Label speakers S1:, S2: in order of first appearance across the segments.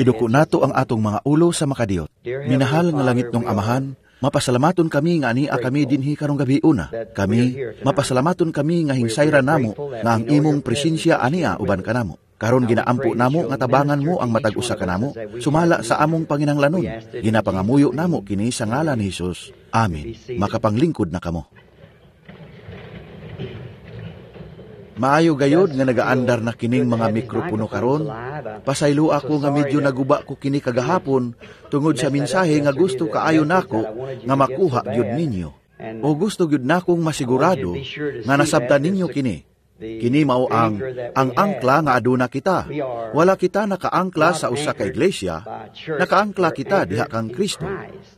S1: Iduko nato ang atong mga ulo sa makadiyot. Minahal nga langit ng Amahan, mapasalamaton kami nga ania kami dinhi karong gabi una. Kami, mapasalamaton kami nga hingsayra namo nga ang imong presensya ania uban kanamo. Karon ginaampo namo nga tabangan mo ang matag usa kanamo, sumala sa among panginahanglanon. Ginapangamuyo namo kini sa ngalan ni Hesus. Amen. Makapanglingkod na kamo. Maayo gayod nga nagaandar na kining mga mikropono karon. Pasaylo ako nga medyo naguba ko kini kagahapon tungod sa mensahe nga gusto kaayo nako nga makuha gyud ninyo. O gusto gyud nakong masigurado nga nasabtan ninyo kini. Kini mao ang angkla nga aduna kita. Wala kita nakaangkla sa usa ka iglesia, nakaangkla kita diha kang Kristo.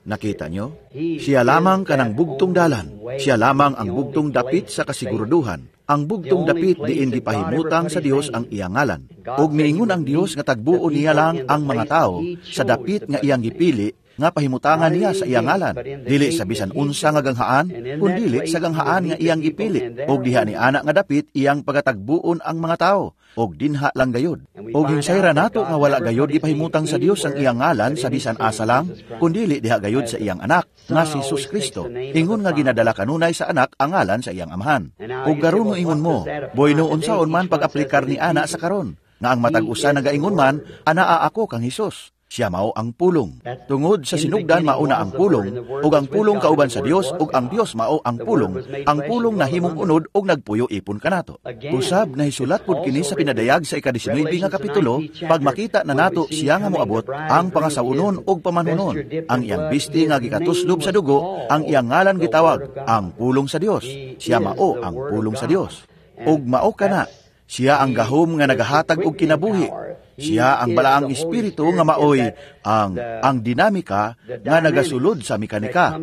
S1: Nakita nyo? Siya lamang kanang bugtong dalan. Siya lamang ang bugtong dapit sa kasiguraduhan. Ang bugtong dapit diin gipahimutang sa Dios ang iyang ngalan. Ug miingon ang Dios nga tagbuon niya lang ang mga tao sa dapit nga iyang gipili nga pahimutangan niya sa iyang ngalan, dili sa bisan unsa nga ganghaan, kundili sa ganghaan nga iyang gipili. Og diha ni ana nga dapit iyang pagatagbuon ang mga tao, og dinha lang gayod. Og hingsayra nato nga wala gayod gipahimutang sa Dios ang iyang ngalan sa bisan asa lang, kundili diha gayod sa iyang anak nga si Jesus Kristo. Ingon nga ginadala kanunay sa anak ang ngalan sa iyang amahan. Og karon ingon mo, bueno unsaon man pag-aplikar ni ana sa karon, nga ang matag usa nagaingon man, anaa ako kang Hesus. Siya mao ang pulong. Tungod sa sinugdan mauna ang pulong, ug ang pulong kauban sa Dios, ug ang Dios mao ang pulong. Ang pulong nahimong unod ug nagpuyo ipon kanato. Usab nahisulat pud kini sa pinadayag sa ika-19 nga kapitulo, pag makita na nato siya nga moabot ang pangasawunon ug pamanhunon. Ang iyang bisti nga gikatuslob sa dugo, ang iyang ngalan gitawag ang pulong sa Dios. Siya mao ang pulong sa Dios. Ug mao kana, siya ang gahom nga nagahatag og kinabuhi. Siya ang balaang espiritu nga maoy ang dinamika nga nagasulod sa mekanika,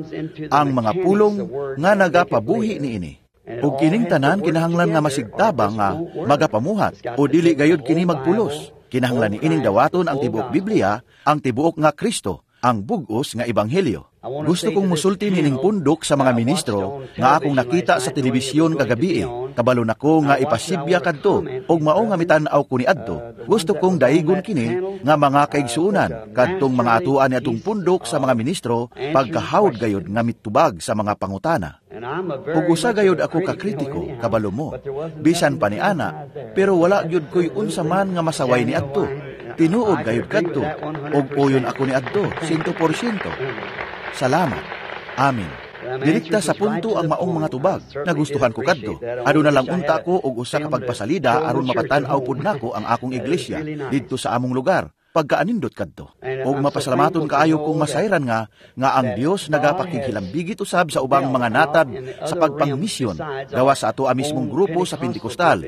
S1: ang mga pulong nga nagapabuhi niini. Ug kining tanan kinahanglan nga masigtabang nga magapamuhat o dili gayud kini magpulos. Kinahanglan niining dawaton ang tibuok Biblia, ang tibuok nga Kristo, ang bug-os nga ebanghelyo. Gusto kong musulti nining pundok sa mga ministro nga akong nakita sa telebisyon kagabi. Kabalo nako nga ipasibya kadto ug mao nga mitan-aw ko niadto. Gusto kong daigon kini nga mga kaigsuonan kadtong mga atuan ni atong pundok sa mga ministro pagkahawd gayod nga mitubag sa mga pangutana. Ug usa gayod ako ka kritiko, kabalo mo. Bisan pa ni ana, pero wala gyud koy unsa man nga masaway ni adto. Tinuod gayud kadto ug uyon ako ni adto 100%. Salamat. Amin. Direkta sa punto ang maong mga tubag. Nagustuhan ko kadto. Aduna lang unta ko og usa ka pagpasalida aron mapatan-aw pud nako ang akong iglesia didto sa among lugar. Pagkaanindot kadto. Og mapasalamaton kaayo kung masayran nga nga ang Dios nagapakighilambigit usab sa ubang mga natad sa pagpangmisyon gawa sa ato mismong grupo sa Pentekostal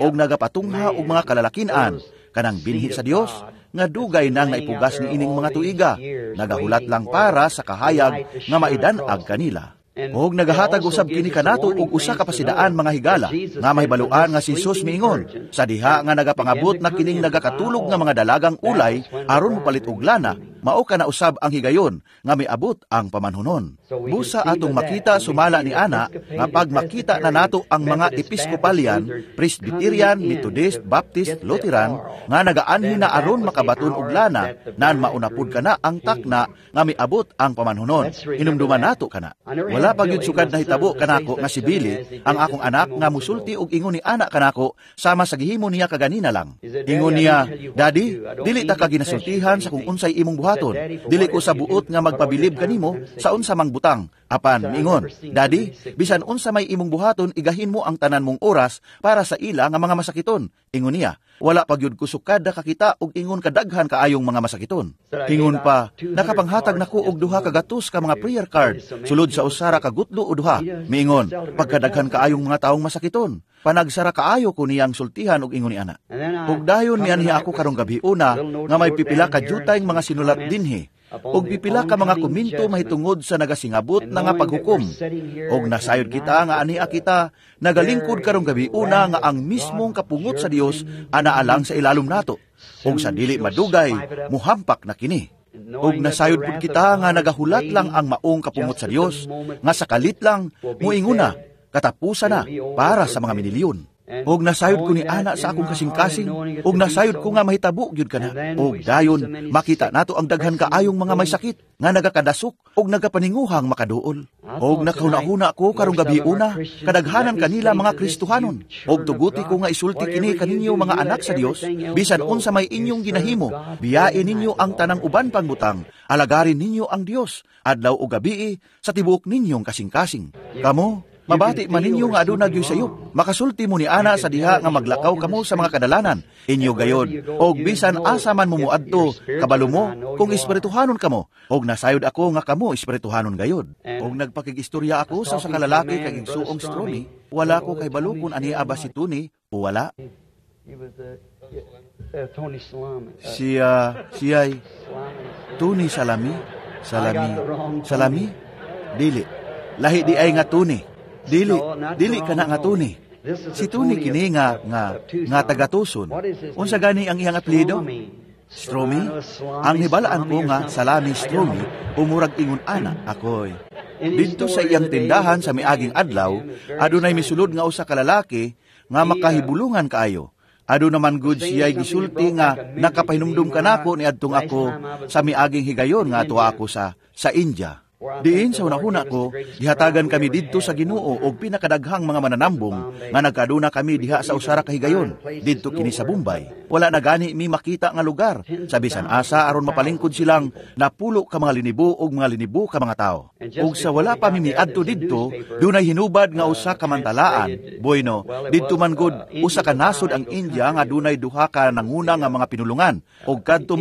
S1: og nagapatungha og mga kalalakinan kanang binhi sa Dios nga dugay nang naipugas ni ining mga tuiga, nagahulat lang para sa kahayag nga maidan-ag kanila. Og nagahatag usab kini kanato og usa ka pasidaan mga higala nga mahibaluan nga si Jesus miingon sa diha nga nagapangabot na kining nagakatulog nga mga dalagang ulay aron mopalit og lana, mao kana usab ang higayon nga miabot ang pamanhunon. Busa atong makita sumala ni ana nga pag makita na nato ang mga Episcopalian, Presbyterian, Methodist, Baptist, Lutheran nga nagaanhi na aron makabaton og lana, naan mauna pud kana ang takna nga miabot ang pamanhunon. Hinumduman nato kana. Wala pa gyud sukad nahitabo kanako nga si Billy, ang akong anak nga musulti og ingon ni ana kanako sama sa gihimo niya kaganina lang. Ingon niya, "Daddy, dili ta ka ginasultihan sa kung unsay imong buhaton. Dili ko sa buot nga magpabilib kanimo sa unsa mang butang." Apan miingon, "Daddy, bisan unsa may imong buhaton, igahin mo ang tanan mong oras para sa ila nga mga masakiton." Ingon niya, "Wala pa gyud ko sukad nakakita og ingon kadaghan kaayong mga masakiton." Ingon pa, "Nakapanghatag nako og 200 ka mga prayer card sulod sa 1 ka gutlo o 2." Miingon, "Pagkadaghan kaayong mga taong masakiton. Panagsara kaayo ko niyang sultihan og ingon ni ana." Ug dayon mianhi ako karong gabi una nga may pipila ka jutayng mga sinulat dinhi ug pipila ka mga komento mahitungod sa nagasingabot na nga paghukom. Og nasayod kita nga ania kita nagalingkod karong gabi una nga ang mismong kapungot sa Dios ana alang sa ilalom nato. Ug sa dili madugay muhampak na kini. Og nasayod pud kita nga nagahulat lang ang maong kapungot sa Dios nga sa kalit lang muinguna katapusan na para sa mga minilyon. Og nasayod ko ni ana sa akong kasing-kasing, og nasayod ko nga mahitabo gyud kana. Og dayon makita nato ang daghan kaayong mga may sakit nga nagakadasok og nagapaninguhang makaduol. Og nakahuna-huna ko karong gabi una, kadaghanan kanila mga Kristohanon. Og tuguti ko nga isulti kini kaninyo mga anak sa Dios, bisan unsa may inyong ginahimo, biyain ninyo ang tanang uban pang butang, alagarin ninyo ang Dios adlaw o gabii sa tibuok ninyong kasing-kasing. Kamo, mabati man ninyo nga aduna gyoy sayop. Makasulti mo ni ana sa diha nga maglakaw kamo sa mga kadalanan. Inyo gayod, og bisan asa man mo moadto, kabalo mo kung espirituhanon kamo, og nasayod ako nga kamo espirituhanon gayod. Og nagpakig-istorya ako sa usa ka lalaki kag igsuong Stromy, wala ko kay balo kung ania ba si Tony o wala. Siya, siya'y Tony Salami, Salami, Salami, dili. Lahi di ay nga Tony. Dili, dili kana nga Tony. Si Tony kini nga nga nga taga Tucson. Unsa gani ang iyang apelyido? Stromy? Ang hibalaan ko nga Salami Stromy, umurag ingon ana akoy. Didto sa iyang tindahan sa miaging adlaw, adunay misulod nga usa ka lalaki nga makahibulungan kaayo. Aduna man gud siya'y gisulti nga nakapahinumdum kanako niadtong ako sa miaging higayon nga ato ako sa India. Diin sa hunahuna ko, gihatagan kami didto sa Ginoo og pinakadaghang mga mananambong nga nagkaduna kami diha sa usa ra ka higayon didto kini sa Bombay. Wala na gani mi makita nga lugar sa bisan asa aron mapalingkod silang napulo ka mga linibo og mga linibo ka mga tawo. Ug sa wala pa mi miadto didto, dunay hinubad nga usa ka mantalaan. Bueno, didto man gud usa ka nasod ang India nga dunay duha ka nanguna nga mga pinulungan og kadto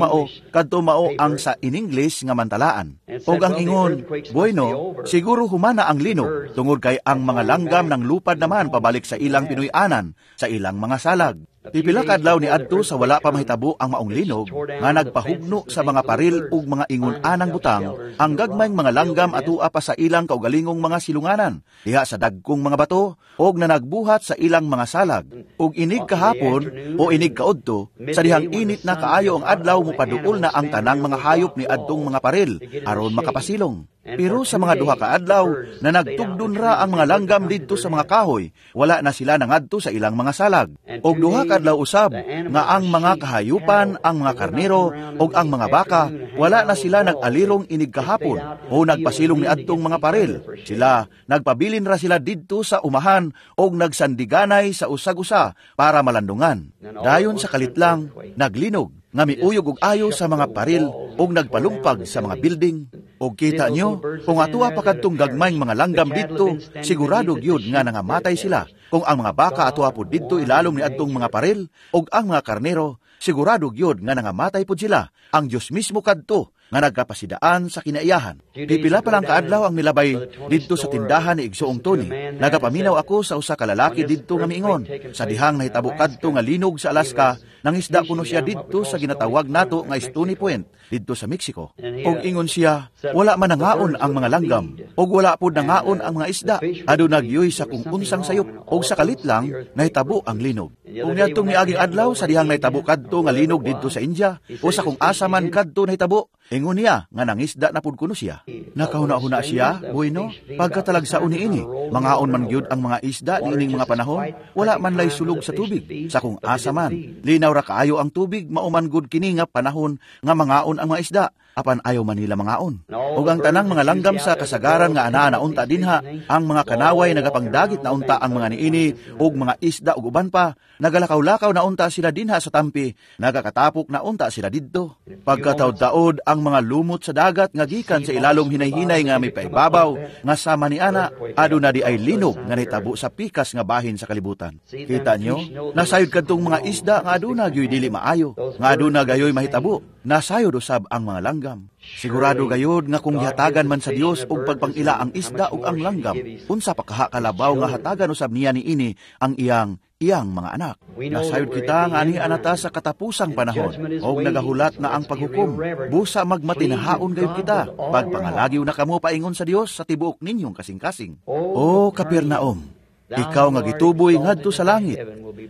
S1: mao ang sa in English nga mantalaan. Og ang ingon, bueno, siguro humana ang linog, tungod kay ang mga langgam ng lupad naman pabalik sa ilang Pinoy-anan, sa ilang mga salag. Pipila ka adlaw ni adto sa wala pa mahitabo ang maong linog, nga nagpahugno sa mga paril ug mga ingon-anang butang, ang gagmayng mga langgam atua pa sa ilang kaugalingong mga silunganan, diha sa dagkong mga bato, og nanagbuhat sa ilang mga salag. Ug inig kahapon o inig kaudto, sa dihang init na kaayo ang adlaw, mupaduol na ang tanang mga hayop ni adtong mga paril, aron makapasilong. Pero sa mga 2 ka adlaw na nagtugdon ra ang mga langgam didto sa mga kahoy, wala na sila nangadto sa ilang mga salag. Og 2 ka adlaw usab nga ang mga kahayupan, ang mga karnero og ang mga baka, wala na sila nag-alirong inig kahapon o nagpasilong ni adtong mga paril. Sila nagpabilin ra sila didto sa umahan og nagsandiganay sa usag-usa para malandungan. Dayon sa kalit lang naglinog nga miuyog og ayo sa mga paril og nagpalumpag sa mga building. Og kita nyo, kung atua pa kadtong gagmayng mga langgam didto, sigurado gyud nga nangamatay sila. Kung ang mga baka atua pud didto ilalom ni adtong mga paril, og ang mga karnero, sigurado gyud nga nangamatay pud sila. Ang Dios mismo kadto nga nagkapasidaan sa kinaiyahan. Pipila pa lang kaadlaw ang nilabay didto sa tindahan ni Igsoong Tony. Nagapaminaw ako sa usa ka lalaki didto nga miingon. Sa dihang nahitabo kadto nga linog sa Alaska, nangisda kuno siya didto sa ginatawag nato nga Stony Point didto sa Mexico. Og ingon siya, wala man nangaon ang mga langgam, og wala pud nangaon ang mga isda. Aduna gyoy sa kung unsang sayop, og sa kalit lang nahitabo ang linog. Ug niadtong miaging adlaw sa dihang nahitabo kadto nga linog didto sa India, o sa kung asa man kadto nahitabo, ingon niya nga nangisda na pud kuno siya. Nakahuna-huna siya, bueno, pagkatalagsaon niini, mangaon man gyud ang mga isda niining mga panahon, wala man lay sulog sa tubig, sa kung asa man. Linaw ra kaayo ang tubig, mao man gud kini nga panahon nga mangaon ang mga isda, apan ayaw man nila mangaon. Ug ang tanang mga langgam sa kasagaran nga anaa na unta dinha, ang mga kanaway nagapangdagit na unta ang mga niini ug mga isda ug uban pa, nagalakaw-lakaw na unta sila dinha sa tampi, nagakatapok na unta sila didto. Pagkataod-taod ang mga lumot sa dagat nga gikan sa ilalom hinay-hinay nga mipaibabaw nga sama ni ana, aduna di ay linog nga nahitabo sa pikas nga bahin sa kalibutan. Kita nyo, nasayod kadtong mga isda nga aduna gyoy dili maayo, nga aduna gayoy mahitabo. Nasayod usab ang mga langgam. Sigurado gayod nga kung gihatagan man sa Dios og pagpangila ang isda ug ang langgam, unsa pa kaha kalabaw nga hatagan usab niya niini ang iyang iyang mga anak. Nasayod kita nga ani anata sa katapusang panahon, og nagahulat na ang paghukom. Busa magmatinahaon gayud kita, pagpangalagiw na kamo paingon sa Dios sa tibuok ninyong kasing-kasing. O Capernaum, ikaw nga gituboy ngadto sa langit,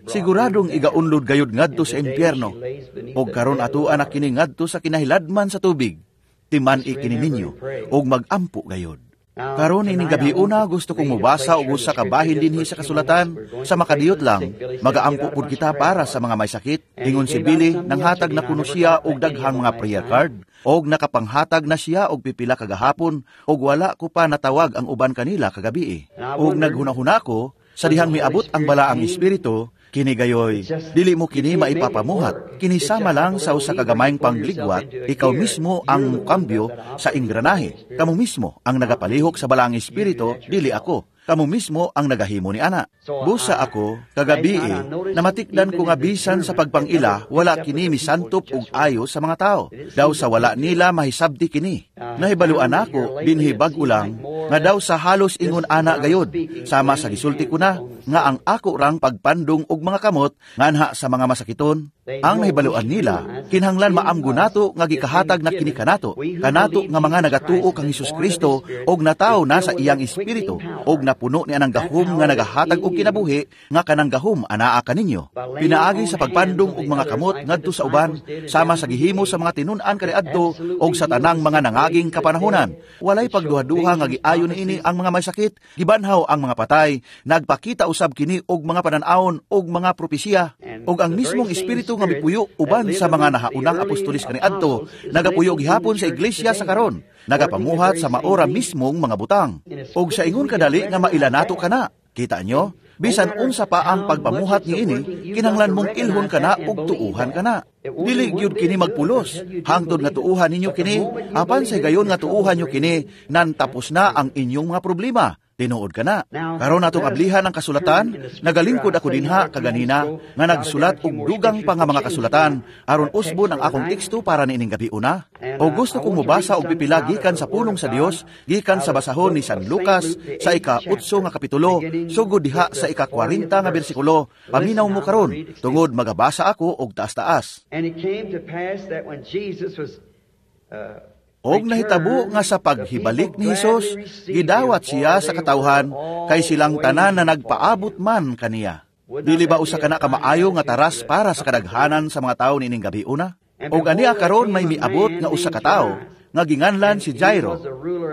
S1: siguradong igaunlod gayud ngadto sa impyerno, og karon atoa na kini ngadto sa kinahiladman sa tubig. Timan-i kini ninyo, og magampo gayud. Karon ining gabiuna gusto kong mobasa og usa ka bahin dinhi sa kasulatan sa makadiyot lang magaampo pud kita para sa mga may sakit. Ingon si Billy, nanghatag na kuno siya og daghang mga prayer card og nakapanghatag na siya og pipila kagahapon og wala ko pa natawag ang uban kanila kagabi. Og naghunahuna ko sa dihang miabot ang balaang espiritu, kini gayoy dili mo kini maipapamuhat, kini sama lang sa usa ka gamayng pangligwat, ikaw mismo ang mukambyo sa ingranahe, kamo mismo ang nagapalihok sa balaang espiritu, dili ako. Kamo mismo ang nagahimo ni ana. Busa ako, kagabi namatikdan ko nga bisan sa pagpangila, wala kini misantop og ayo sa mga tao. Daw sa wala nila mahisabti kini. Nahibaluan ako, dinhi bag-o lang, nga daw sa halos ingon ana gayod. Sama sa gisulti ko na, nga ang ako rang pagpandong og mga kamot, nganha sa mga masakiton. Ang nahibaluan nila, kinahanglan maamgo nato nga gikahatag na kini kanato, kanato nga mga nagatuo kang Hesus Kristo og natawo na sa iyang espiritu og napuno ni anang gahom nga nagahatag og kinabuhi nga kanang gahom anaa kaninyo. Pinaagi sa pagpandong og mga kamot ngadto sa uban, sama sa gihimo sa mga tinun-an kaniadto og sa tanang mga nangaging kapanahonan. Walay pagduha-duha nga giayo niini ang mga may sakit, gibanhaw ang mga patay, nagpakita usab kini og mga panan-awon og mga propesiya, og ang mismong espiritu nga mipuyo uban sa mga nahaunang apostolis kaniadto, nagapuyo gihapon sa iglesia sa karon, nagapamuhat sa maora mismong mga butang. Og sa ingon kadali nga maila nato kana. Kita nyo? Bisan unsa pa ang pagpamuhat niini, kinahanglan mong ilhon kana ug tuuhan kana. Dili gyud kini magpulos, hangtod nga tuuhan ninyo kini, apan sa higayon nga tuuhan nyo kini, nan tapos na ang inyong mga problema. Tinuod ka na. Karon atong ablihan ang kasulatan, nagalingkod ako dinha kaganina nga nagsulat og dugang pa nga mga kasulatan aron usbon ang akong teksto para niining gabi una. O gusto kong mobasa og pipila gikan sa pulong sa Dios, gikan sa basahon ni San Lucas sa ika-8 nga kapitulo, sugod diha sa ika-40 nga bersikulo. Paminaw mo karon tungod magabasa ako og taas-taas.
S2: And it came to pass that when Jesus was
S1: Og nahitabo nga sa paghibalik ni Hesus, gidawat siya sa katawhan, kay silang tanan na nagpaabot man kaniya. Dili ba usa kana kamaayo nga taras para sa kadaghanan sa mga tawo niining gabi una? Og ania karon may miabot nga usa ka tawo nga ginganlan si Jairo,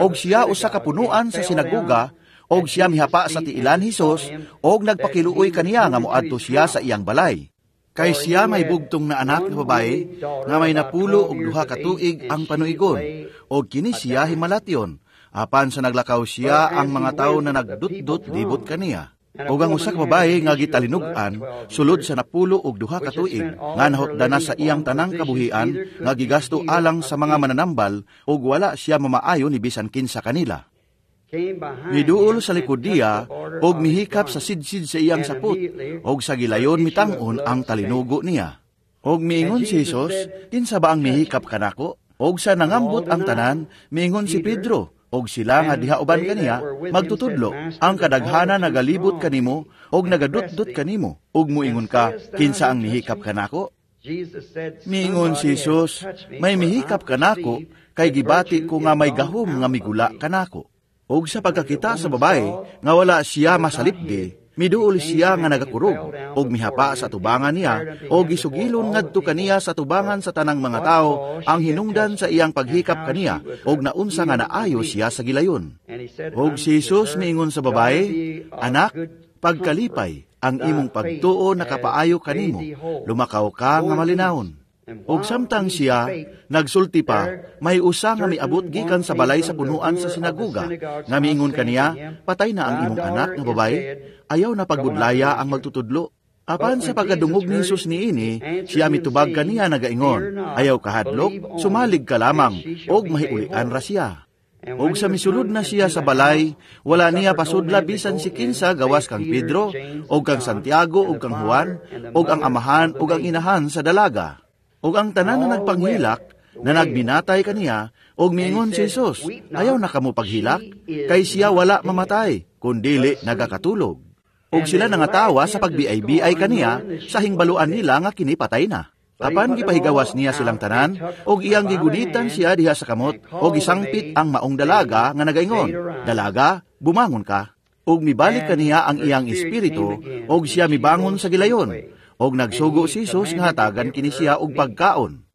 S1: og siya usa ka punuan sa sinagoga, og siya mihapa sa tiilan Hesus, og nagpakiluoy kaniya nga moadto siya sa iyang balay. Kay siya may bugtong na anak nga babae, nga may napulo og 2 ka tuig ang panuigon, og kini siya himalatyon. Apan sa naglakaw siya ang mga tawo na nagdutdot libot kaniya. Og ang usa ka babae nga gitalinog-an, sulod sa 12 ka tuig, nga nahotda na sa iyang tanang kabuhian, nga gigasto alang sa mga mananambal, og wala siya mamaayo ni bisan kinsa kanila. Miduol sa likod niya, og mihikap sa sidsid sa iyang sapot, og sa gilayon mitangon ang talinugo niya. Og miingon si Hesus, "Kinsa ba ang mihikap kanako?" Og sa nangambot ang tanan, miingon si Pedro, og sila nga diha uban kaniya, "Magtutudlo, ang kadaghanan nagalibot kanimo, og nagadutdot kanimo, og muingon ka, kinsa ang mihikap kanako?" Miingon si Hesus, "May mihikap kanako, kay gibati ko nga may gahom nga migula kanako." Og sa pagkakita sa babae nga wala siya masalipdi, miduol siya nga nagakurog, og mihapa sa tubangan niya, og gisugilon ngadto kaniya sa tubangan sa tanang mga tao ang hinungdan sa iyang paghikap kaniya, og naunsa nga naayo siya sa gilayon. Og si Jesus miingon sa babae, "Anak, pagkalipay, ang imong pagtuo nakapaayo kanimo, lumakaw ka nga malinawon." Og samtang siya nagsulti pa, may usa nga miabot gikan sa balay sa punuan sa sinagoga, nga miingon kaniya, "Patay na ang imong anak nga babae, ayaw na pagbudlaya ang magtutudlo." Apan sa pagkadungog ni Jesus niini, siya mitubag kaniya nagaingon, "Ayaw kahadlok, sumalig ka lamang, og mahiulian ra siya." Og sa misulod na siya sa balay, wala niya pasudla bisan si kinsa gawas kang Pedro, og kang Santiago, og kang Juan, og ang amahan, og ang inahan sa dalaga. Og ang tanan na nagpanghilak, na nagbinatay kaniya, og miingon si Jesus, "Ayaw na kamo paghilak, kay siya wala mamatay, kundili nagakatulog." Og sila nangatawa sa pagbiay-biay kaniya, sa hingbaluan nila nga kini patay na. Apan gipahigawas niya silang tanan, og iyang gigunitan siya diha sa kamot, og gisangpit ang maong dalaga nga nagaingon, "Dalaga, bumangon ka." Og mibalik kaniya ang iyang espiritu, og siya mibangon sa gilayon. Og nagsugo si Jesus nga hatagan kini siya og pagkaon.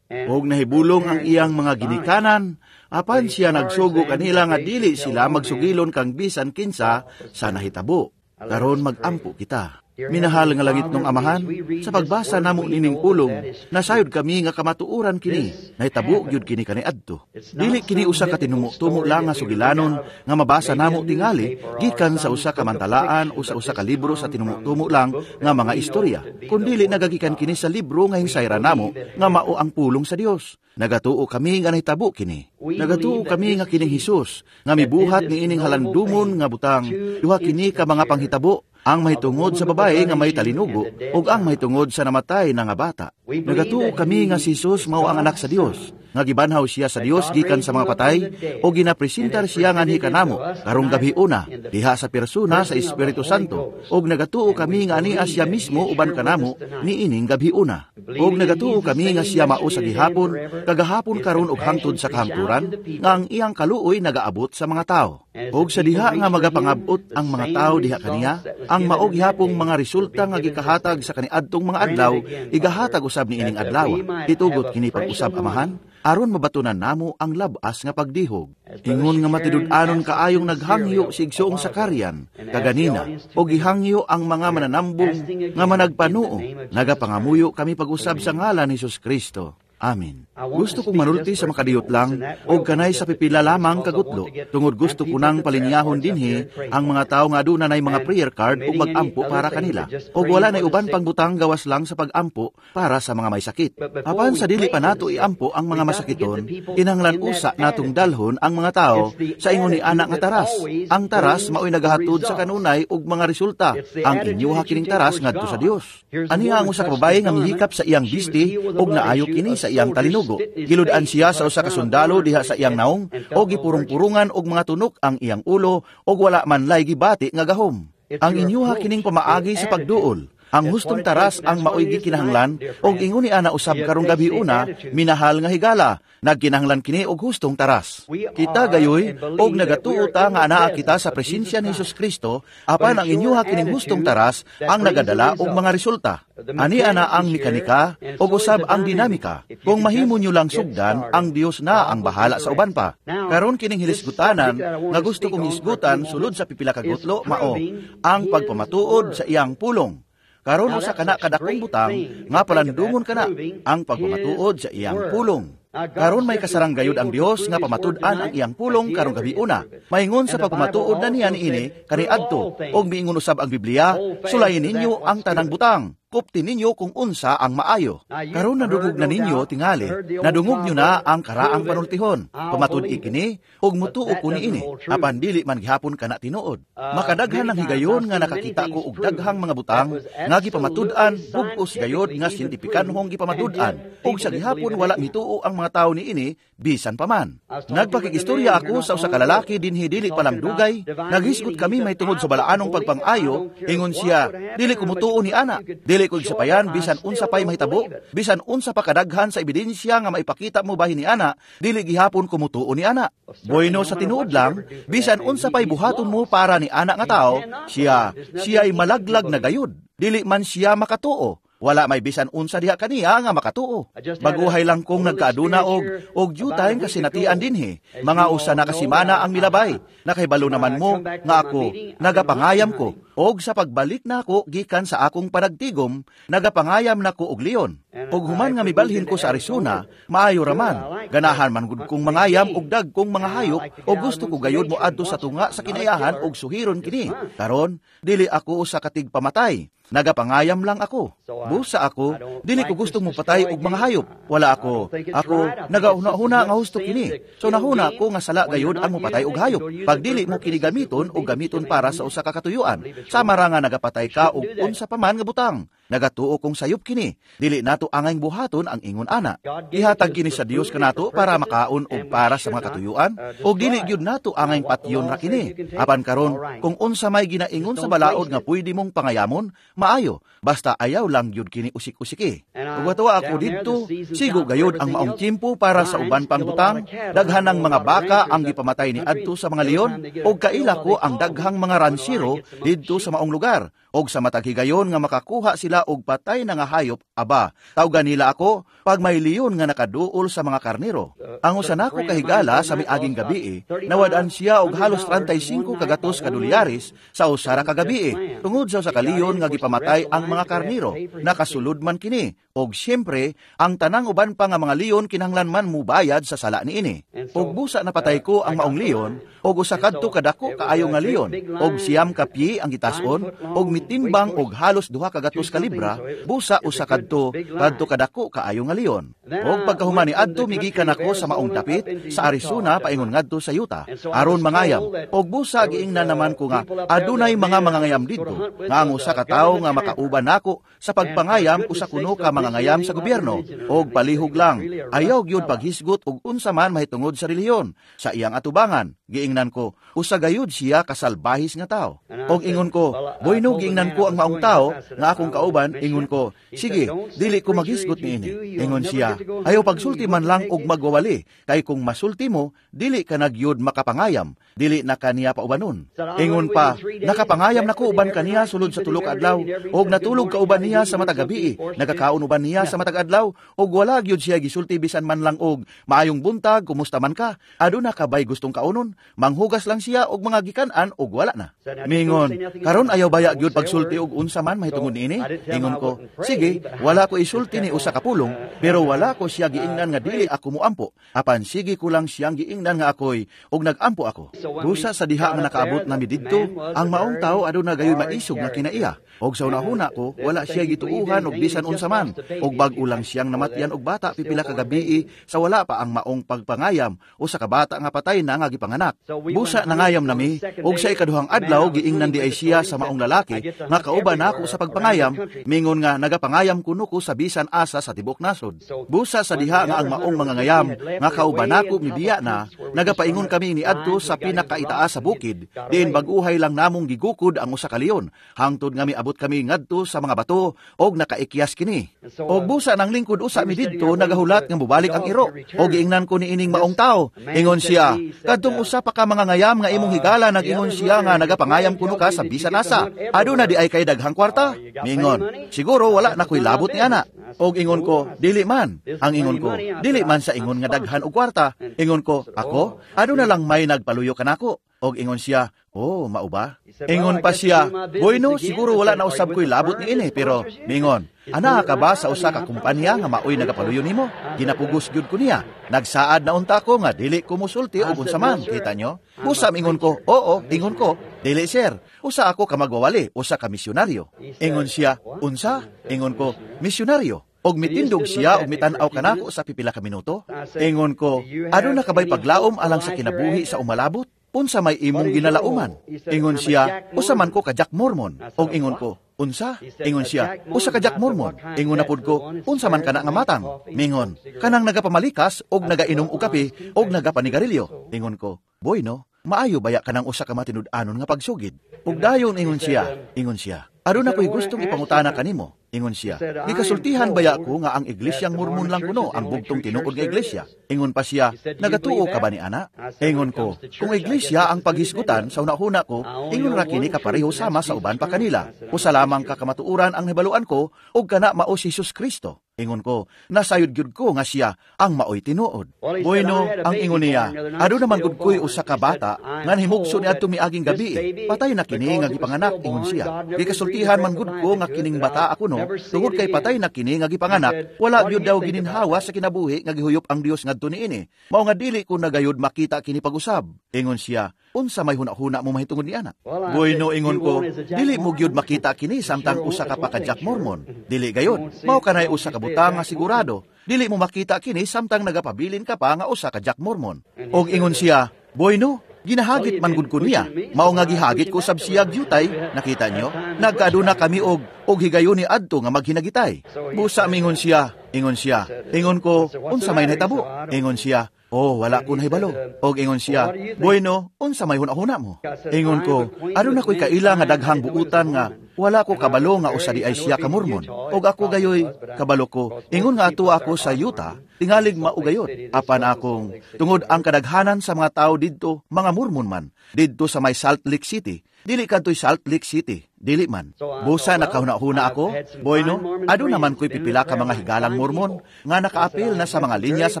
S1: Og nahibulong ang iyang mga ginikanan, apan siya nagsugo kanila nga dili sila magsugilon kang bisan kinsa sa nahitabo. Karon magampo kita. Minahal nga langit nung Amahan, sa pagbasa namo nining pulong, nasayod kami nga kamatuoran kini, nahitabo gyud kini kaniadto. Dili kini usa ka tinumo-tumo lang nga sugilanon nga mabasa namo tingali gikan sa usa ka mantalaan o sa usa ka libro sa tinumo-tumo lang nga mga istorya, kundili nagagikan kini sa libro nga hinsayra namo nga mao ang pulong sa Dios. Nagatuo kami nga nahitabo kini. Nagatuo kami nga kining Hesus nga mibuhat niining halandumon nga butang, duha kini ka mga panghitabo, ang mahitungod sa babae nga may talinugo ug ang mahitungod sa namatay na nga bata. Nagatuo kami nga si Hesus mao ang anak sa Dios, nga gibanhaw siya sa Dios gikan sa mga patay o ginapresentar siya nganhi kanamo karong gabi una diha sa persona sa Espiritu Santo, ug nagatuo kami nga ania siya mismo uban kanamo niining gabi una. Ug nagatuo kami nga siya mao sa gihapon, kagahapon, karon ug hangtod sa kahangturan, nga ang iyang kaluoy nagaabot sa mga tao. Og sa diha nga magapangabot ang mga tao diha kaniya, ang mao gihapong mga resulta nga gikahatag sa kaniadtong mga adlaw, igahatag usab niining adlaw. Itugot kini pag-usab, Amahan, aron mabatunan namo ang labas nga pagdihog. Ingon nga matinud-anon kaayong naghangyo si igsoong Sakarian kaganina, o gihangyo ang mga mananambong nga managpanuo. Nagapangamuyo kami pag-usab sa ngalan ni Jesus Kristo. Amen. Gusto kong manulti sa makadiyot lang o kanay sa pipila lamang kagutlo, tungod gusto ko nang palinyahon dinhi ang mga tao nga aduna nay mga prayer card ug magampo para kanila, og wala nay uban pang butang gawas lang sa pagampo para sa mga may sakit. Apan sa dili pa nato iampo ang mga masakiton, kinahanglan usa natong dalhon ang mga tao sa ingon ni ana nga taras. Ang taras maoy nagahatod sa kanunay ug mga resulta. Ang inyuha kining taras ngadto sa Dios. Aniha ang usa ka babae nga mihikap sa iyang bisti ug naayo kini sa iyang talinugo. Gilud-an siya sa usa ka sundalo diha sa iyang naong o gipurong-purungan og mga tunok ang iyang ulo og wala man lay gibati nga gahom. Ang inyuha kining pamaagi sa pagduol. Ang hustong taras ang maoy gikinahanglan og ingon ni ana usab karong gabi una, minahal nga higala, nagkinahanglan kini og hustong taras. Kita gayoy og nagatuo ta nga anaa kita sa presensya ni Hesus Kristo, apan ang inyuha kining hustong taras ang nagadala og mga resulta. Ani ana ang mekanika og usab ang dinamika. Kung mahimo nyo lang sugdan, ang Dios na ang bahala sa uban pa. Karon kining hilisgutanan nga gusto kong hisgutan sulod sa pipila ka gutlo mao ang pagpamatuod sa iyang pulong. Karon usa kana kadakong butang nga palandungon kana ang pagpamatuod sa iyang pulong. Karon may kasarang gayud ang Dios nga pamatud-an ang iyang pulong karong gabi una. Maingon sa pagpamatuod na niya niini kaniadto, og miingon usab ang Biblia, sulayin ninyo ang tanang butang, kupti ninyo kung unsa ang maayo. Karon nadungog na ninyo tingali, nadungog nyo na ang karaang panultihon. Pamatud-i kini ug mutuo ko niini, apan dili man gihapon kana tinuod. Makadaghan ang higayon nga nakakita ko og daghang mga butang nga gipamatud-an bug-os gayod nga siyentipikanhong gipamatud-an, ug sa gihapon wala mituo ang mga tawo niini bisan pa man. Nagpakikistorya ako sa usa ka lalaki dinhi dili pa lang dugay, naghisgot kami may tungod sa balaanong pagpang-ayo. Ingon siya, dili ko mutuo ni ana, dili ko sapayan bisan unsa pay mahitabo, bisan unsa pa kadaghan sa ebidensya nga maipakita mo bahin ni ana, dili gihapon ko mutuo ni ana. Bueno, sa tinuod lang, bisan unsa pay buhaton mo para ni ana nga tao, siya'y malaglag na gayud, dili man siya makatuo. Wala may bisan unsa diha kaniya nga makatuo. Baguhay lang kong nagkaaduna og due time kasinatian dinhi. Mga usa na kasimana ang milabay. Nakahibalo naman mo nga ako nagapangayam ko. Og sa pagbalik nako gikan sa akong panagtigom, nagapangayam nako og leon. Og human nga mibalhin ko sa Arizona, maayo raman. Ganahan man gud kong mangayam og dagkong mga hayop, og gusto ko gayud mo adto sa tunga sa kinayahan og suhiron kini. Karon, dili ako usa ka tigpamatay. Nagapangayam lang ako. Busa ako, dili ko gustong mopatay og mga hayop. Wala ako. Ako nagahuna-huna nga husto kini. So nahuna ko nga sala gayud ang mopatay og hayop. Pag dili mo kini gamiton og gamiton para sa usa ka katuyuan, sama ra nga nagapatay ka og unsa pa man nga butang. Nagatuo kong sayop kini. Dili nato angayng buhaton ang ingon ana. Ihatag kini sa Dios kanato para makaon og para sa mga katuyuan, og dili gyud nato angayng patyon ra kini. Apan karon, kung unsa may ginaingon sa balaod nga pwede mong pangayamon, maayo, basta ayaw lang gyud kini usik-usiki. Ug watuwa ako didto, sigo gayud ang maong tiempo para sa uban pang butang. Daghan ng mga baka ang gipamatay ni adto sa mga leon, og kaila ko ang daghang mga ransiro didto sa maong lugar. Og sa matag higayon nga makakuha sila og patay na nga hayop, aba, tawgan nila ako pag may leon nga nakaduol sa mga karnero. Ang usa nako kahigala sa miaging gabii, nawad-an siya og halos 35 kagatos ka dolyares sa usa ra ka gabii, tungod sa usa ka leon nga gipamatay ang mga karnero. Nakasulod man kini, og siyempre ang tanang uban pa nga mga leon kinahanglan man mubayad sa sala niini. Og busa napatay ko ang maong leon, og usa kadto kadako kaayo nga leon, og 9 ka pye ang gitason, og mitimbang og halos 2 kagatos ka libra, busa usa kadto kadto kadako kaayo nga leon. Og pagkahuman ni adto migikan ako sa maong dapit sa Arizona paingon ngadto sa Utah aron mangayam. Og busa giingnan naman ko nga adunay mga mangangayam didto, nga ang usa ka tawo nga makauban nako sa pagpangayam usa kuno ka mangangayam sa gobyerno, og palihog lang ayaw gyud paghisgot og unsa man mahitungod sa relihiyon sa iyang atubangan. Giingnan ko, usa gayud siya kasalbahis nga tao. Og ingon ko, "Bueno," giingnan ko ang maong tao nga akong kauban, ingon ko, "Sige, dili ko maghisgot niini." Ingon siya, "Ayaw pagsulti man lang og magwawali, kay kung masulti mo, dili ka nagyud makapangayam, dili na kaniya paubanon." Ingon pa, "Nakapangayam na ko uban kaniya sulod sa 3 ka adlaw, og natulog ka uban niya sa matag gabii, nagakaon uban niya sa matag adlaw, og wala gyud siya gisulti bisan man lang og maayong buntag, kumusta man ka, aduna ka bay gustong kaunon? Manghugas lang siya og mga gikan-an og wala na." Mingon, "Karon ayaw baya gyud pagsulti og unsa man mahitungod niini?" Ingon ko, "Sige, wala ko isulti ni usa ka pulong, pero wala ko siya giingnan nga dili ako muampo. Apan sige ko lang siyang giingnan nga ako'y og nagampo ako." Busa sa diha nga nakaabot nami didto, ang maong tao aduna gayoy maisog nga kinaiya. Og sa una-una ko, wala siya gituuhan og bisan unsa man, og bag-o lang siyang namatyan og bata pipila ka gabii sa wala pa ang maong pagpangayam usa ka bata nga patay na nga gipanganak. Busa nangayam nami, og sa ikaduhang adlaw giingnan di ay siya sa maong lalaki nga kauban nako sa pagpangayam, mingon nga nagapangayam kuno ko sa bisan asa sa tibuok nasod. Busa sa diha nga ang maong mangangayam nga kauban nako mibiya na, nagapaingon kami niadto sa pinakaitaas sa bukid, diin bag-uhay lang namong gigukod ang usa ka leon, hangtod nga miabot kami ngadto sa mga bato og nakaikyas kini. Og busa nang lingkod usa mi didto nagahulat nga mobalik ang iro, og giingnan ko niining maong tao. Ingon siya, "Kadtong usa pa ka mangangayam nga imong higala nag-ingon siya nga nagapangayam kuno ka sa bisan asa. Aduna di ay kay daghang kwarta?" Mingon, "Siguro wala na ko'y labot ni ana." Og ingon ko, "Dili man." Ang ingon ko, "Dili man sa ingon nga daghan og kwarta." Ingon ko, "Ako, aduna lang may nagpaluyo kanako." Og ingon siya, "Oh, mao ba?" Ingon pa siya, "Bueno, siguro wala na usab ko'y labot ni ini, pero," mingon, "ana ka ba sa usa ka kumpanya nga maoy nagapaluyo nimo? Ginapugos gyud ko niya. Nagsaad na unta ko nga dili ko musulti og unsa man, kita nyo?" Busa ingon ko, "Oo," ingon ko, "Dili sir, usa ako ka magwawali, usa ka misyonaryo." Ingon siya, "Unsa?" Ingon ko, "Misyonaryo." Og mitindog siya og mitan-aw kanako sa pipila ka minuto. Ingon ko, "Aduna ka ba'y paglaom alang sa kinabuhi sa umalabot? Unsa may imong ginalauman?" Ingon siya, "Usa man ko ka Jack Mormon." Og ingon ko, "Unsa?" Ingon siya, "Usa ka Jack Mormon." Ingon na pud ko, "Unsa man kana nga matang?" Mingon, "Kanang nagapamalikas og nagainom og kape og nagapanigarilyo." Ingon ko, "Boy no, maayo baya kanang usa ka matinud-anon nga pagsugid?" Ug dayon ingon siya, "Aduna ko'y gustong ipangutana kanimo." Ingon siya, "Gikasultihan baya ko nga ang iglesyang Mormon lang kuno ang bugtong tinuod nga iglesia?" Ingon pa siya, "Nagatuo ka ba ni ana?" Ingon ko, "Kung iglesia ang paghisgutan sa una-huna ko, ingon ra kini kapareho sama sa uban pa kanila. Usa lamang ka kamatuoran ang hibaluan ko, ug kana mao si Jesus Kristo." Ingon ko, "Nasayod gyud ko nga siya ang maoy tinuod." Bueno, ang ingon niya, "Aduna man gud ko'y usa ka bata nga nahimugso ni adto miaging gabi. Patay na kini nga gipanganak," ingon siya. "Gikasultihan man gud ko nga kining bata ako no, tungod kay patay na kini nga gipanganak, wala gyud daw gininhawa sa kinabuhi nga gihuyop ang Dios ngadto niini. Mao nga dili ko nagayod makita kini pag-usab." Ingon siya, "Unsa may huna-huna mo mahitungod ni ana?" Bueno, ingon ko, "Dili mo gyud makita kini samtang usa ka pa ka Jack Mormon. Dili gayod. Mao kanay usa ka butang nga sigurado. Dili mo makita kini samtang nagapabilin ka pa nga usa ka Jack Mormon." Og ingon siya, "Bueno, ginahagit man gud ko niya. Mao nga gihagit ko sab siya gyutay, nakita nyo? Nagkaaduna kami og higayon ni adto nga maghinagitay." Busa mingon siya, ingon siya. Ingon ko, "Unsa may nahitabo?" Ingon siya, "Oh, wala ko nahibalo." Og ingon siya, "Bueno, unsa may huna-huna mo?" Ingon ko, "Aduna ko'y kaila nga daghang buutan nga wala ko kabalo nga usa di ay siya ka Mormon. Og ako gayoy kabalo ko. Ingon nga ato ako sa Utah, tingalig maugayot. Apan akong tungod ang kadaghanan sa mga tao didto mga Mormon man didto sa may Salt Lake City. Dili kadto'y Salt Lake City, dili man. Busa nakahuna-huna ako, bueno, aduna man ko'y pipila ka mga higalang Mormon nga nakaapil na sa mga linya sa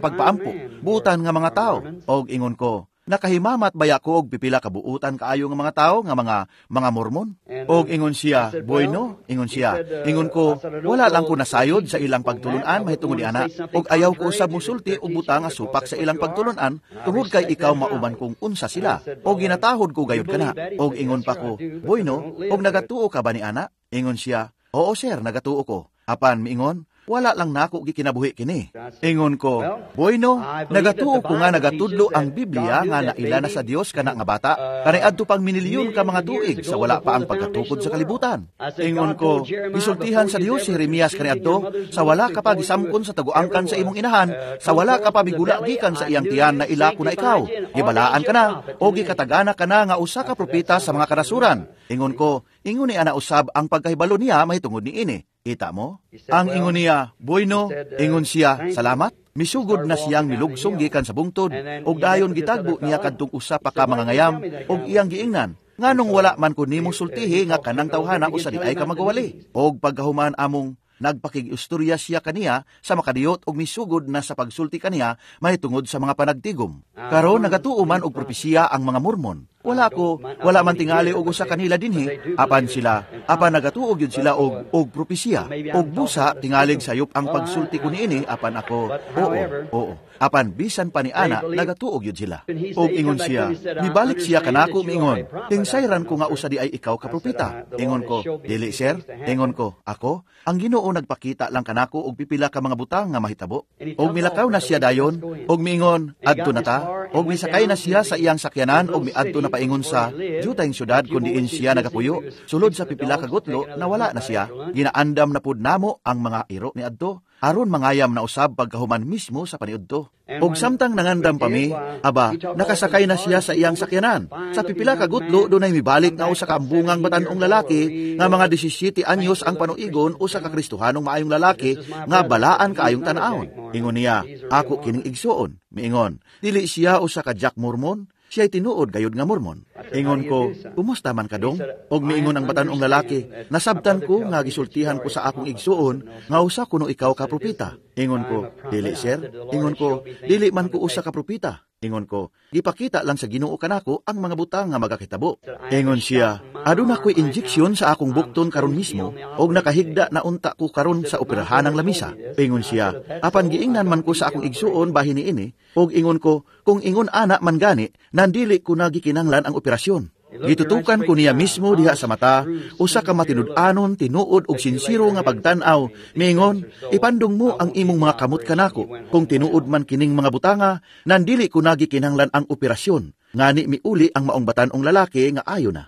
S1: pagpaampo, buutan nga mga tao. Og ingon ko, nakahimamat baya ko og pipila ka buutan kaayo nga mga tao nga mga Mormon? Og ingon siya, bueno, ingon siya. Ingon ko, wala lang ko nasayod sa ilang pagtulunan mahitungod ni ana, og ayaw ko usab musulti og butang nga supak sa ilang pagtulunan tungod kay ikaw mauban kung unsa sila. Og ginatahod ko gayud kana. Og ingon pa ko, bueno, og nagatuo ka ba ni ana? Ingon siya, oo sir, nagatuo ko. Apan miingon, wala lang nako gikinabuhi kini. Ingon ko, bueno, nagatuo ko nga nagatudlo ang Biblia nga naila na sa Dios kana nga bata, kaniadto pang minilyon ka mga tuig sa wala pa ang pagkatukod sa kalibutan. Ingon ko, gisultihan sa Dios si Jeremias kaniadto, sa wala ka pa gisamkon sa taguangkan sa imong inahan, sa wala ka pa migula gikan sa iyang tiyan na ila ko na ikaw. Gibalaan ka na o gikatagana ka na nga usa ka propeta sa mga kanasuran. Ingon ko, ingon ni ana usab ang pagkahibalo niya mahitungod niini. Kita mo? Ang ingon niya, bueno, ingon siya, salamat. Misugod na siyang milugsong gikan sa bungtod, og dayon gitagbo niya kadtong usa pa ka mga ngayam, og iyang giingnan, nganong wala man ko nimo sultihi nga kanang tawhana usa di ay ka magawali. Og pagkahuman among nagpakig-istorya siya kaniya sa makadiyot og misugod na sa pagsulti kaniya mahitungod sa mga panagtigom. Karon nagatuo man og propesiya ang mga Mormon. Wala ko, wala man tingali og usa kanila dinhi, apan sila, apan nagatuo gyud sila og propesiya. Og busa tingalig sayop ang pagsulti ko niini, apan ako, oo, oo. Apan bisan pa ni ana nagatuo gyud sila. Og ingon siya, mibalik siya kanako miingon, tingsayran ko nga usa di ay ikaw ka propeta. Ingon ko, dili sir. Ingon ko, ako, ang Ginoo nagpakita lang kanako og pipila ka mga butang nga mahitabo. Og milakaw na siya dayon, og miingon, adto na ta. Og misakay na siya sa iyang sakyanan og miadto na paingon sa jutayng syudad kun diin siya nagapuyo. Sulod sa pipila ka gutlo nawala na siya. Ginaandam na pud namo ang mga iro ni adto aron mangayam na usab pagkahuman mismo sa paniudto. Og samtang nangandam pa mi, aba, nakasakay na siya sa iyang sakyanan. Sa pipila ka gutlo dunay mibalik nga usa ka ambungang batan-ong lalaki nga mga 17 anyos ang panuigon, usa ka Kristohanong maayong lalaki nga balaan kaayong tan-awon. Ingon niya, ako kining igsuon. Miingon, dili siya usa ka Jack Mormon, siya'y tinuod gayud nga Mormon. Ingon ko, kumusta man kadong? Og miingon ang batan-ong lalaki, nasabtan ko nga gisultihan ko sa akong igsuon nga usa kuno ikaw ka propeta. Ingon ko, dili sir. Ingon ko, dili man ko usa ka propeta. Ingon ko, gipakita lang sa Ginoo kanako ang mga butang nga magakitabo. Ingon siya, aduna ko'y injeksyon sa akong bukton karon mismo, og nakahigda na unta ko karon sa operahanang lamisa. Ingon siya, apan giingnan man ko sa akong igsuon bahin niini, og ingon ko, kung ingon ana man gani, nandili ko na gikinahanglan ang operasyon. Gitutukan ko niya mismo diha sa mata, usa ka matinud-anon, tinuod og sinsiro nga pagtan-aw. Miingon, ipandong mo ang imong mga kamot kanako. Kung tinuod man kining mga butanga, nandili ko na gikinahanglan ang operasyon. Ngani miuli ang maong batan-ong lalaki nga ayo na.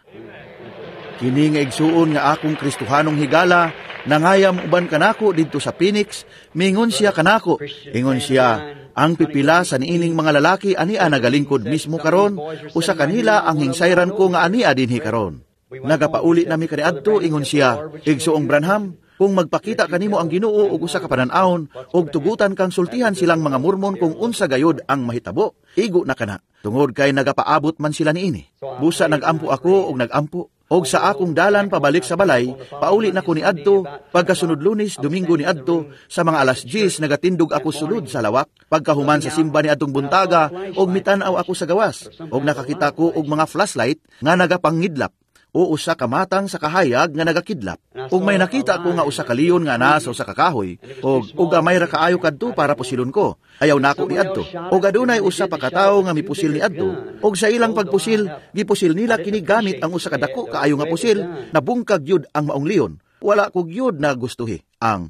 S1: Kini nga igsuon nga akong Kristohanong higala, nangayam uban kanako didto sa Phoenix, miingon siya kanako. Ingon siya, ang pipila sa niining mga lalaki ania nagalingkod mismo karon, usa kanila ang hingsayran ko nga ania dinhi karon. Nagapauli nami kaniadto, ingon siya, igsuong Branham, kung magpakita kanimo ang Ginoo og usa ka panan-awon og tugutan kang sultihan silang mga Mormon kung unsa gayod ang mahitabo, igo na kana, tungod kay nagapaabot man sila niini. Busa nagampo ako og nagampo. Og sa akong dalan pabalik sa balay, pauli na ko ni adto, pagkasunod Lunes, Domingo ni adto, sa mga alas 10 nagatindog ako sulod sa lawak, pagkahuman sa simba ni adtong buntaga, og mitan-aw ako sa gawas, og nakakita ko og mga flashlight nga nagapangidlap, o usa ka matang sa kahayag nga nagakidlap. Og may nakita ko nga usa ka leon nga naa sa usa ka kahoy, og gamay ra kaayo kadto para pusilon ko. Ayaw nako ni adto. Og adunay usa pa ka tawo nga mipusil ni adto, og sa ilang pagpusil, gipusil nila kini gamit ang usa ka dako kaayo nga pusil, nabungkag gyud ang maong leon. Wala ko gyud na gustuhi ang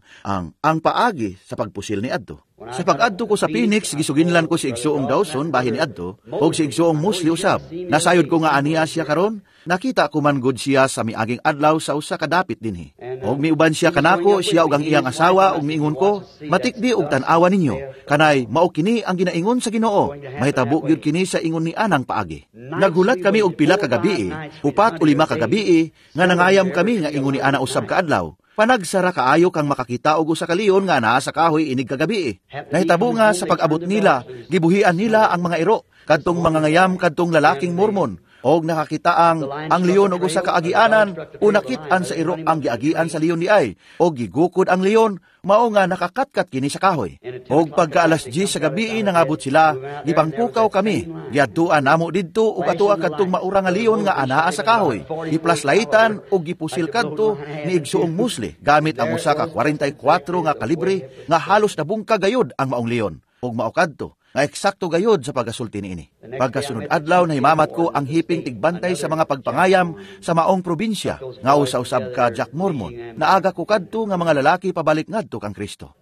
S1: paagi sa pagpusil ni adto. Sa pag-adto ko sa Phoenix, gisuginlan ko si Igsuong Dawson bahin ni adto, og si Igsuong Mosley usab. Nasayod ko nga aniya siya karon, nakita ko man gud siya sa miaging adlaw sa usa ka dapit dinhi. Og miuban siya kanako, siya og ang iyang asawa, og miingon ko, matikdi og tan-awa ninyo, kanay mao kini ang ginaingon sa Ginoo, mahitabo gyud kini sa ingon ni anang paagi. Naghulat kami og pila ka gabii, 4 o 5 ka gabii, nga nangayam kami nga ingon ni ana usab ka adlaw. Panagsara kaayo kang makakita og usa ka leon nga naa sa kahoy inig kagabi. Nahitabo nga sa pag-abot nila, gibuhian nila ang mga iro, kadtong mga ngayam kadtong lalaking Mormon. Og nakakita ang leon og usa ka agianan, o nakit-an sa iro ang giagian sa leon diay, og gigukod ang leon, mao nga nakakatkat kini sa kahoy. Og pagka alas 10 sa gabi nangabot sila, gipangpukaw kami, giadtuan namo didto ug atoa kadtong maura nga leon nga anaa sa kahoy. Giplaslaitan og gipusil kadto ni igsuong Mosley gamit ang usa ka 44 nga kalibre nga halos nabungka gayod ang maong leon. Og mao kadto nga eksakto gayod sa pagasulti niini. Pagkasunod adlaw nahimamat ko ang hiping tigbantay sa mga pagpangayam sa maong probinsya nga usa-usab ka Jack Mormon. Naaga ko kadto nga mga lalaki pabalik ngadto kang Kristo.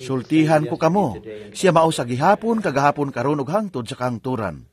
S1: Sultihan ko kamo, siya mao sa gihapon kagahapon karon ug hangtod sa kahangturan.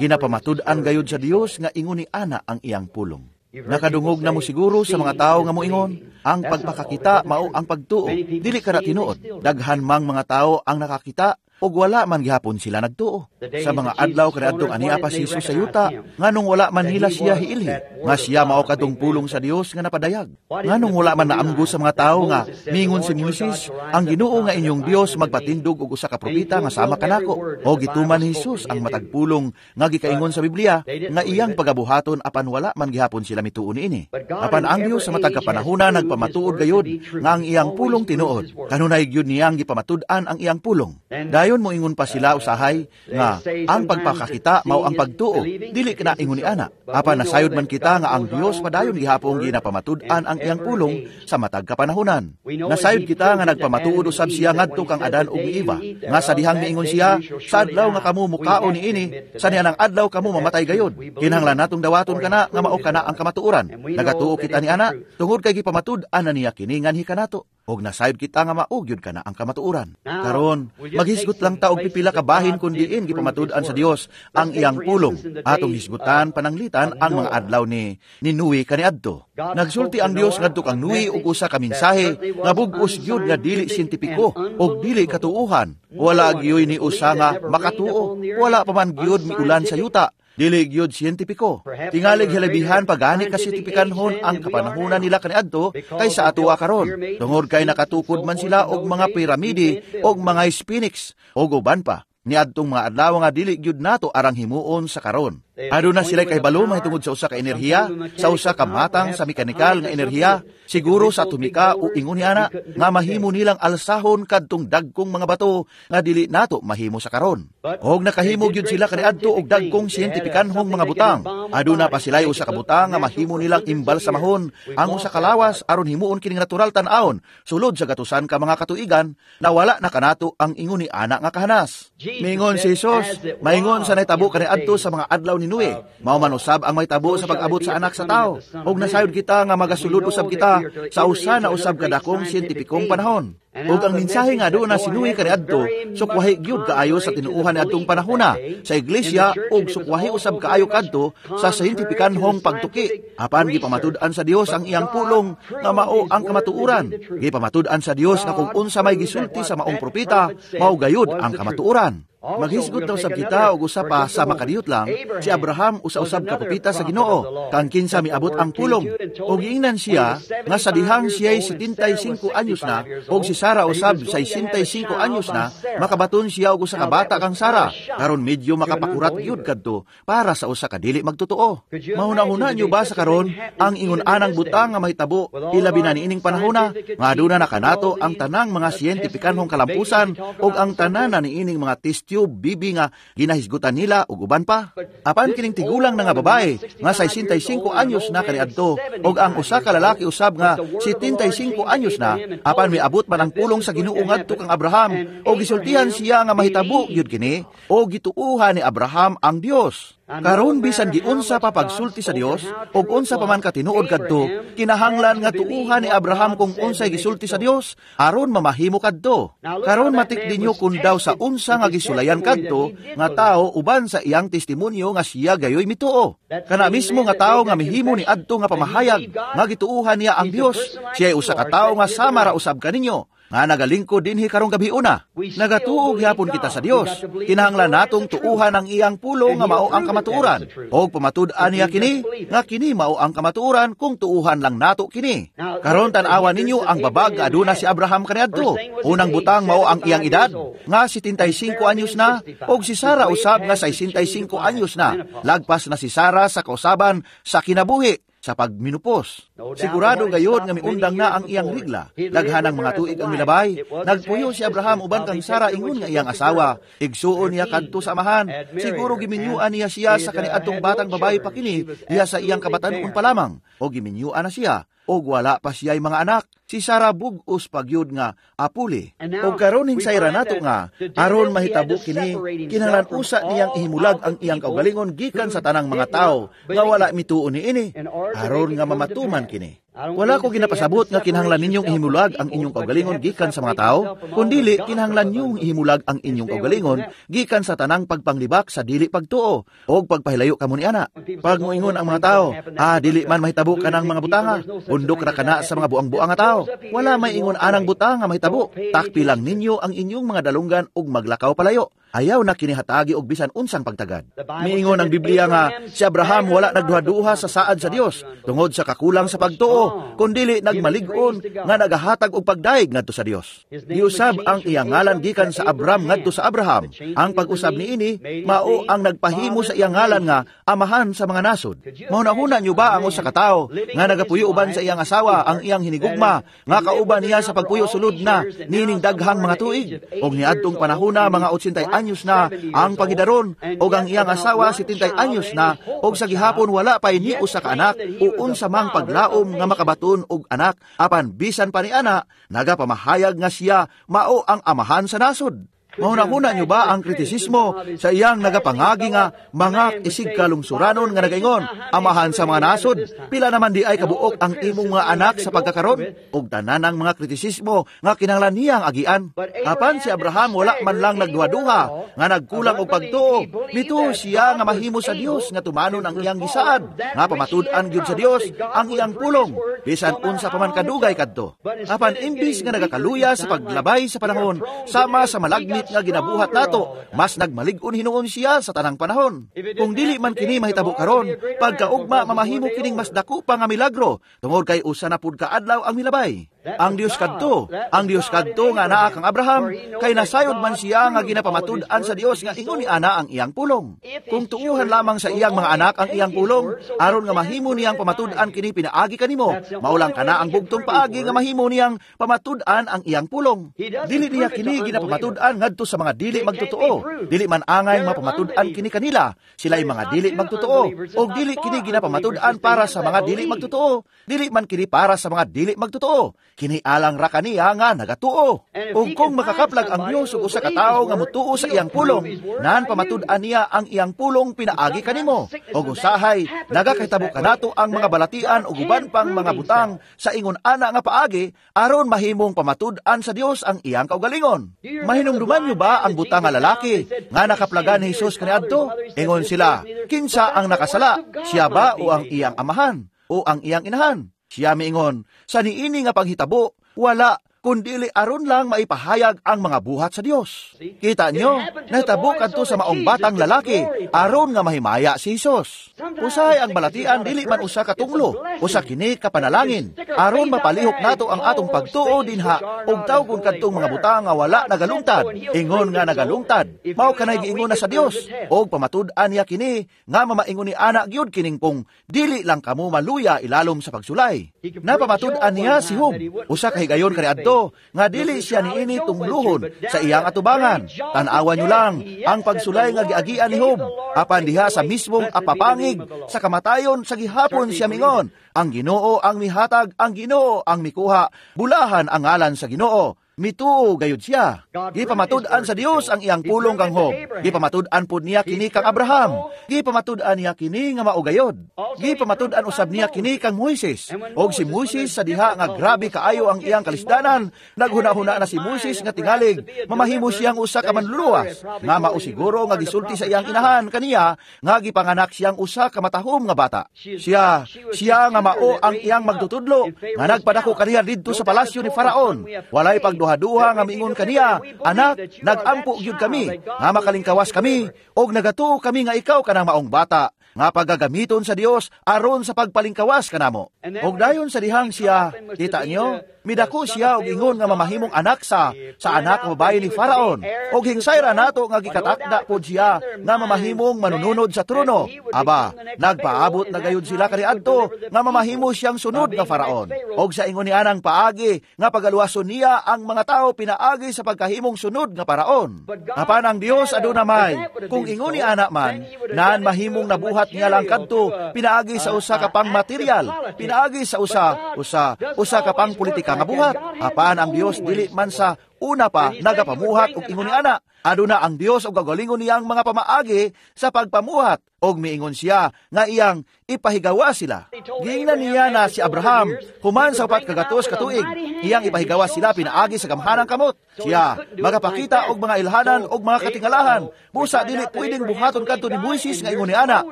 S1: Ginapamatud-an gayod sa Dios nga ingon ni ana ang iyang pulong. Nakadungog na mo siguro sa mga tao nga moingon, ang pagpakakita mao ang pagtuo, dili kana tinuod. Daghan mang mga tao ang nakakita ug wala man gihapon sila nagtuo. Sa mga adlaw kaniadtong ania pa si Jesus sa yuta, nganong wala man nila siya hiilhi, nga siya mao kadtong pulong sa Dios nga napadayag. Nganong wala man naamgo sa mga tawo nga mingon si Moises, ang Ginoo nga inyong Dios magpatindog og usa ka propeta nga sama kanako. O gituman ni Jesus ang matag pulong nga gikaingon sa Biblia nga iyang pagabuhaton, apan wala man gihapon sila mituo niini. Apan ang Dios sa matag kapanahona nagpamatuod gayod nga ang iyang pulong tinuod. Kanunay gyud niyang gipamatud-an ang iyang pulong. Dayon moingon pa sila usahay nga ang pagpakakita mao ang pagtuo, dili kana ingon ni ana. Apan nasayod man kita nga ang Dios padayon gihapon ginapamatud-an ang iyang pulong sa matag kapanahonan. Nasayod kita nga nagpamatuod usab siya ngadto kang Adan ug ni Eva, nga sa dihang miingon siya, sa adlaw nga kamo mukaon niini, sa nianang adlaw kamo mamatay gayod. Kinahanglan natong dawaton kana nga mao kana ang kamatuoran. Nagatuo kita ni ana tungod kay gipamatud-an na niya kini nganhi kanato. Og nasayod kita nga mao gyud kana ang kamatuoran. Karon, maghisgot lang ta og pipila ka bahin kun diin gipamatud-an sa Dios ang iyang pulong. Atong hisgutan pananglitan ang mga adlaw ni Noe kaniadto. Nagsulti ang Dios ngadto kang Noe og usa ka mensahe nga bug-os gyud nga dili siyentipiko og dili katuohan. Wala gyud ni usa nga makatuo. Wala pa man gyud miulan sa yuta. Dili gyud siyentipiko. Tingalig hilabihan pagani kasiyentipikanhon ang kapanahunan nila kaniadto kaysa atoa karon. Tungod kay nakatukod man sila og mga piramide og mga sphinx og uban pa. Niadtong mga adlaw nga dili gyud nato arang himuon sa karon. Aduna sila kay balo mahitungod sa usa ka enerhiya, sa usa ka matang sa mekanikal nga enerhiya, siguro sa atomika o ingon ni ana nga mahimo nilang alsahon kadtong dagkong mga bato nga dili nato mahimo sa karon. Og nakahimo gyud sila kaniadto og dagkong siyentipikanhong mga butang. Aduna pa sila usa ka butang nga mahimo nilang imbalsamahon ang usa ka lawas aron himuon kining natural tan-awon sulod sa gatusan ka mga katuigan na wala na kanato ang ingon ni ana nga kahanas. Mingon si Jesus, maingon sa nahitabo kaniadto sa mga adlaw ni Noe, mao man usab ang mahitabo sa pag-abot sa anak sa tao. Og nasayod kita nga magasulod usab kita sa usa na usab kadakong siyentipikong panahon. Ug ang mensahe nga doon na si Noe kaniadto, sukwahi gyud kaayo sa tinuohan niadtong panahona sa iglesia ug sukwahi usab kaayo kadto sa siyentipikanhong pagtuki. Apan gipamatud-an sa Dios ang iyang pulong nga mao ang kamatuoran. Gipamatud-an sa Dios nga kung unsa may gisulti sa maong propeta, mao gayud ang kamatuoran. Maghisgot daw sab kita og usa pa sa makadiyot lang, si Abraham usa-usab ka propeta sa Ginoo, kang kinsa miabot ang pulong. Og giingnan siya nga sa dihang siya'y 75 anyos na, og si Sara usab 65 anyos na, makabaton siya og usa ka bata kang Sara. Karon medyo makapakurat gyud kadto para sa usa ka dili magtotoo. Mahuna-huna niyo ba sa karon ang ingon-anang butang nga mahitabo ilabi na niining panahona nga aduna na kanato ang tanang mga siyentipikanhong kalampusan og ang tanan na niining mga test tube bibi nga ginahisgutan nila ug uban pa. Apan kining tigulang na nga babae nga 65 anyos na kaniadto ug ang usa ka lalaki usab nga 75 anyos na, apan miabot man ang pulong sa Ginoo ngadto kang Abraham ug gisultihan siya nga mahitabo gyud kini o gituohan ni Abraham ang Dios. Karon bisan giunsa pa pagsulti sa Dios ug unsa pa man katinuod kadto, kinahanglan nga tuuhan ni Abraham kung unsay gisulti sa Dios aron mamahimo kadto. Karon matik ninyo kun daw sa unsa nga gisulayan kadto nga tawo uban sa iyang testimonyo nga siya gayoy mituo. Kana mismo nga tawo nga mihimo ni adto nga pamahayag nga gituohan niya ang Dios, siya usa ka tawo nga sama ra usab kaninyo. nga nagalingkod dinhi karong gabiuna. Nagatuo gihapon kita sa Dios. Kinahanglan natong tuuhan ang iyang pulong nga mao ang kamatuoran. Og pamatud-an niya kini nga kini mao ang kamatuoran kung tuuhan lang nato kini. Karon tan-awa ninyo ang babag nga aduna si Abraham kaniadto. Unang butang mao ang iyang edad nga 75 anyos na, og si Sara usab nga 65 anyos na. Lagpas na si Sara sa kausaban sa kinabuhi sa pagminupos. Sigurado gayod nga miundang na ang iyang rigla. Daghanang mga tuig ang milabay. Nagpuyo si Abraham uban kang Sara ingon nga iyang asawa. Igsuon niya kadto sa amahan. Siguro giminyuan niya siya sa kaniadtong batang babae pa kini diha sa iyang kabatan-on pa lamang. O giminyuan na siya og wala pa siya'y mga anak. Si Sara bug-os pagyud nga apuli. Og karon hinsayra nato nga aron mahitabo kini, kinahanglan usa niyang ihimulag ang iyang kaugalingon gikan sa tanang mga tawo nga wala mituo niini, aron nga mamatuman kini. Wala ko ginapasabot nga kinahanglan ninyong ihimulag ang inyong kaugalingon gikan sa mga tao, kundili kinahanglan ninyong ihimulag ang inyong kaugalingon gikan sa tanang pagpanglibak sa dili pagtuo og pagpahilayo kamo niana. Pag moingon ang mga tao, dili man mahitabo kanang mga butanga, undok ra kana sa mga buang-buang nga tao. Wala may ingon anang butanga mahitabo. Takpi lang ninyo ang inyong mga dalunggan ug maglakaw palayo. Ayaw na kinihatagi og bisan unsang pagtagad. Miingon ang Biblia nga si Abraham wala nagduha-duha sa saad sa Dios tungod sa kakulang sa pagtuo, kundili nagmalig-on nga nagahatag og pagdaig ngadto sa Dios. Giusab ang iyang ngalan gikan sa Abram ngadto sa Abraham. Ang pag-usab niini mao ang nagpahimo sa iyang ngalan nga amahan sa mga nasod. Mahunahuna niyo ba ang usa ka tawo nga nagapuyo uban sa iyang asawa ang iyang hinigugma nga kauban niya sa pagpuyo sulod na nining daghang mga tuig, og niadtong panahona mga 80 anyos na ang pagidaron, og ang iyang asawa 70 anyos na, og sa gihapon wala pay ni usa ka anak o unsa mang paglaom nga makabaton og anak, apan bisan pa ni ana nagapamahayag nga siya mao ang amahan sa nasod. Mahunahuna niyo ba ang kritisismo sa iyang nagapangagi nga mga isig kalungsuranon nga nagaingon, amahan sa mga nasod, pila naman di ay kabuok ang imong mga anak sa pagkakaron? Og tanan ang mga kritisismo nga kinahanglan niyang agian. Apan si Abraham wala man lang nagduha-duha nga nagkulang og pagtuo. Mituo siya nga mahimo sa Dios nga tumanon ang iyang gisaad, nga pamatud-an gyud sa Dios ang iyang pulong, bisan unsa pa man kadugay kadto. Apan imbis nga nagakaluya sa paglabay sa panahon sama sa malagmit nga ginabuhat nato, mas nagmalig-on hinuon siya sa tanang panahon. Kung dili man kini mahitabo karon, pagkaugma mamahimo kining mas dako pa nga milagro, tungod kay usa na pud ka adlaw ang milabay. Ang Dios kadto, ang Dios kadto nga naa kang Abraham, kay nasayod man siya nga ginapamatud-an sa Dios nga ingon ni ana ang iyang pulong. Kung tuuhan lamang sa iyang mga anak ang iyang pulong, aron nga mahimo niyang pamatud-an kini pinaagi kanimo, maulang kana ang bugtong paagi nga mahimo niyang pamatud-an ang iyang pulong. Dili niya kini ginapamatud-an ngadto sa mga dili magtotoo. Dili man angay mapamatud-an kini kanila, sila'y mga dili magtotoo. Og dili kini ginapamatud-an para sa mga dili magtotoo. Dili man kini para sa mga dili magtotoo. Kini alang ra kaniya nga nagatuo. Ug kung makakaplag ang Dios og usa ka tawo nga motuo sa iyang pulong, nan pamatud-an niya ang iyang pulong pinaagi kanimo. Og usahay nagakahitabo kanato ang mga balatian ug uban pang mga butang sa ingon ana nga paagi aron mahimong pamatud-an sa Dios ang iyang kaugalingon. Mahinumduman niyo ba ang butang nga lalaki nga nakaplagan ni Hesus kaniadto? Ingon sila, kinsa ang nakasala? Siya ba o ang iyang amahan o ang iyang inahan? Siya miingon, sa niini nga panghitabo, wala, kundili aron lang maipahayag ang mga buhat sa Dios. Kita nyo, nahitabo kadto sa maong batang lalaki, aron nga mahimaya si Hesus. Usahay ang balatian, dili man usa ka tunglo, usa kini ka panalangin, aron mapalihok nato ang atong pagtuo dinha, ug tawgon kadtong mga butang nga wala nagalungtad, ingon nga nagalungtad, mao kanay giingon na sa Dios, og pamatud-an niya kini, nga mamaingon ni ana gyud kining kung dili lang kamo maluya ilalom sa pagsulay. Napamatud-an niya si Job, usa ka higayon kaniadto, nga dili siya niini tungluhon sa iyang atubangan. Tan-awan nyo lang ang pagsulay nga giagian ni Job, apan diha sa mismong apapangig sa kamatayon sa gihapon siya mingon, ang Ginoo ang mihatag, ang Ginoo ang mikuha, bulahan ang ngalan sa Ginoo. Mituo gayud siya. Gipamatud-an sa Dios ang iyang pulong kang Job. Gipamatud-an pud niya kini kang Abraham. Gipamatud-an niya kini nga mao gayod. Gipamatud-an usab niya kini kang Moises. Og si Moises sa diha nga grabe kaayo ang iyang kalisdanan, naghuna-huna na si Moises nga tingalig mamahimo siyang usa ka manluluwas, nga mao siguro nga gisulti sa iyang inahan kaniya nga gipanganak siyang usa ka matahom nga bata. Siya siya nga mao ang iyang magtutudlo nga nagpadako kaniya didto sa palasyo ni Faraon. Walay pagduha duha-duha nga miingon kaniya, "Anak, nagampo gyud kami, nga makalingkawas kami, og nagatuo kami nga ikaw kanang maong bata, nga paggagamiton sa Dios aron sa pagpalingkawas kanamo." Og dayon sa dihang siya, kita niyo, midako siya og ingon nga mamahimong anak sa anak nga babaye ni Faraon. Og hingsayra nato nga gikatakda pod siya nga mamahimong manununod sa trono. Aba, nagpaabot na gayud sila kaniadto nga mamahimo siyang sunod nga Faraon. Og sa ingon ni anang paagi nga pagaluwason niya ang mga tao pinaagi sa pagkahimong sunod nga Faraon. Apan ang Dios aduna may, kung ingon ni ana man, naan mahimong nabuhat niya lang kadto pinaagi sa usa ka pang material, pinaagi sa usa ka pang politika nga buhat. Apan ang Dios dili man sa una pa nagapamuhat og ingon ni ana. Aduna ang Dios og gagalingon niyang mga pamaagi sa pagpamuhat, og miingon siya nga iyang ipahigawa sila. Giingnan niya na si Abraham human sa 400 ka tuig, iyang ipahigawa sila pinaagi sa gamhanang kamot. Siya magapakita og mga ilhanan og mga katingalahan. Busa dili pwedeng buhaton kadto ni Moises nga ingon ni ana.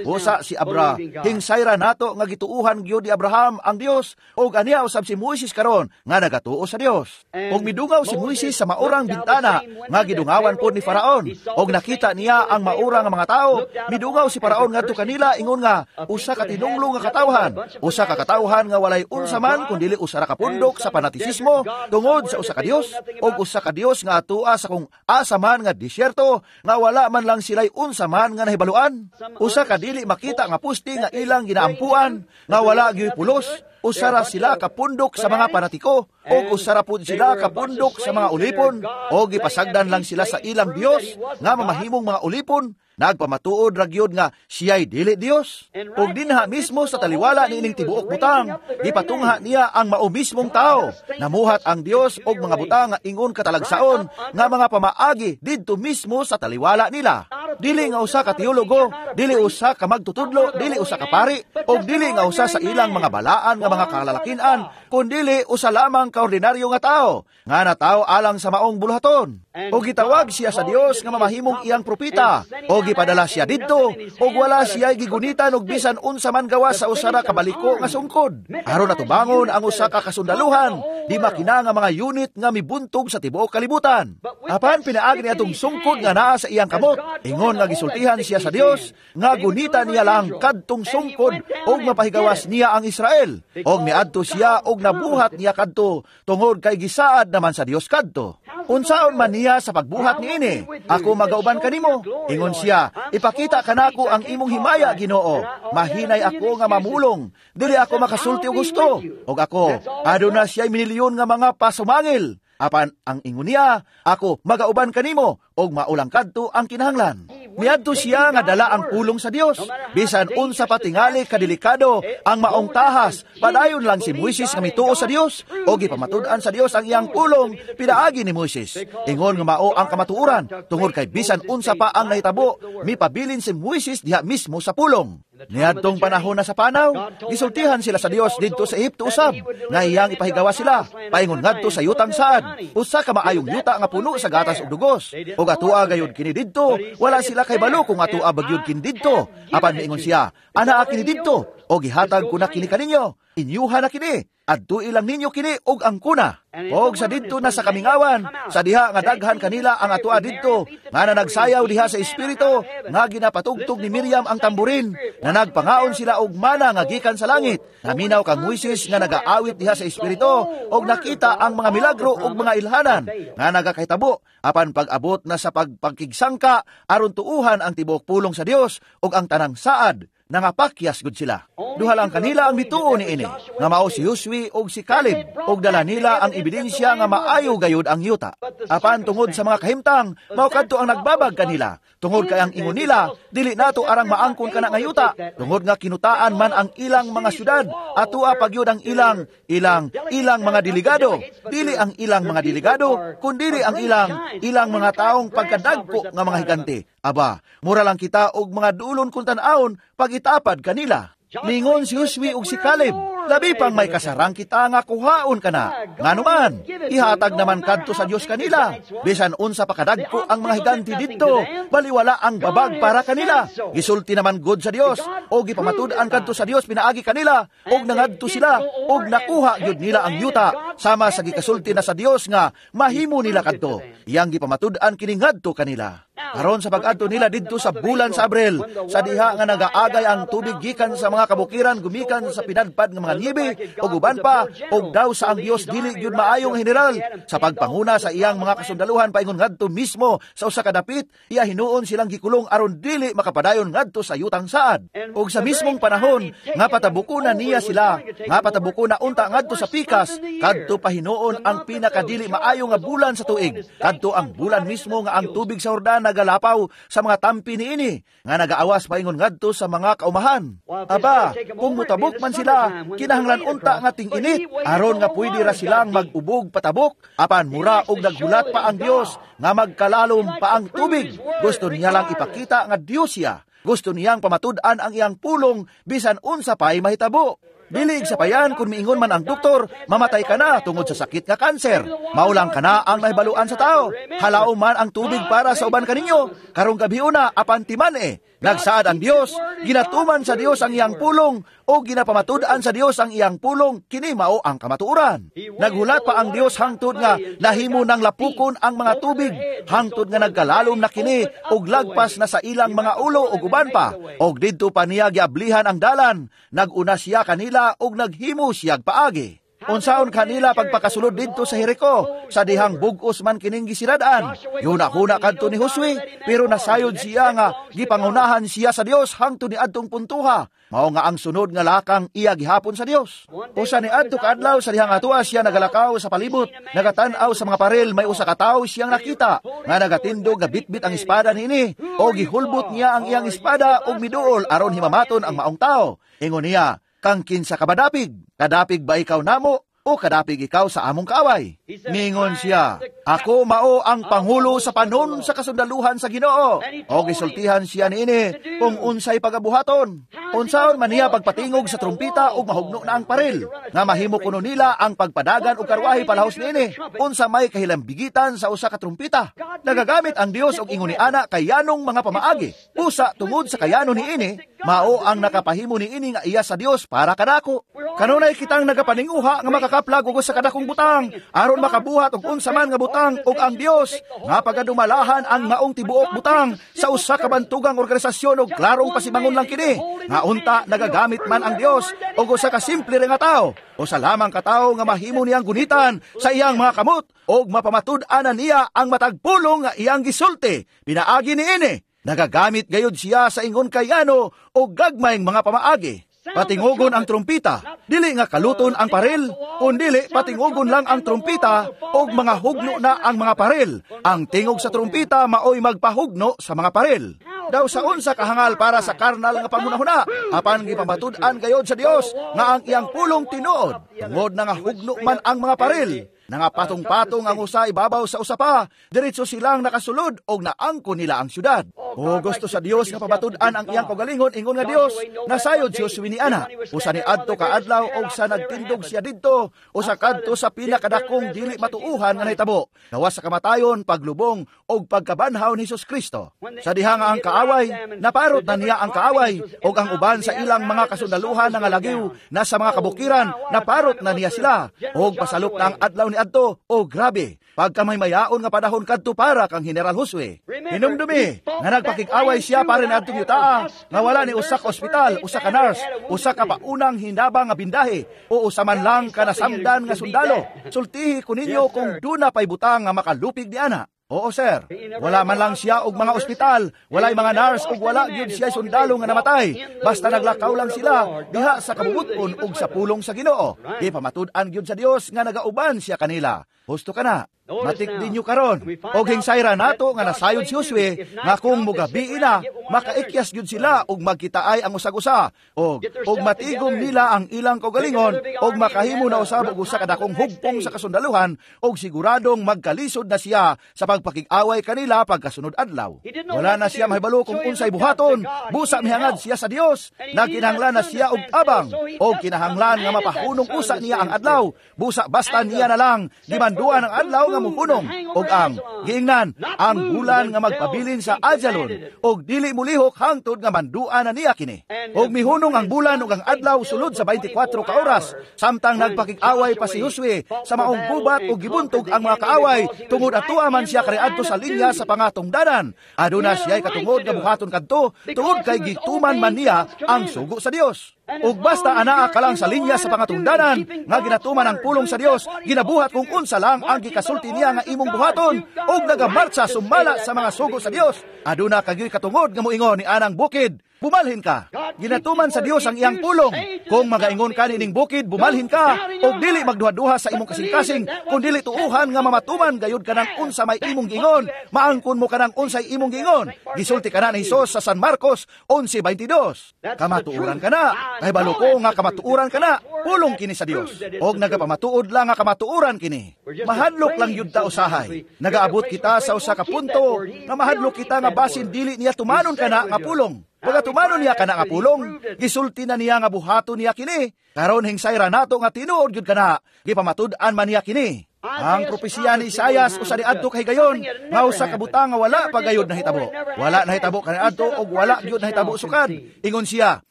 S1: Busa si Abraham, hingsayra nato nga gituuhan gyud ni Abraham ang Dios, og aniya usab si Moises karon nga nagatuo sa Dios. Og midungaw si Moises sa maurang bintana nga gidungawan pod ni Faraon, og nakita niya ang maura nga mga tao. Midungaw si Faraon ngadto kanila ingon nga usa ka tinunglo nga katawhan, usa ka katawhan nga walay unsa man kun dili usa ra ka pundok sa panatisismo tungod sa usa ka Dios, og usa ka Dios nga atua sa kung asa man nga disyerto nga wala man lang sila'y unsa man nga nahibaluan, usa ka dili makita nga pusti nga ilang ginaampuan nga wala gyud pulos. Usa ra sila kapundok sa mga panatiko, og usa ra pud sila kapundok sa mga ulipon, og gipasagdan lang sila sa ilang Dios nga mamahimong mga ulipon. Nagpamatuod ra gyud nga siya'y dili Dios. Og dinha mismo sa taliwala niining tibuok butang, gipatungha niya ang mao mismong tao. Namuhat ang Dios og mga butang nga ingon katalagsaon nga mga pamaagi didto mismo sa taliwala nila. Dili nga usa ka teologo, dili usa ka magtutudlo, dili usa ka pari, og dili nga usa sa ilang mga balaan nga mga kalalakinan, kundili usa lamang ka ordinaryo nga tao, nga natao alang sa maong buluhaton. Og gitawag siya sa Dios nga mamahimong iyang propeta, og gipadala siya didto, og wala siya gigunitan og bisan unsa man gawas sa usa ra ka baliko nga sungkod. Aron natubangon ang usa ka kasundaluhan, di makina nga mga unit nga mibuntog sa tibuok kalibutan. Apan pinaagi niya atong sungkod nga naa sa iyang kamot, ingon nga gisultihan siya sa Dios nga gunita niya lang kadtong sungkod og mapahigawas niya ang Israel. Og miadto siya og nabuhat niya kadto tungod kay gisaad naman sa Dios kadto. Unsaon man niya sa pagbuhat niini, ako magauban kanimo. Ingon siya, ipakita kanako ang imong himaya, Ginoo. Mahinay ako nga mamulong, dili ako makasulti og gusto. Og ako, aduna siya'y minilyon nga mga pasumangil. Apan ang ingon niya, ako magauban kanimo, og maulang kadto ang kinahanglan. Miadto siya nga dala ang pulong sa Dios. Bisan unsa pa tingali kadelikado ang maong tahas, padayon lang si Moises nga mituo sa Dios, og gipamatud-an sa Dios ang iyang pulong pinaagi ni Moises. Ingon nga mao ang kamatuoran, tungod kay bisan unsa pa ang nahitabo, mipabilin si Moises diha mismo sa pulong. Niadtong panahon na sa panaw, gisultihan sila sa Dios didto sa Ehipto usab, nga iyang ipahigawa sila, paingon ngadto sa yutang saad, usa ka maayong yuta nga puno sa gatas ug dugos. Og atua gayud kini didto, wala sila kay balo kung atua bagyud kini didto. Apan miingon siya, anaa kini didto, og gihatag ko na kini kaninyo, inyuha na kini, adtui lang ninyo kini og angkuna. Og sa didto na sa kamingawan, sa diha nga daghan kanila ang atua didto, nga nanagsayaw diha sa espiritu, nga ginapatugtog ni Miriam ang tamburin, na nagpangaon sila og mana nga gikan sa langit. Naminaw kang Moises nga nagaawit diha sa espiritu, og nakita ang mga milagro og mga ilhanan nga nagakahitabo. Apan pag-abot na sa pagpakigsangka aron tuuhan ang tibuok pulong sa Dios og ang tanang saad, nangapakyas gud sila. Duha lang kanila ang mituo niini, nga mao si Josue og si Caleb, og dala nila ang ebidensya nga maayo gayud ang yuta. Apan tungod sa mga kahimtang, mao kadto ang nagbabag kanila. Tungod kay ang ingon nila, dili nato arang maangkon kana nga yuta. Tungod nga kinutaan man ang ilang mga syudad, atua pagyud ang ilang ilang ilang mga delegado. Dili ang ilang mga delegado, kundili ang ilang ilang mga taong pagkadagko nga mga higante. Aba, mura lang kita og mga dulon kung tan-awon pag itapad kanila. Ningon si Josue ug si Caleb, Labi pang may kasarang kita nga kuhaon kana. Nganuman, ihatag naman kadto sa Dios kanila. Bisan unsa pa kadagko ang mga higante didto, baliwala ang babag para kanila. Gisulti naman God sa Dios o gipamatud-an kadto sa Dios pinaagi kanila, og nangadto sila og nakuha gyud nila ang yuta sama sa gikasulti na sa Dios nga mahimo nila kadto. Iyang gipamatud-an kini ngadto kanila. Karon sa pag-adto nila didto sa bulan sa Abril, sa diha nga nagaagay ang tubig gikan sa mga kabukiran gumikan sa pinadpad nga mga niebe ug uban pa, og daw sa ang Dios dili gyud maayong general sa pagpanguna sa iyang mga kasundaluhan paingon ngadto mismo sa usa ka dapit, iya hinuon silang gikulong aron dili makapadayon ngadto sa yutang saad. Og sa mismong panahon nga patabuko na niya sila, nga patabuko na unta ngadto sa pikas, kadto pa hinuon ang pinakadili maayo nga bulan sa tuig, kadto ang bulan mismo nga ang tubig sa Jordan nagalapaw sa mga tampi niini nga nagaawas paingon ngadto sa mga kaumahan. Aba, kung mutabok man sila, kinahanglan unta nga ting-init aron nga pwede ra silang mag-ubog patabok, apan mura og naghulat pa ang Dios nga magkalalom pa ang tubig. Gusto niya lang ipakita nga Dios siya. Gusto niyang pamatud-an ang iyang pulong bisan unsa pa'y mahitabo. Dili sa payan kung miingon man ang doktor, mamatay ka na tungod sa sakit nga kanser. Maulang ka na ang nahibaluan sa tao. Halao man ang tubig para sa uban kaninyo. Karong gabi una, apan timan eh. Nagsaad ang Dios, ginatuman sa Dios ang iyang pulong, o ginapamatud-an sa Dios ang iyang pulong, kini mao ang kamatuoran. Naghulat pa ang Dios hangtod nga nahimo ng lapukon ang mga tubig, hangtod nga nagkalalom na kini og lagpas na sa ilang mga ulo og uban pa. Og didto pa niya giablihan ang dalan, naguna siya kanila og naghimo siyag paagi. Unsaon kanila pagpakasulod didto sa Jericho, sa dihang bug-os man kining gisirad-an. Yuna-huna kadto ni Josue, pero nasayod siya nga gipangunahan siya sa Dios hangtod ni adtong puntuha. Mao nga ang sunod nga lakang iya gihapon sa Dios. Usa ni adto kaadlaw sa dihang atua siya nagalakaw sa palibot, nagatan-aw sa mga paril, may usa ka tawo siyang nakita nga nagatindog nga bitbit ang espada niini, o gihulbot niya ang iyang espada og miduol aron himamaton ang maong tawo. Ingon niya, "Kang kinsa ka badapig? Kadapig ba ikaw namo o kadapig ikaw sa among kaaway?" Ningon siya, "Ako mao ang pangulo sa panon sa kasundaluhan sa Ginoo." O gisultihan siya niini kung unsay pagabuhaton. Unsaon man niya pagpatingog sa trumpita ug mahugno na ang paril, nga mahimo kuno nila ang pagpadagan og karwahe palahos niini. Unsa may kahilambigitan sa usa ka trumpita? Nagagamit ang Dios og ingon ni ana kayanong mga pamaagi. Usa tungod sa kayano niini, mao ang nakapahimo niini nga iya sa Dios para kanako. Kanunay kitang nagapaninguha nga makakaplag og usa ka dakong butang aron makabuhat og unsa man nga butang, ug ang Dios nga pagadumalahan ang maong tibuok butang sa usa ka bantugang organisasyon og klarong pasimangon lang kini nga unta nagagamit man ang Dios og usa ka simple ra nga tawo, usa lamang ka tawo nga mahimo niyang gunitan sa iyang mga kamot og mapamatud-an niya ang matag pulong nga iyang gisulti pinaagi niini. Nagagamit gayud siya sa ingon kayano og gagmayng mga pamaagi. Patingugon ang trumpita, dili nga kaluton ang paril, kundili patingugon lang ang trumpita og mga hugno na ang mga paril. Ang tingog sa trumpita maoy magpahugno sa mga paril. Daw sa unsa kahangal para sa karnal nga panghunahuna, apan gipamatud-an gayod sa Dios nga ang iyang pulong tinuod, tungod na nga hugno man ang mga paril. Nangapatong-patong ang usa ibabaw sa usa pa, diretso silang nakasulod og naangko nila ang syudad. O gusto sa Dios nga pamatud-an ang iyang kaugalingon ingon nga Dios, nasayod si Josue ni ana. Usa ni adto kaadlaw og sa nagtindog siya didto, usa kadto sa pinakadakong dili matuuhan nga nahitabo, gawas sa kamatayon, paglubong og pagkabanhaw ni Hesus Kristo. Sa diha nga ang kaaway, naparot na niya ang kaaway, og ang uban sa ilang mga kasundaluhan nga lagiw na sa mga kabukiran, naparot na niya sila. Og pasalop na ang adlaw ni adto, o grabe, pagkamaymayaon nga panahon kadto para kang General Josue. Hinumdumi nga nagpakig-away siya para ni adtong yutaa nga wala ni usa ka ospital, usa ka nurse, usa ka paunang hinabang nga bindahe, o usa man lang ka nasamdan nga sundalo. Sultihi ko ninyo kung duna pay butang nga makalupig ni ana. Oo sir, wala man lang siya og mga ospital, walay mga nurse ug wala gyud siya sundalo nga namatay. Basta naglakaw lang sila diha sa kabubuton ug sa pulong sa Ginoo. Di pamatud-an gyud sa Dios nga nagauban siya kanila. Husto ka na. Matik din nyo karon. Og hingsayra nato nga nasayod si Josue nga kung mugabi na, makaikyas gyud sila og magkitaay ang usag-usa og matigom nila ang ilang kaugalingon og makahimo na usab og usa ka dakong hugpong sa kasundaluhan og siguradong magkalisod na siya sa pagpakig-away kanila pagkasunod adlaw. Wala na siya mahibalo kung unsay buhaton, busa mihangad siya sa Dios, nagkinahanglan na siya og tabang og kinahanglan nga mapahunong usa niya ang adlaw, busa basta niya na lang gimanduan ang adlaw nga muhunong og ang giingnan ang bulan nga magpabilin sa Ajalon og dili mulihok hangtod nga manduan na niya kini. Og mihunong ang bulan ug ang adlaw sulod sa 24 ka oras samtang nagpakig-away pa si Josue sa maong gubat ug gibuntog ang mga kaaway tungod atua man siya kaniadto sa linya sa pangatungdanan. Aduna siya'y katungod nga buhaton kadto tungod kay gituman man niya ang sugo sa Dios. Ug basta anaa ka lang sa linya sa pangatungdanan nga ginatuman ang pulong sa Dios, ginabuhat kung unsa lang ang gikasulti niya nga imong buhaton ug nagamartsa sumala sa mga sugo sa Dios, aduna kagyoy katungod nga moingon ni anang bukid, bumalhin ka. Ginatuman sa Dios ang iyang pulong. Kung magaingon ka nining bukid, bumalhin ka, ug dili magduha-duha sa imong kasing-kasing, kun dili tuuhan nga mamatuman gayud kanang unsa may imong giingon, maangkon mo kanang unsay imong giingon. Gisulti kana ni Hesus sa San Marcos 11:22. Kamatuoran ka na. Kahibalo ko nga kamatuoran ka na. Pulong kini sa Dios. Og nagapamatuod lang nga kamatuoran kini. Mahadlok lang yud ta usahay. Nagaabot kita sa usa ka punto nga mahadlok kita nga basin dili niya tumanon kana nga pulong. Pagkatumanon niya kana nga pulong, gisulti na niya nga buhaton niya kini. Karon hingsayra nato nga tinuod gyud kana, gipamatud-an man niya kini. Ang propesiya ni Isayas usa niadto kahigayon nga usa ka butang nga wala pa gayud nahitabo. Wala nahitabo kaniadto og wala gyud nahitabo sukad. Ingon siya,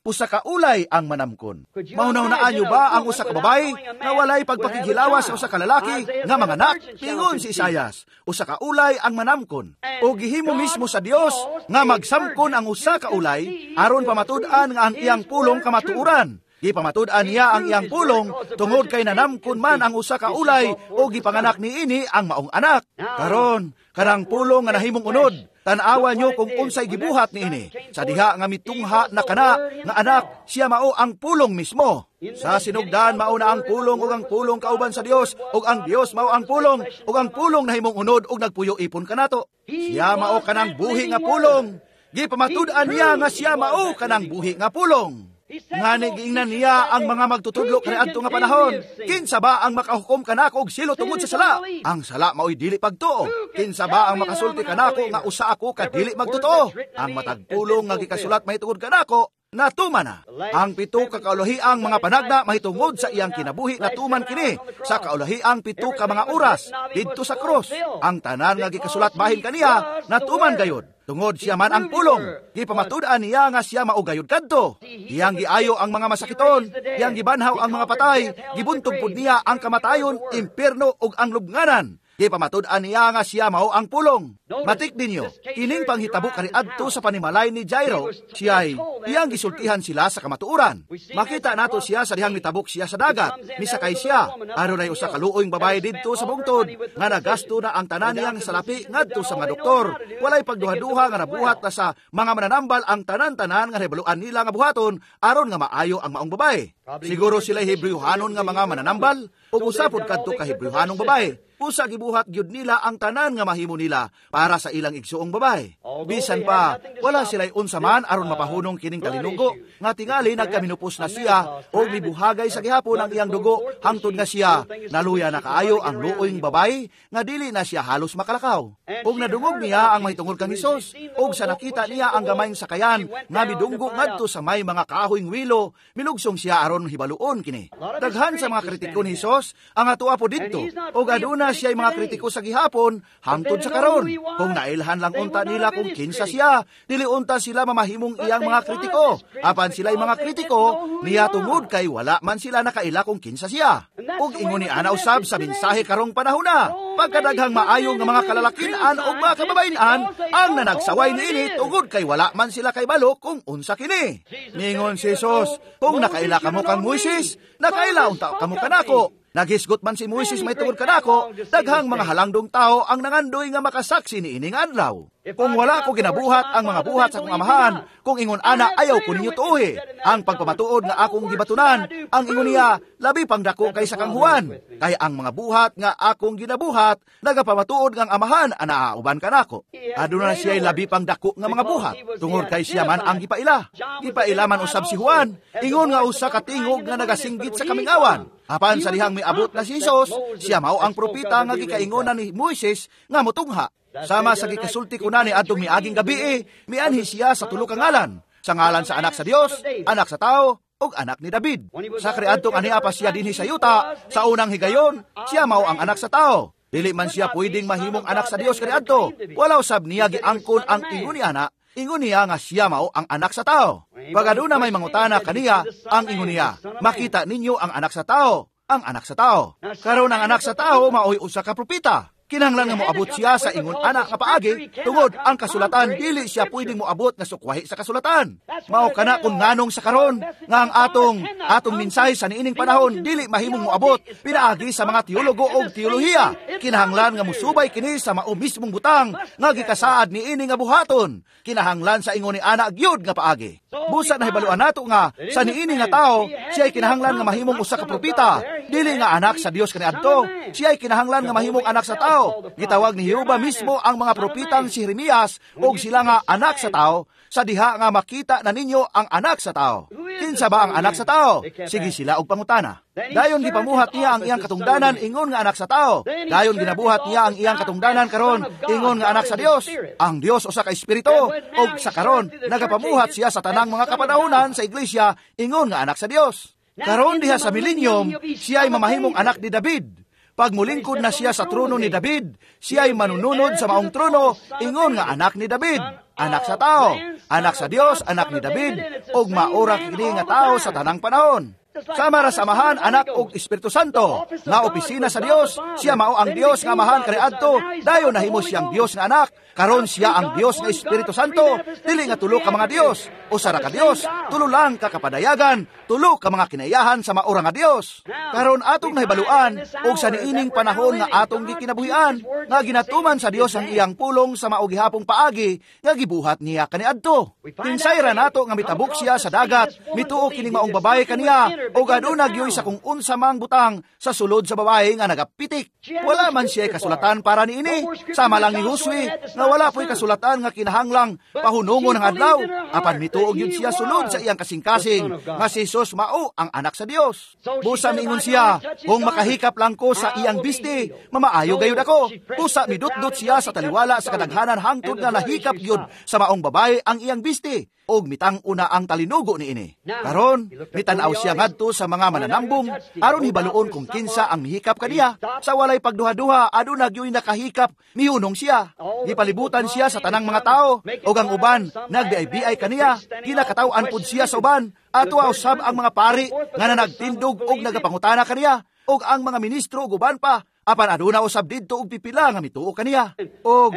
S1: usa ka ulay ang manamkon. Mahunahunaan niyo ba ang usa ka babae nga walay pagpakighilawas sa usa ka lalaki nga manganak? Ingon si Isayas, usa ka ulay ang manamkon. O gihimo mismo sa Dios nga magsamkon ang usa ka ulay aron pamatud-an nga ang iyang pulong kamatuoran. Gipamatud-an niya ang iyang pulong tungod kay nanamkon man ang usa ka ulay o gipanganak niini ang maong anak. Karon, kanang pulong nga nahimong unod, tan-awa nyo kung unsay gibuhat niini. Sa diha nga mitungha na kana nga anak, siya mao ang pulong mismo. Sa sinugdan mao na ang pulong ug ang pulong kauban sa Dios ug ang Dios mao ang pulong ug ang pulong nahimong unod ug nagpuyo ipon kanato. Siya mao kanang buhi nga pulong. Gipamatud-an niya nga siya mao kanang buhi nga pulong. Ngani giingnan niya ang mga magtutudlo kaniadto nga panahon. Kinsa ba ang makahukom kanako og silo tungod sa sala? Ang sala mao'y dili pagtuo. Kinsa ba ang makasulti kanako nga usa ako ka dili magtotoo? Ang matag pulong nga gikasulat mahitungod kanako, natuman na. Ang 7 ka kaulahiang mga panagna mahitungod sa iyang kinabuhi natuman kini sa kaulahiang 7 ka mga oras didto sa krus. Ang tanan nga gikasulat bahin kaniya natuman gayud. Tungod siya man ang pulong, gipamatud-an niya nga siya maugayod kadto. Iyang giayo ang mga masakiton, iyang gibanhaw ang mga patay, gibuntog pud niya ang kamatayon, impierno ug ang lubnganan. Gipamatud-an niya nga siya mao ang pulong. Matik ninyo, kining panghitabo kaniadto sa panimalay ni Jairo, siya'y iyang gisultihan sila sa kamatuoran. Makita nato siya sa dihang mitabok siya sa dagat, misakay siya. Adunay usa ka luoyng babae didto sa bungtod nga nagasto na ang tanan niyang salapi ngadto sa mga doktor. Walay pagduha-duha nga nabuhat na sa mga mananambal ang tanan-tanan nga nahibaluan nila nga buhaton aron nga maayo ang maong babae. Siguro sila Hebrewhanon nga mga mananambal ug usa pud kadto ka Hebrewhanong babae. Usa gibuhat gyud nila ang tanan nga mahimo nila para sa ilang igsuong babae. Bisan pa, wala sila'y unsa man aron mapahunong kining kalinunggo nga tingali nagkaminupos na siya o mibuhagay sa gihapon ang iyang dugo hangtod nga siya naluya na kaayo ang luoyng babae nga dili na siya halos makalakaw. Ug nadungog niya ang mahitungod kang Hesus ug sa nakita niya ang gamayng sakayan nga midunggo ngadto sa may mga kahoyng wilo, milugsong siya aron hibaluon kini. Daghan sa mga kritiko ni Hesus ang atoa po didto ug aduna siya'y mga kritiko sa gihapon hangtod sa karon. Kung nailhan lang unta nila kung kinsa siya, dili unta sila mamahimong iyang mga kritiko. Apan sila'y mga kritiko niya tungod kay wala man sila nakaila kung kinsa siya. Ug ingon ni ana usab sa mensahe karong panahona, pagkadaghang maayo nga mga kalalakinan ug mga kababayen-an ang nanagsaway niini tungod kay wala man sila kaybalo kung unsa kini. Ningon si Jesus, kung nakaila kamo kang Moises, nakaila unta kamo kanako. Naghisgot man si Moises may tungod kanako, daghang mga halangdong tao ang nangandoy nga makasaksi ni ining adlaw. Kung wala ko ginabuhat ang mga buhat sa akong amahan, kung ingon ana ayaw ko ninyo tuohi. Ang pagpamatuod nga akong gibatunan, ang ingon niya, labi pang dako kaysa kang Juan. Kay ang mga buhat nga akong ginabuhat, nagapamatuod nga ang amahan anaa uban kanako. Aduna siya labi pang dako nga mga buhat, tungod kay siya man ang gipaila. Gipaila man usab si Juan, ingon nga usa ka tingog nga nagasinggit sa kamingawan. Apan sa dihang miabot na si Jesus, siya mao ang propeta nga gikaingonan ni Moises nga motungha. Sama sa gikasulti ko na ni adtong miaging gabi, mianhi siya sa tulo ka ngalan, sa ngalan sa anak sa Dios, anak sa tao, ug anak ni David. Sa kaniadtong ania pa siya dinhi sa yuta, sa unang higayon, siya mao ang anak sa tao. Dili man siya pwedeng mahimong anak sa Dios kaniadto. Wala usab niya giangkon ang ingon ni ana, ingon niya nga siya mao ang anak sa tao. Pag aduna may mangutana kaniya, ang ingon niya, makita ninyo ang anak sa tao, ang anak sa tao. Karon ang anak sa tao maoy usa ka propeta. Kinahanglan nga moabot siya sa ingon ana nga paagi, tungod ang kasulatan dili siya pwedeng moabot nga sukwahi sa kasulatan. Mao kana kung nganong sa karon nga ang atong mensahe sa niining panahon dili mahimong moabot pinaagi sa mga teologo og teolohiya. Kinahanglan nga mosubay kini sa mao mismong butang nga gikasaad niini nga buhaton. Kinahanglan sa ingon ni ana gyud nga paagi. Busa nahibaluan nato nga sa niini nga tao siya ay kinahanglan nga mahimong usa ka propeta, dili nga anak sa Dios kaniadto. Siya ay kinahanglan nga mahimong anak sa tao. Gitawag ni Jehova mismo ang mga propetang si Jeremias og sila nga anak sa tao, sa diha nga makita na ninyo ang anak sa tao. Kinsa ba ang anak sa tao? Sige sila og pangutana. Dayon gipamuhat niya ang iyang katungdanan ingon nga anak sa tao. Dayon ginabuhat niya ang iyang katungdanan karon ingon nga anak sa Dios. Ang Dios usa ka espiritu, og sa karon nagapamuhat siya sa tanang mga kapanahonan sa iglesia ingon nga anak sa Dios. Karon diha sa millennium, siya ay mamahimong anak ni David. Pag mulingkod na siya sa trono ni David, siya ay manununod sa maong trono, ingon nga anak ni David, anak sa tao, anak sa Dios, anak ni David, og maora kini nga tao sa tanang panahon. Sama ra sa Amahan, Anak ug Espiritu Santo, nga opisina sa Dios, siya mao ang Dios nga Amahan kaniadto, dayon nahimo siyang Dios nga Anak, karon siya ang Dios nga Espiritu Santo, dili nga tulo ka mga Dios, usa ra ka Dios, tulo lang ka kapadayagan, tulo ka mga kinaiyahan sa maora nga Dios. Karon atong nahibaluan og sa niining panahon nga atong gikinabuhian, nga ginatuman sa Dios ang iyang pulong sa mao gihapong paagi nga gibuhat niya kaniadto. Kinsay ra nato nga mitabok siya sa dagat, mituo kining maong babae kaniya, o aduna gyoy sa kung unsa mang butang sa sulod sa babae nga nagapitik. Wala man siya kasulatan para niini. Sama lang ni Josue nga wala po'y kasulatan nga kinahanglang pahunungon ang adlaw. Apan mituo gyud siya sulod sa iyang kasing-kasing nga si Jesus mao ang anak sa Dios. Busa miingon siya, kung makahikap lang ko sa iyang bisti, mamaayo gayud ako. Busa midutdot siya sa taliwala sa kadaghanan hangtod nga nahikap gyud sa maong babae ang iyang bisti, og mitang-una ang talinugo niini. Karon mitan-aw siya ngadto sa mga mananambong aron hibaluon kung kinsa ang mihikap kaniya. Sa walay pagduha-duha, aduna gyoy nakahikap, mihunong siya. Gipalibutan siya sa tanang mga tao, og ang uban nagbiay-biay kaniya, ginakataw-an pud siya sa uban. Ato usab ang mga pari nga nanagtindog og nagapangutana kaniya, og ang mga ministro ug uban pa. Apan aduna usab didto og pipila nga mituo kaniya. Og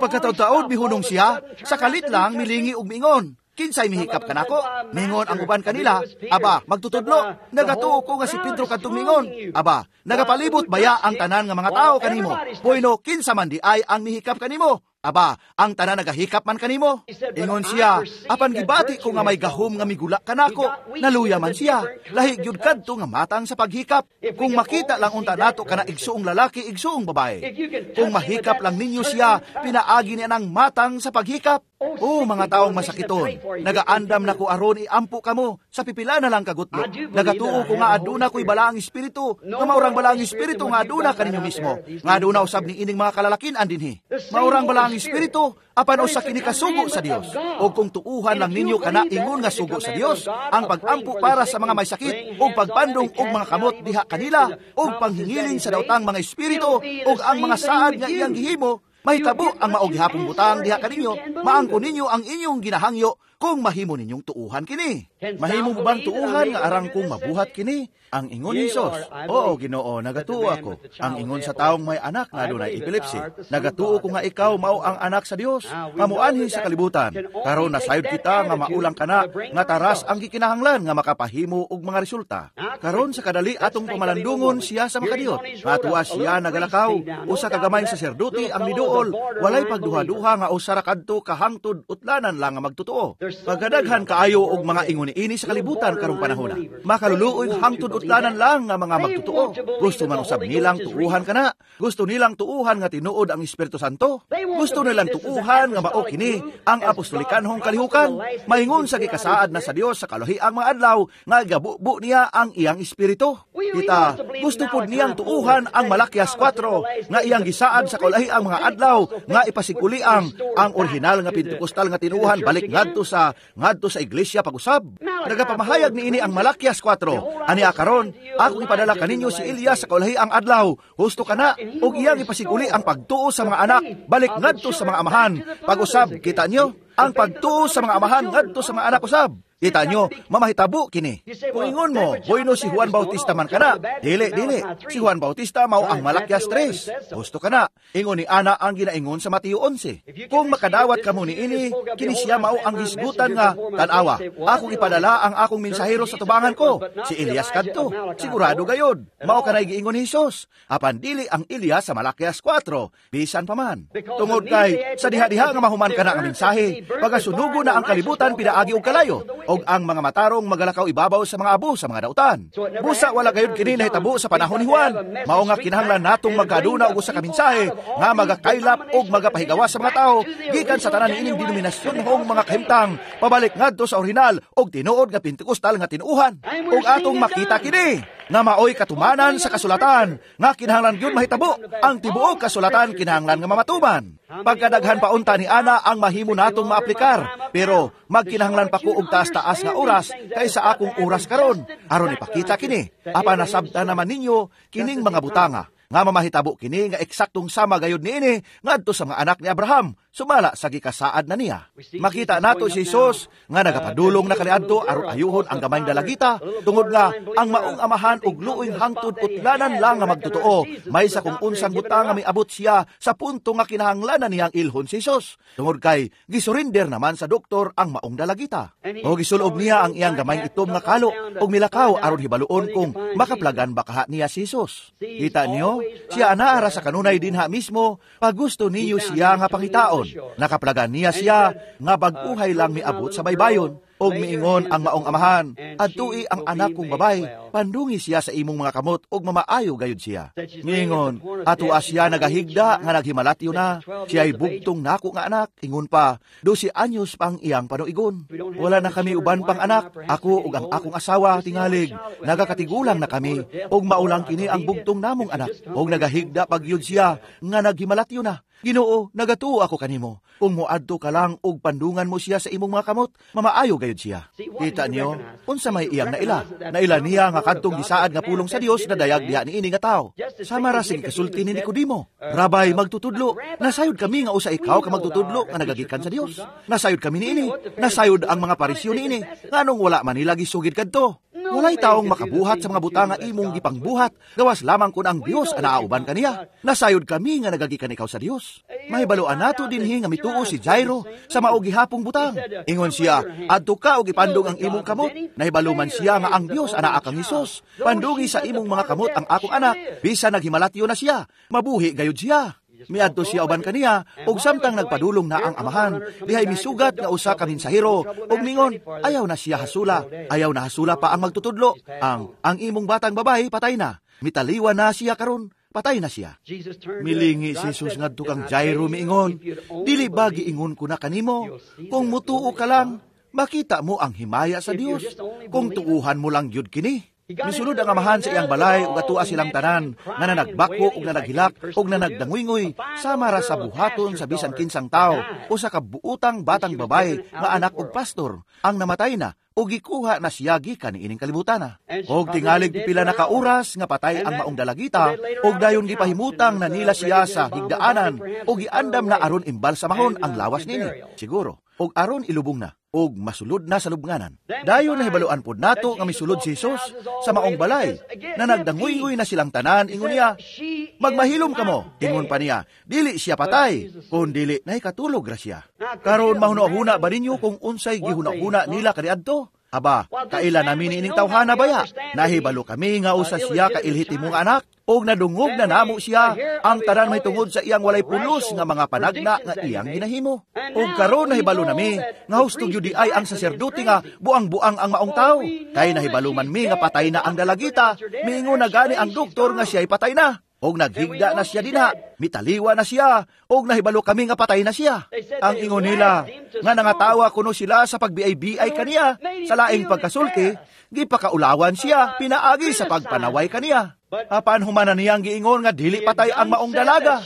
S1: pagkataud-taod mihunong siya, sa kalit lang milingi og miingon, kinsay mihikap kanako? Mingon ang uban kanila, aba, magtutudlo, nagatuo ko nga si Pedro kadtong mingon, aba, nagapalibot baya ang tanan nga mga tao kanimo? Bueno, kinsa man di ay ang mihikap kanimo? Aba, ang tanan nagahikap man kanimo? Ingon siya, apan gibati ko nga may gahom nga migula kanako, naluya man siya, lahi gyud kadto nga matang sa paghikap. Kung makita lang unta nato kana igsuong lalaki, igsuong babae. Kung mahikap lang ninyo siya, pinaagi niya ng matang sa paghikap. O mga taong masakiton, nagaandam na ko aron iampo kamo sa pipila na lang kagutlo. Nagatuo ko nga aduna ko'y balaang espiritu, nga maurang balaang espiritu nga aduna kaninyo mismo, nga aduna usab ni ining mga kalalakin andinhi. Maurang balaang espiritu, apan usa kini kasugo sa Dios. O kung tuuhan lang ninyo kana ingon nga sugo sa Dios, ang pagampo para sa mga may sakit, og pagpandong og mga kamot diha kanila, og panghingiling sa daotang mga espiritu, og ang mga saad nga iyang gihimo, Mahitabo ang mao gihapong butang diha kaninyo, maangko ninyo ang inyong ginahangyo kung mahimo ninyong tuuhan kini. Mahimo mo bang tuuhan nga arang kong mabuhat kini? Ang ingon ni Hesus, oo Ginoo, nagatuo ako. Ang ingon sa taong may anak nga adunay epilepsy, nagatuo ko nga ikaw mao ang anak sa Dios, pamuanhi sa kalibutan. Karon nasayod kita nga maulang kana nga taras ang gikinahanglan nga makapahimo og mga resulta. Karon sa kadali atong pamalandungon siya sa makadiyot. Atua siya nagalakaw, usa ka gamayng saserdote ang miduol, walay pagduha-duha nga usa ra kadto kahangtod utlanan lang nga magtotoo. Pagkadaghan kaayo og mga ingon niini sa kalibutan karong panahona. Makaluluoy hangtod utlanan lang nga mga magtotoo. Gusto man usab nilang tuuhan kana. Gusto nilang tuuhan nga tinuod ang Espiritu Santo. Gusto nilang tuuhan nga mao kini ang apostolikanhong kalihukan. Maingon sa gikasaad na sa Dios sa kalahiang mga adlaw nga gabubo niya ang iyang espiritu. Kita gusto pud niyang tuuhan ang Malakias 4 nga iyang gisaad sa kalahiang mga adlaw nga ipasiguli ang orihinal nga Pentecostal nga tinuuhan balik ngadto sa iglesia pag-usab. Nagapamahayag niini ang Malakias 4. Ani karon, akong ipadala kaninyo si Elias sa kaulahiang adlaw. Husto kana og iyang ipasiguli ang pagtuo sa mga anak balik ngadto sa mga amahan. Pag-usab, kita nyo, ang pagtuo sa mga amahan ngadto sa mga anak usab. Kita nyo, mamahitabo kini. Kung ingon mo, bueno si Juan Bautista man kana. Dili, dili. Si Juan Bautista mao ang Malakias 3. Gusto kana. Ingon ni Ana ang ginaingon sa Mateo 11. Kung makadawat kamo niini, kini siya mao ang hisgutan nga tan-awa. Akong ipadala ang akong mensahero sa tubangan ko. Si Elias kadto. Sigurado gayod. Mao kanay giingon ni Hesus. Apan dili ang Elias sa Malakias 4. Bisan pa man. Tungod kay sa diha-diha nga mahuman kana nga mensahe, pagasunugo na ang kalibutan pinaagi og kalayo, og ang mga matarong magalakaw ibabaw sa mga abo sa mga dautan. Busa wala gayud kini nahitabo sa panahon ni Juan. Mao nga kinahanglan natong magkaduna og usa ka mensahe nga magakaylap og magapahigawas sa mga tawo gikan sa tanan niining denominasyon hong mga kahimtang pabalik ngadto sa orihinal og tinuod nga Pentecostal nga tinuuhan. Og atong makita kini nga maoy katumanan sa kasulatan nga kinahanglan gyud mahitabo. Ang tibuok kasulatan kinahanglan nga mamatuman. Pagkadaghan pa unta ni Ana ang mahimo natong maaplikar, pero magkinahanglan pa ko og taas-taas nga oras kaysa akong oras karon aron ipakita kini. Apan nasabtan naman ninyo kining mga butanga nga mamahitabo kini nga eksaktong sama gayud niini ngadto sa mga anak ni Abraham sumala sa gikasaad na niya. Makita nato si Hesus nga nagapadulong na kaniadto aron ayuhon ang gamayng dalagita tungod nga ang maong amahan og luoy hangtod utlanan lang nga magtotoo may sa kung unsang butang nga miabot siya sa punto nga kinahanglanan niyang ilhon si Hesus tungod kay gisurrender naman sa doktor ang maong dalagita. O gisulob niya ang iyang gamayng itom nga kalo og milakaw aron hibaluon kung makaplagan ba kaha niya si Hesus. Kita niyo, siya anaara sa kanunay dinha mismo pag gusto niyo siya nga pangitaon. Nakaplagan niya siya nga bag-uhay lang miabot sa baybayon. Og miingon ang maong amahan, adtui ang anak kong babay, pandungi siya sa imong mga kamot og mamaayo gayud siya. Miingon, atua siya nagahigda nga naghimalatyo na, siya'y bugtong nako nga anak, ingon pa, 12 anyos pang iyang panuigon. Wala na kami uban pang anak, ako ug ang akong asawa tingalig, nagakatigulang na kami, og maulang kini ang bugtong namong anak, og nagahigda pagyud siya nga naghimalatyo na. Ginoo, nagatuo ako kanimo. Kung moadto ka lang og pandungan mo siya sa imong mga kamot, mamaayo gayud siya. Kita niyo, unsa may iyang naila? Naila niya nga kadtong gisaad nga pulong sa Dios na dayag diha niini nga tawo. Sama ra sige kasulti ni Nicodemo. Rabay, magtutudlo, nasayod kami nga usa ikaw ka magtutudlo nga nagagikan sa Dios. Nasayod kami niini. Nasayod ang mga Pariseo niini. Nganong wala man nila gisugid kadto? Walay taong makabuhat sa mga butang nga imong gipangbuhat, gawas lamang kun ang Dios ang naauban kaniya. Nasayod kami nga nagagikan ikaw sa Dios. Mahibaloan nato dinhi nga mituo si Jairo sa mao gihapong butang. Ingon siya, adto ka og ipandong ang imong kamot. Nahibalo man siya nga ang Dios anaa kang Hesus. Pandungi sa imong mga kamot ang akong anak, bisan naghimalatyo na siya, mabuhi gayud siya. Miadto siya uban kaniya, ug samtang nagpadulong na ang amahan, dihay misugat nga usa ka mensahero, ug mingon, ayaw na siya hasula, ayaw na hasula pa ang magtutudlo, ang imong batang babae patay na, mitaliwa na siya karon, patay na siya. Milingi si Jesus ngadto kang Jairo miingon, dili ba giingon ko na kanimo, kung mutuo ka lang, makita mo ang himaya sa Dios, kung tuuhan mo lang gyud kini. Misulod ang amahan sa iyang balay ug atua silang tanan nga nanagbako ug nanaghilak ug nanagdanguyngui sama ra sa buhaton sa bisan kinsang tawo usa ka buutang batang babae nga anak og pastor ang namatay na o gikuha na siya gikan niining kalibutana. Og tingalig pipila na ka oras nga patay ang maong dalagita, og dayon gipahimutang na nila siya sa higdaanan, og giandam na aron imbalsamahon ang lawas nini. Siguro, og aron ilubong na, og masulod na sa lubnganan. Dayon nahibaluan pod nato nga misulod si Jesus sa maong balay, na nagdanguynguy na silang tanan, ingon niya, "Magmahilom kamo," ingon pa niya, "dili siya patay, kun dili nahikatulog ra siya." Karon mahuna-huna ba ninyo kung unsay gihuna-huna nila kaniadto? Aba, kaila namin ining tawhana baya? Nahibalo kami nga usa siya ka ilhitimong anak, og nadungog na namo siya ang tanan may tungod sa iyang walay pulos nga mga panagna nga iyang ginahimo. Og karon nahibalo nami nga husto gyud ay ang saserdote nga buang-buang ang maong tawo. Kay nahibalo man mi nga patay na ang dalagita, miingon na gani ang doktor nga siya'y patay na. Og naghigda na siya dinha, mitaliwa na siya, og nahibalo kami nga patay na siya. Ang ingon nila, nga nangatawa kuno sila sa pagbiay-biay kaniya, sa laing pagkasulti, gipakaulawan siya, pinaagi sa pagpanaway kaniya. Apan humana niyang giingon nga dili patay ang maong dalaga.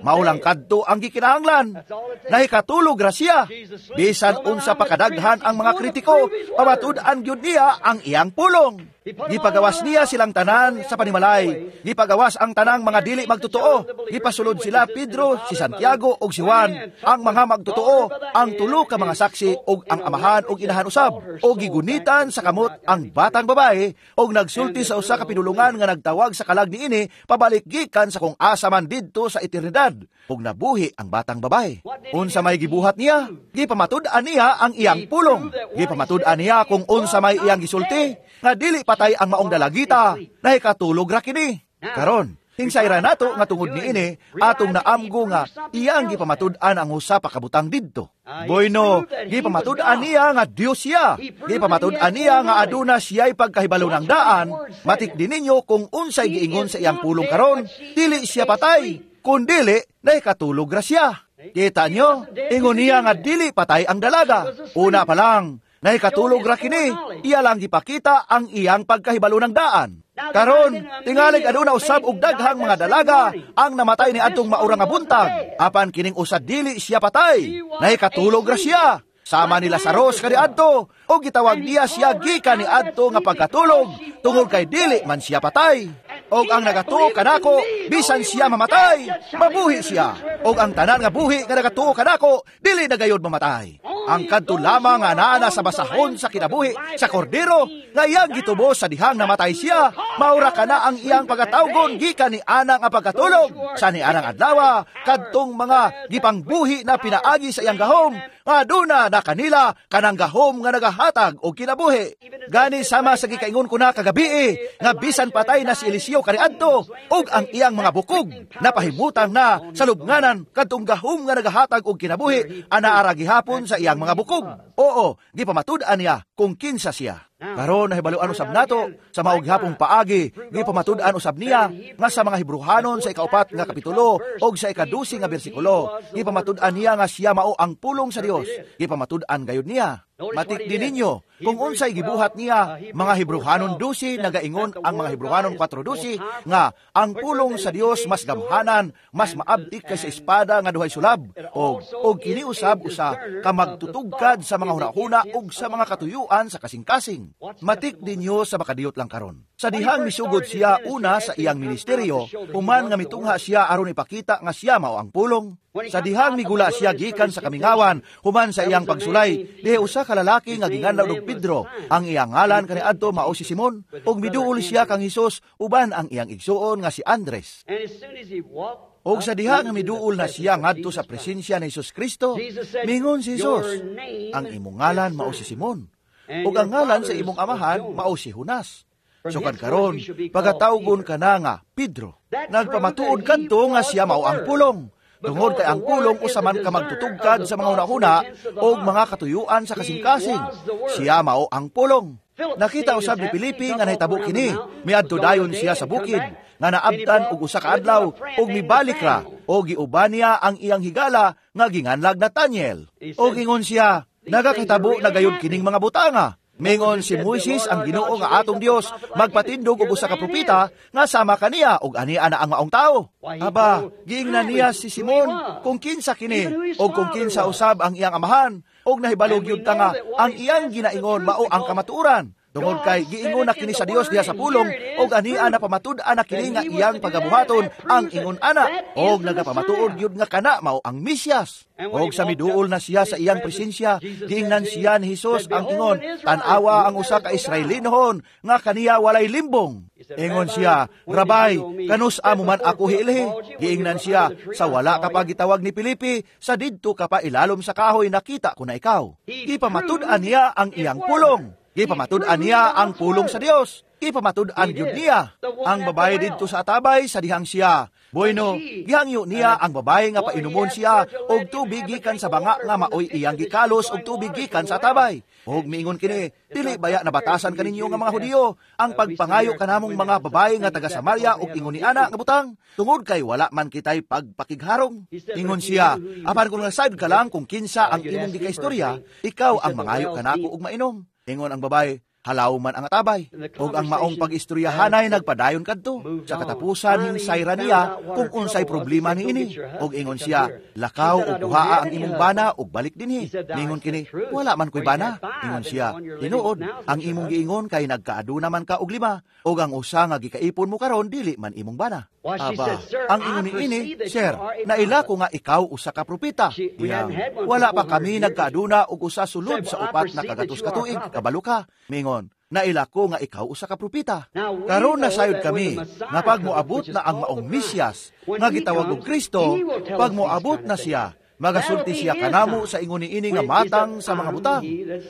S1: Maulang kadto ang gikinahanglan. Nahikatulog ra siya. Bisan unsa pa kadaghan ang mga kritiko, pamatud-an gyud niya ang iyang pulong. Gipagawas niya silang tanan sa panimalay. Gipagawas ang tanang mga dili magtotoo. Gipasulod sila Pedro, si Santiago ug si Juan, ang mga magtotoo, ang tulo ka mga saksi ug ang amahan ug inahan usab. Og gigunitan sa kamot ang batang babae ug nagsulti sa usa ka pinulungan nga nagtawag sa kalag niini pabalik gikan sa kung asa man didto sa eternidad. Ug nabuhi ang batang babae. Unsa may gibuhat niya? Gipamatud-an niya ang iyang pulong. Gipamatud-an niya kung unsa may iyang gisulti nga dili patay ang maong dalagita, nahikatulog ra kini. Karon, hingsay ra nato nga tungod niini atong naamgo nga iyang gipamatud-an ang usa pa kabutang didto. Bueno, gipamatud-an niya nga Dios siya. Gipamatud-an niya nga aduna siya'y pagkahibalo ng daan. Matik din ninyo kung unsay giingon sa iyang pulong karon, dili siya patay, kun dili nahikatulog ra siya. Kita nyo, ingon niya nga dili patay ang dalaga. Una pa lang, nahikatulog ra kini, iya lang gipakita ang iyang pagkahibalo ng daan. Karon, tingalig aduna usab og daghang mga dalaga ang namatay ni adtong maura nga buntag. Apan kining usa dili siya patay, nahikatulog ra siya. Sama ni Lazarus kaniadto, og gitawag niya siya gikan niadto nga pagkatulog, tungod kay dili man siya patay. Og ang nagatuo kanako, bisan siya mamatay, mabuhi siya. Og ang tanan nga buhi nga nagatuo kanako, dili na gayod mamatay. Ang kadto lamang nga naa sa basahon sa kinabuhi sa kordero, nga iyang gitubos sa dihang namatay siya, maura kana ang iyang pagatawgon gikan ni ana nga pagkatulog sa ni anang adlaw, kadtong mga gipangbuhi na pinaagi sa iyang gahom, nga aduna na kanila kanang gahom nga nagahatag og kinabuhi. Gani sama sa gikaingon ko na kagabi, nga bisan patay na si Eliseo kaniadto ug ang iyang mga bukog napahimutang na sa lubnganan kadtong gahom nga nagahatag og kinabuhi anaara gihapon sa iyang mga bukog. Oo, gipamatud-an niya kung kinsa siya. Karon nahibaluan usab nato sa mao gihapong paagi, gipamatud-an usab niya nga sa mga Hebrehanon sa 4 nga kapitulo og sa 12 nga bersikulo, gipamatud-an niya nga siya mao ang pulong sa Dios. Gipamatud-an gayud niya. Matik din ninyo kung unsay gibuhat niya. Mga Hebrehanon 12 nagaingon ang mga Hebrehanon 4:12 nga ang pulong sa Dios mas gamhanan, mas maabtik kaysa espada nga duhay sulab, og kini usab usa ka magtutugkad sa mga hunahuna ug sa mga katuyuan sa kasing-kasing. Matik ninyo sa makadiyot lang karon. Sa dihang misugod siya una sa iyang ministeryo, human nga mitungha siya aron ipakita nga siya mao ang pulong. Sa dihang migula siya gikan sa kamingawan, human sa iyang pagsulay, diha usa ka lalaki nga ginganlaw og Pedro. Ang iyang ngalan kaniadto mao si Simon, ug miduol siya kang Hesus uban ang iyang igsuon nga si Andres. Og sa diha nga miduol na siya ngadto sa presensya ni Hesus Kristo, mingon si Hesus, "Ang imong ngalan mao si Simon, ug ang ngalan sa imong amahan mao si Jonas. Sukad karon, pagatawgon ka na nga Pedro." Nagpamatuod kadto nga siya mao ang pulong. Tungod kay ang pulong usa man ka magtutugkad sa mga hunahuna o mga katuyuan sa kasing-kasing. Siya mao ang pulong. Nakita usab ni Pilipi nga nahitabo kini. Miadto dayon siya sa bukid nga naabtan og usa ka adlaw ug mibalik ra og giuban niya ang iyang higala nga ginganlag Nathaniel. Og ingon siya, "Nagakahitabo na gayud kining mga butanga. Mingon si Moises ang Ginoo nga atong Dios magpatindog og usa ka propeta nga sama kaniya og ania na ang maong tawo." Aba, giingnan niya si Simon kung kinsa kini og kung kinsa usab ang iyang amahan Og nahibalo gyud ta nga ang iyang ginaingon mao ang kamatuoran. Tungod kay giingon na kini sa Dios diha sa pulong, og ania na pamatud-an na kini nga iyang pagabuhaton ang ingon ana, og nagapamatuod gyud nga kana mao ang Mesiyas. Og sa miduol na siya sa iyang presensya, giingnan siya ni Hesus ang ingon, tan-awa ang usa ka Israelinhon nga kaniya walay limbong. Ingon siya, Rabay, kanus amo man ako hiilhi? Giingnan siya, sa wala ka pa gitawag ni Pilipi, sa didto ka pa ilalom sa kahoy nakita ko na ikaw. Gipamatud-an niya ang iyang pulong. Gipamatud-an niya ang pulong sa Dios. Gipamatud-an gyud niya. Ang babae didto sa atabay sa dihang siya, bueno, gihangyo niya ang babae nga painumon siya og tubig gikan sa banga nga maoy iyang gikalos og tubig gikan sa atabay. Og miingon kini, dili baya nabatasan kaninyo nga mga Hudiyo ang pagpangayo kanamong mga babae nga taga Samaria og ingon ni ana nga butang, tungod kay wala man kitay pagpakigharong. Ingon siya, apan kung nasayod ka lang kung kinsa ang imong gikaistorya, ikaw ang mangayo kanako og mainom. Ingon ang babae, halaw man ang atabay. Og ang maong pag-istoryahanay nagpadayon kadto. Sa katapusan hinsayra niya kung unsay problema niini. Og ingon siya, lakaw og kuhaa ang imong bana og balik dinhi. Ningon kini, wala man ko'y bana. Ingon siya, tinuod, ang imong giingon kay nagkaaduna man ka og 5, og ang usa nga gikaipon mo karon dili man imong bana. Aba, ang ingon niini, sir, naila ko nga ikaw usa ka propeta. Iyang, wala pa kami nagkaaduna og usa sulod sa 400 ka tuig, kabalo ka. Mingon, naila ko nga ikaw usa ka propeta. Karon nasayod kami nga pag moabot na ang maong Mesiyas nga gitawag og Kristo, pag moabot na siya, magasulti siya kanamo sa ingon niini nga matang sa mga butang.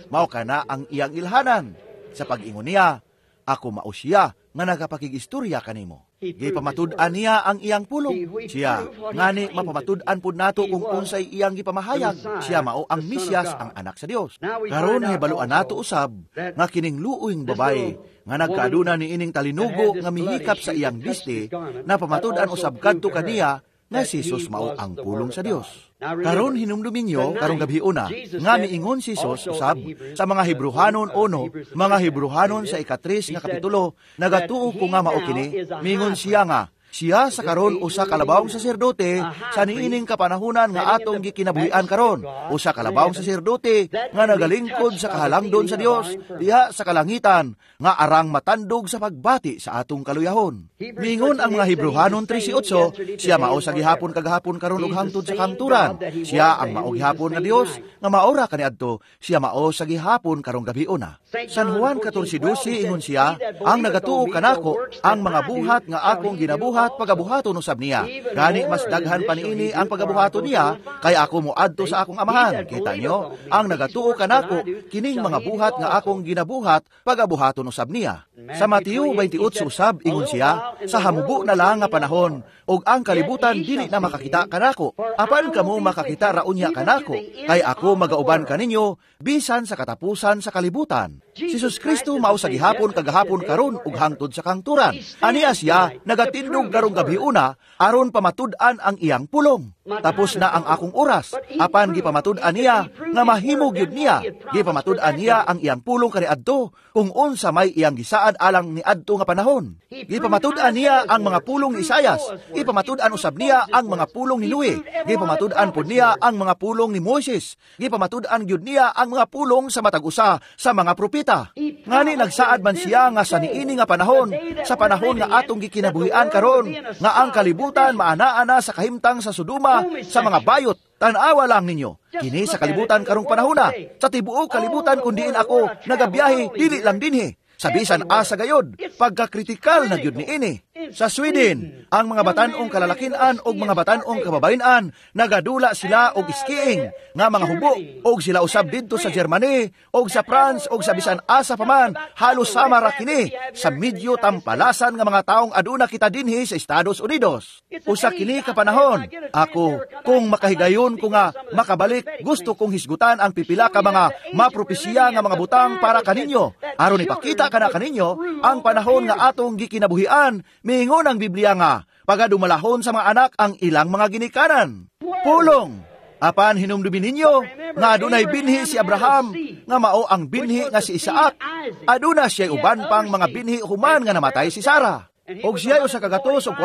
S1: Mao kana ang iyang ilhanan. Sa pag-ingon niya, ako mao siya nga nagapakigistorya kanimo. Gipamatud-an niya ang iyang pulong. Siya, ngani mapamatud-an pud nato kung unsay iyang gipamahayag. Siya mao ang Mesiyas, ang anak sa Dios. Karon hibaluan nato usab nga kining luoyng babae nga nagkaaduna niining talinugo nga mihikap sa iyang biste, napamatud-an usab kadto kaniya nga si Jesus mao ang pulong sa Dios. Karon hinumdumin niyo karong gabi una nga miingon si Jesus usab sa mga Hebrehanon 1, mga Hebrehanon sa 3 nga kapitulo, nagatuo ko nga mao kini, miingon siya nga siya sa karon usa ka labawong saserdote sa niining kapanahunan nga atong gikinabuhian karon, usa ka labawong saserdote nga nagalingkod sa kahalangdon sa Dios diha sa kalangitan, nga arang matandog sa pagbati sa atong kaluyahon. Miingon ang mga Hebrehanon 13:8, siya mao sa gihapon kagahapon karon ug hangtod sa kamturan. Siya ang mao gihapon nga Dios nga maora kaniadto, siya mao sa gihapon karong gabiuna. San Juan 14:12 ingon siya, ang nagatuo kanako ang mga buhat nga akong ginabuhat pagabuhaton usab niya. Gani mas daghan pa niini ang pagabuhaton niya kay ako moadto sa akong amahan. Kita niyo, ang nagatuo kanako kining mga buhat nga akong ginabuhat pagabuhaton usab niya. Sa Mateo 28 usab ingon siya, sa hamubo na lang nga panahon ug ang kalibutan dili na makakita kanako, apan kamo makakita ra unya kanako, kay ako magauban kaninyo bisan sa katapusan sa kalibutan. Si Jesus Kristo mao sa gihapon kagahapon karon ug hangtod sa kangturan. Aniya siya nagatindog karong gabiuna aron pamatud-an ang iyang pulong. Tapos na ang akong oras, apan gipamatud-an niya nga mahimo gyud niya. Gipamatud-an niya ang iyang pulong kaniadto kung unsa may iyang gisaad alang niadto nga panahon. Gipamatud-an niya ang mga pulong ni Isayas, gipamatud-an usab niya ang mga pulong ni Noe, gipamatud-an pud niya ang mga pulong ni Moises, gipamatud-an gyud niya ang mga pulong sa matag usa sa mga propeta. Ngani nagsaad man siya nga sa niini nga panahon, sa panahon nga atong gikinabuhian karon, nga ang kalibutan maana-ana sa kahimtang sa Sodoma sa mga bayot. Tan-awa lang ninyo, kini sa kalibutan karong panahona, sa tibuok kalibutan kun diin ako nagabiyahe, dili lang dinhi. Sa bisan asa gayod, pagkakritikal na gyud niini. Sa Sweden, ang mga batan-ong kalalakinan og mga batan-ong kababayen-an nagadula sila og skiing nga mga hubo, og sila usab didto sa Germany og sa France og sa bisan asa pa man, halos sama ra kini sa medyo tampalasan nga mga taong aduna kita dinhi sa Estados Unidos. Usa kini ka panahon, ako kung makahigayon ko nga makabalik, gusto kong hisgutan ang pipila ka mga mapropesiya nga mga butang para kaninyo aron ipakita kana kaninyo ang panahon nga atong gikinabuhian. Miingon ang Biblia nga pagadumalahon sa mga anak ang ilang mga ginikanan. Pulong. Apan hinumdumin ninyo nga adunay binhi si Abraham nga mao ang binhi nga si Isaac. Aduna siya uban pang mga binhi human nga namatay si Sara. Og siya 145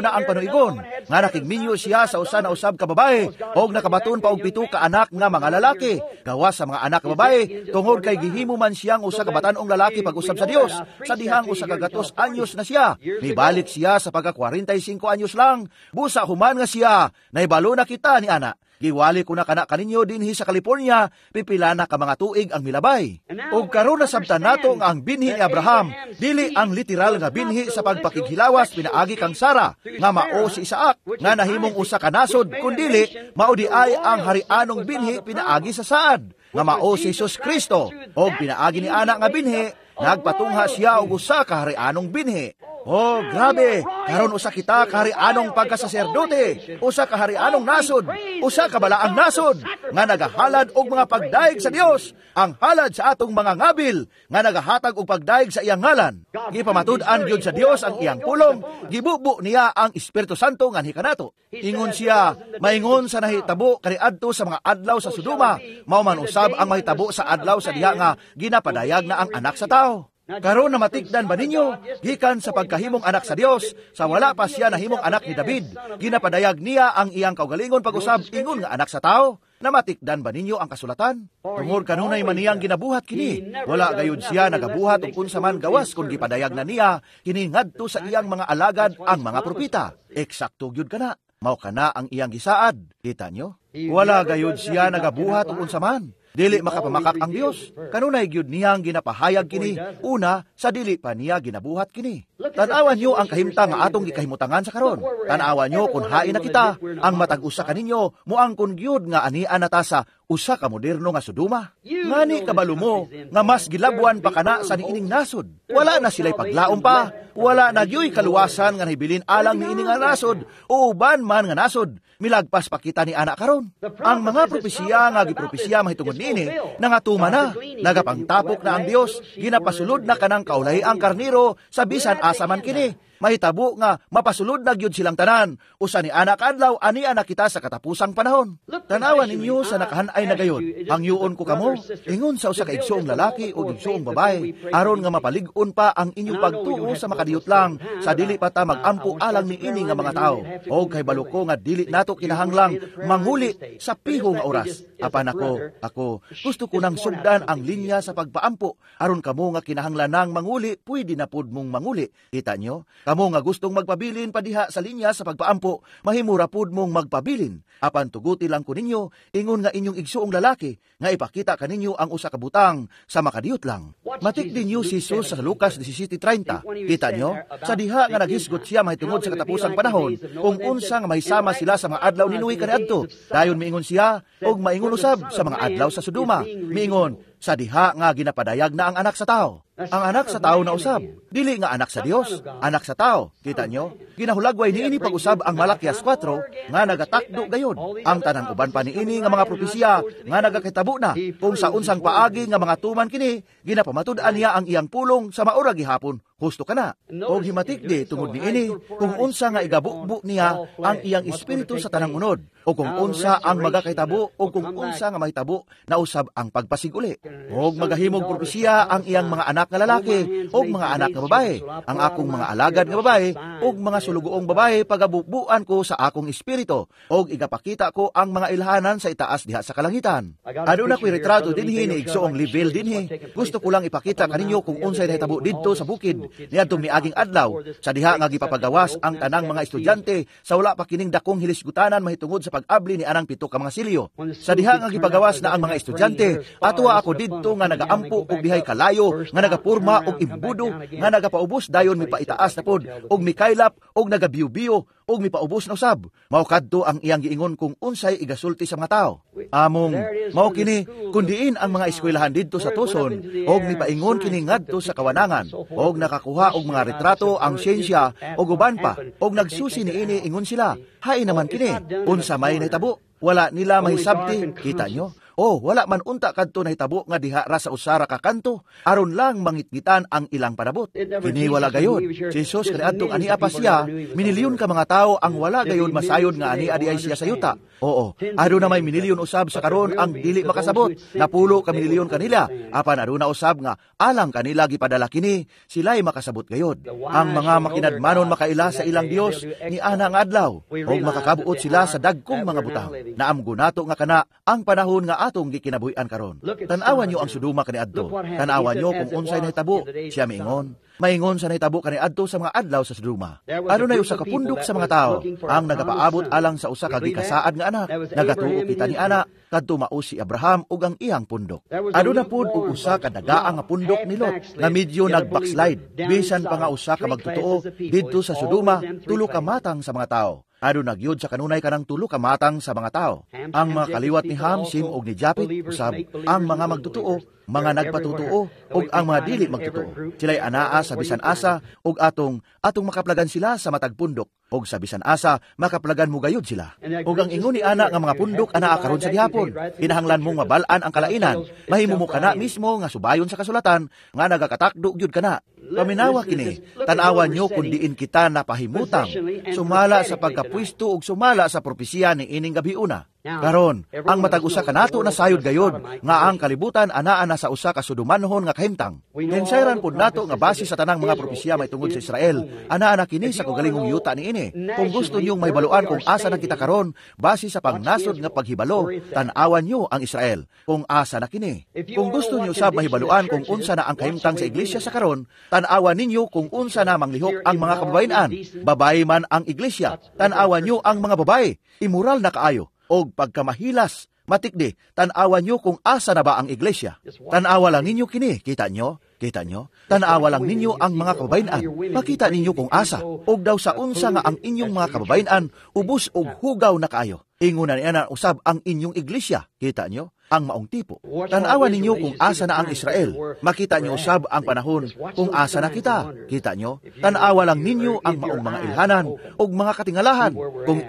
S1: na ang panuigon, nga nakigminyo siya sa usa na usab ka babae, og nakabaton pa og 7 ka anak nga mga lalaki. Gawas sa mga anak nga babae, tungod kay gihimo man siyang usa ka batan-ong lalaki pag-usab sa Dios, sa dihang 100 anyos na siya. Mibalik siya sa pagka 45 anyos lang, busa human nga siya, naibalo na kita ni ana. Giwali ko na kana kaninyo dinhi sa California, pipila na ka mga tuig ang milabay. Og karon nasabtan nato nga ang binhi ni Abraham, dili ang literal nga binhi sa pagpakighilawas pinaagi kang Sara, nga mao si Isaac, nga nahimong usa ka nasod, kundili mao di ay ang harianong binhi pinaagi sa saad, nga mao si Jesus Kristo. Og pinaagi ni ana nga binhi, nagpatungha siya og usa ka harianong binhi. Oh, grabe! Karon usa kita kaharianong pagkasaserdote, usa ka harianong nasod, usa ka balaang nasod, nga nagahalad og mga pagdaig sa Dios, ang halad sa atong mga ngabil, nga nagahatag og pagdaig sa iyang ngalan. Gipamatud-an gyud sa Dios ang iyang pulong, gibubo niya ang Espiritu Santo nganhi kanato. Ingon siya, maingon sa nahitabo kaniadto sa mga adlaw sa Sodoma, mao man usab ang mahitabo sa adlaw sa diha nga ginapadayag na ang anak sa tao. Karon na matigdan ba ninyo, gikan sa pagkahimong anak sa Dios, sa wala pa siya nahimong anak ni David, ginapadayag niya ang iyang kaugalingon pag-usab ingon nga anak sa tao? Namatikdan ba ninyo ang kasulatan? Tungod kanunay man niyang ginabuhat kini, wala gayud siya nagabuhat og unsa man gawas kun gipadayag na niya kini ngadto sa iyang mga alagad ang mga propeta. Eksakto gyud kana. Mao kana ang iyang gisaad. Kita nyo? Wala gayud siya nagabuhat og unsa man. Dili makapamakak ang Dios. Kanunay gyud niyang ginapahayag kini, una sa dili pa niya ginabuhat kini. Tan-awan niyo ang kahimtang nga atong gikahimutangan sa karon. Tan-awan niyo kung hain na kita, ang matag usa kaninyo moangkon gyud nga anian na ta sa usa ka moderno nga Sodoma. Ngani kabalo mo nga mas gilabwan pa kana sa niining nasod. Wala na sila'y paglaom pa, wala na gyuy kaluwasan nga nahibilin alang niini nga nasod o uban man nga nasod. Milagpas pa kita ni ana karon. Ang mga propesiya nga gipropesiya mahitungod niini nangatuma na, nagapangtapok na ang Dios, ginapasulod na kanang kaulahi ang karniro sa bisan asa man kini. Mahitabo nga mapasulod na gyud silang tanan. Usa ni ana kaadlaw ani ana kita sa katapusang panahon. Tanawan ninyo sa nakahanay na gayon. Hangyuon ko kamo ingon sa usa ka igsoong lalaki o igsoong babae aron nga mapalig-on pa ang inyong pagtuo sa makadiyot lang sa dili pa ta magampo alang niini nga mga tawo. Og kay balo ko nga dili nato kinahanglang manguli sa piho nga oras. Apan ako gusto ko nang sugdan ang linya sa pagpaampo aron kamo nga kinahanglan nang manguli, pwede na pud mong manguli. Kita nyo? Kamo nga gustong magpabilin pa diha sa linya sa pagpaampo, mahimura pud mong magpabilin. Apan tuguti lang ko ninyo, ingon nga inyong igsuong lalaki, nga ipakita kaninyo ang usa ka butang sa makadiyot lang. Matikdi niyo si Jesus sa Lucas 17:30. Kita nyo? Sa diha nga naghisgot siya mahitungod sa katapusang panahon, kung unsa nga mahisama sila sa mga adlaw ni Noe kaniadto. Dayon miingon siya, og maingon usab sa mga adlaw sa Sodoma. Miingon, sa diha nga ginapadayag na ang anak sa tao. Ang anak sa tao na usab, dili nga anak sa Dios, anak sa tao. Kita nyo? Ginahulagway niini pag-usab ang Malakias 4 nga nagatakdo gayon. Ang tanang uban pa niini nga mga propesiya nga nagakitabo na kung sa unsang paagi nga mga tuman kini, ginapamatud-an niya ang iyang pulong sa maura gihapon. Husto ka na. Og himatikdi tungod niini kung unsa nga igabukbo niya ang iyang espiritu sa tanang unod, o kung unsa ang magakahitabo o kung unsa nga mahitabo na usab ang pagpasiguli. Og magahimog propesiya ang iyang mga anak nga lalaki og mga anak nga babae, ang akong mga alagad nga babae og mga sulugoong babae pagabubuan ko sa akong espiritu, og igapakita ko ang mga ilhanan sa itaas diha sa kalangitan. Aduna ko'y retrato dinhi ni igsoong level dinhi. Gusto ko lang ipakita kaninyo kung unsay nahitabo didto sa bukid niadtong miaging adlaw sa diha nga gipapagawas ang tanang mga estudyante sa wala pa kining dakong hilisgutanan mahitungod sa pag-abli ni anang 7 ka mga silyo. Sa diha nga gipagawas na ang mga estudyante, atuwa ako didto nga nagaampo og dihay kalayo nga nagapurma og imbudo nga nagapaubos, dayon mipaitaas na pod og mikaylap og nagabiyo-biyo og mipaubos na usab. Mao kadto ang iyang giingon kung unsay igasulti sa mga tao. Among mao kini kundiin ang mga eskwelahan didto sa Tucson og mipaingon kini ngadto sa kawanangan og nakakuha og mga retrato ang siyensya og uban pa og nagsusi niini ingon sila, hain naman kini unsa may nahitabo, wala nila mahisabti. Kita nyo? Oh, wala man unta kadto nahitabo nga diha ra sa usa ra ka kanto aron lang mangitngitan ang ilang panabot. Kini wala gayod. Si Jesus kaniadtong ania pa siya, minilyon ka mga tawo ang wala gayod masayod nga ania di ay siya sa yuta. Oo, aduna may minilyon usab sa karon ang dili makasabot. Napulo ka minilyon kanila, apan aduna usab nga alang kanila gipadala kini, sila'y makasabot gayod. Ang mga makinadmanon makaila sa ilang Dios ni ana nga adlaw, ug makakabuot sila sa dagkong mga butang. Naamgo nato nga kana ang panahon nga atong gikinabuhian karon. Tan-awan nyo ang Sodoma kaniadto. Tan-awan nyo kung unsay nahitabo. Siya miingon. Maingon sa nahitabo kaniadto sa mga adlaw sa Sodoma. Adunay usa ka pundok sa mga tao ang nagapaabot alang sa usa ka gikasaad nga anak. Nagatuo kita ni ana kadto mao si Abraham ug ang iyang pundok. Aduna pud og usa ka dagaa nga pundok ni Lot nga medyo nag-backslide. Bisan pa nga usa ka magtotoo didto sa Sodoma, tulo ka matang sa mga tao. Aduna gyud sa kanunay kanang tulo ka matang sa mga tao. Ang mga kaliwat ni Ham, Sim ug ni Japet usab ang mga magtotoo, mga nagpatutuo ug ang mga dili magtotoo. Sila'y anaa sa bisan asa ug atong atong makaplagan sila sa matag pundok ug sa bisan asa makaplagan mo gayud sila. Ug ang ingon ni ana nga mga pundok anaa karon sa gihapon. Kinahanglan mong mabal-an ang kalainan. Mahimo mo kana mismo nga subayon sa kasulatan nga nagakatakdo gyud kana. Paminawa kini, tan-awan nyo kung diin kita napahimutang, sumala sa pagkapwisto ug sumala sa propesiya ni ining gabiuna. Karon, ang matag usa kanato na sayod gayod nga ang kalibutan anaa na sa usa ka sudumanhon nga kahimtang. Kinsayran pud nato nga base sa tanang mga propesiya mahitungod sa Israel, anaa na kini sa kaugalingong yuta niini. Kung gusto niyong mahibaluan kung asa na kita karon base sa pangnasod nga paghibalo, tan-awan niyo ang Israel kung asa na kini. Kung gusto niyo sab mahibaluan kung unsa na ang kahimtang sa iglesia sa karon, tan-awan ninyo kung unsa na manglihok ang mga kababayen-an. Babae man ang iglesia, tan-awan niyo ang mga babae, immoral na kaayo og pagkamahilas, matikdi, tan-awan nyo kung asa na ba ang iglesia. Tan-awa lang ninyo kini, kita nyo? Kita nyo? Tan-awa lang ninyo ang mga kababayen-an. Makita ninyo kung asa, og daw sa unsa nga ang inyong mga kababayen-an, ubos og hugaw na kaayo. Ingon na niya usab ang inyong iglesia. Kita nyo? Ang maong tipo. Tan-awa ninyo kung asa na ang Israel. Makita nyo usab ang panahon kung asa na kita. Kita nyo? Tan-awa lang ninyo ang maong mga ilhanan og mga katingalahan. Kung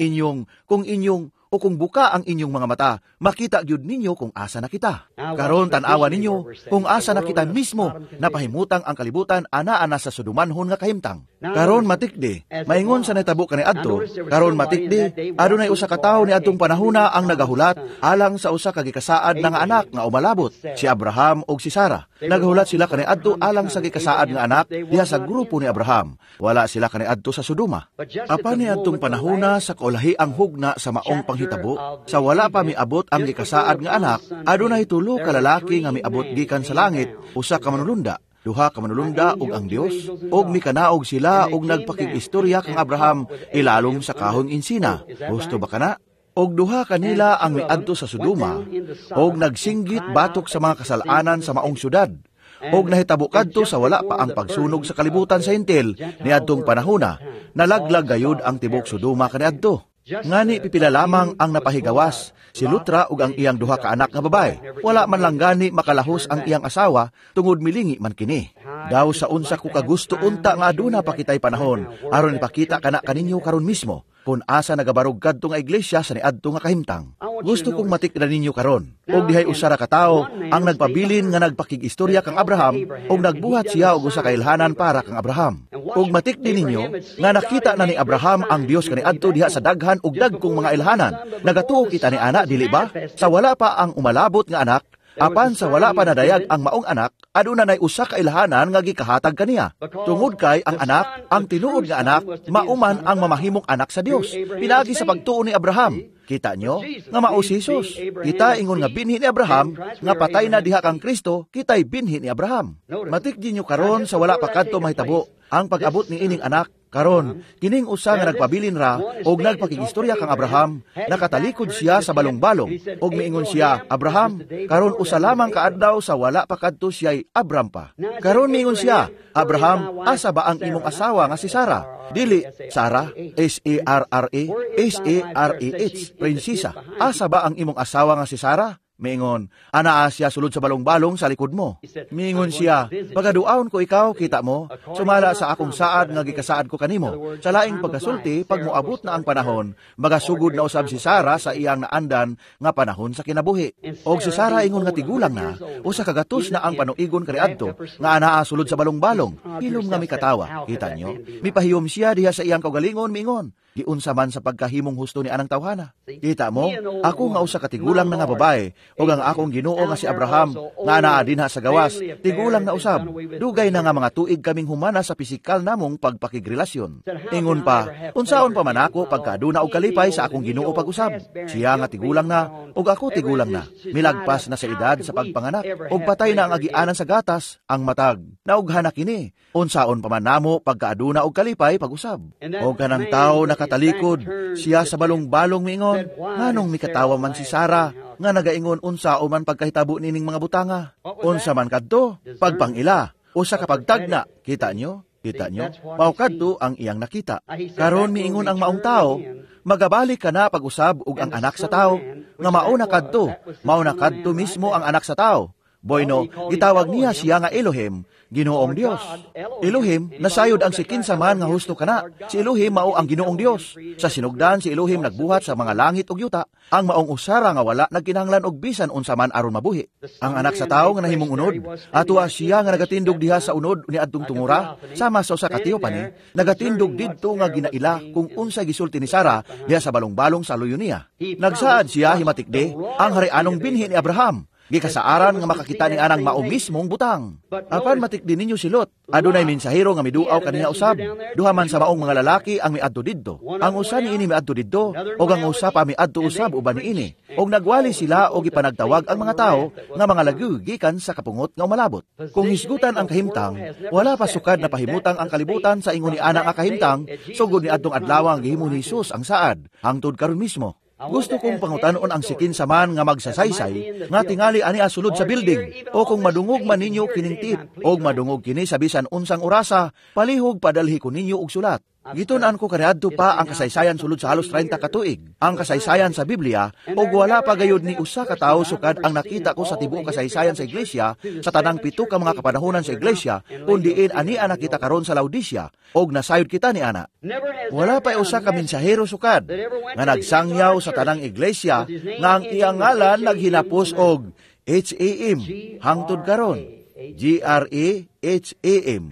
S1: inyong o kung buka ang inyong mga mata, makita gyud ninyo kung asa na kita. Karon tan-awa ninyo kung asa na kita mismo, napahimutang ang kalibutan ana-ana sa sudumanhon nga kahimtang. Karon matikdi, maingon sa nahitabo kaniadto, karon matikdi, adunay usa ka tawo niadtong panahona ang nagahulat alang sa usa ka gikasaad nga anak nga umalabot, si Abraham ug si Sara. Nagahulat sila kaniadto alang sa gikasaad nga anak diha sa grupo ni Abraham. Wala sila kaniadto sa Sodoma. Apan niadtong panahona sa kaulahi ang hugna sa maong panghitabo, sa wala pa miabot ang gikasaad nga anak, adunay tulo ka lalaki nga miabot gikan sa langit, usa ka manulunda, duha ka manulunda ug ang Dios, ug mikanaog sila ug nagpakig-istorya kang Abraham ilalom sa kahong insina. Gusto ba kana? Og duha kanila ang miadto sa Sodoma og nagsinggit batok sa mga kasalanan sa maong syudad. Og nahitabo kadto sa wala pa ang pagsunog sa kalibutan sa Hentil niadtong panahona, nalaglag gayud ang tibok Sodoma kaniadto. Ngani pipila lamang ang napahigawas, si Lutra ug ang iyang duha ka anak nga babae. Wala man lang gani makalahos ang iyang asawa tungod milingi man kini. Daw sa unsa ko kagusto unta nga aduna pa kitay panahon aron ipakita kana kaninyo karon mismo kung asa nagabarog kadto nga iglesia sa niadto nga kahimtang. Gusto kong matikdan ninyo karon. Og dihay usa ra ka tawo ang nagpabilin nga nagpakig-istorya kang Abraham og nagbuhat siya og usa ka ilhanan para kang Abraham. Og matikdi ninyo nga nakita na ni Abraham ang Dios kaniadto diha sa daghan og dagkong mga ilhanan. Nagatuo kita ni ana, dili ba? Sa wala pa ang umalabot nga anak, apan sa wala pa nadayag ang maong anak, aduna nay usa ka ilhanan nga gikahatag kaniya. Tungod kay ang anak, ang tinuod nga anak, mauman ang mamahimong anak sa Dios. Pinaagi sa pagtuo ni Abraham. Kita nyo nga mao si Jesus. Kita ingon nga binhi ni Abraham, nga patay na diha kang Kristo, kita'y binhi ni Abraham. Matikdi nyo karon sa wala pa kadto mahitabo ang pag-abot ni ining anak. Karon, kining usa nga nagpabilin ra og nagpakigistorya kang Abraham, nakatalikod siya sa balong-balong og miingon siya, "Abraham, karon usa lamang ka adlaw sa wala pa kadto siya'y Abram pa." Karon miingon siya, "Abraham, asa ba ang imong asawa nga si Sara?" Dili, Sara, Sarra, Sarah, prinsesa. "Asa ba ang imong asawa nga si Sara?" Miingon, anaa siya sulod sa balong-balong sa likod mo. Miingon siya, pagaduaon ko ikaw, kita mo, sumala sa akong saad nga gikasaad ko kanimo. Sa laing pagkasulti, pag moabot na ang panahon, magasugod na usab si Sara sa iyang naandan nga panahon sa kinabuhi. Og si Sara ingon nga tigulang na, usa ka gatos na ang panuigon kaniadto, nga anaa sulod sa balong-balong. Hilom nga mikatawa, kita nyo? Mipahiyom siya diha sa iyang kaugalingon, miingon, giunsa man sa pagkahimong husto ni anang tawhana. Kita mo, ako nga usa ka tigulang na nga babae, ug ang akong Ginoo nga si Abraham, nga anaa dinha sa gawas, tigulang na usab. Dugay na nga mga tuig kaming humana sa pisikal namong pagpakigrelasyon. Ingon pa, unsaon pa man ako pagkaduna og kalipay sa akong Ginoo pag-usab. Siya nga tigulang na, ug ako tigulang na. Milagpas na sa edad sa pagpanganak, ug patay na ang agianan sa gatas, ang matag. Naughan na kini, unsaon pa man namo pagkaaduna og kalipay pag-usab. Og kanang tawo nakatalikod, siya sa balong-balong miingon, nganong mikatawa man si Sara, nga nagaingon unsa o man pagkahitabo nining mga butanga. Unsa man kadto, pagpangila, usa ka pagtagna, kita nyo? Kita nyo? Mao kadto ang iyang nakita. Karon miingon ang maong tao, magabalik ka na pag-usab ug ang anak sa tao, nga mauna kadto, mauna kadto mismo ang anak sa tao. Bueno, gitawag niya siya nga Elohim, Ginoong Dios. Elohim, nasayod ang sikinsa man nga husto kana. Si Elohim mao ang Ginoong Dios. Sa sinugdan, si Elohim nagbuhat sa mga langit ug yuta, ang maong usara nga wala nagkinahanglan og bisan unsa man aron mabuhi. Ang anak sa tawo nga nahimong unod, atua siya nga nagatindog diha sa unod ni adtong tungura, sama sa usa ka teopani, nagatindog didto nga ginaila kung unsa gisulti ni Sara diha sa balong-balong sa luyo niya. Nagsaad siya himatikde ang harianong binhi ni Abraham. Gikasaaran nga makakita ni anang mao mismong butang. Apan matikdi ninyo si Lot, adunay mensahero nga miduaw kaniya usab. Duha man sa maong mga lalaki ang miadto didto. Ang usa niini miadto didto, ug ang usa pa miadto usab uban niini. Og nagwali sila og gipanagtawag ang mga tawo nga mga lagu gikan sa kapungot nga umalabot. Kung hisgutan ang kahimtang, wala pa sukad na pahimutang ang kalibutan sa ingon ni ana nga kahimtang, sugod ni adtong adlaw ang gihimo ni Hesus ang saad, hangtod karon mismo. Gusto kong pangutanon ang sikin sa man nga magsasaysay, nga tingali ani asulod sa building, o kung madungog man ninyo kining tip, o madungog kini sa bisan unsang orasa, palihog padalhi ko ninyo og sulat. Gitun-an ko kaniadto pa ang kasaysayan sulod sa halos 30 ka tuig, ang kasaysayan sa Biblia, ug wala pa gayud ni usa ka tawo sukad ang nakita ko sa tibuok kasaysayan sa iglesia, sa tanang 7 ka mga kapanahonan sa iglesia, kun diin ani nakita karon sa Laodicea, og nasayod kita ni ana. Wala pa usa ka mensahero sukad nga nagsangyaw sa tanang iglesia nga ang iyang ngalan naghinapos og H-A-M hangtod karon, G-R-A-H-A-M,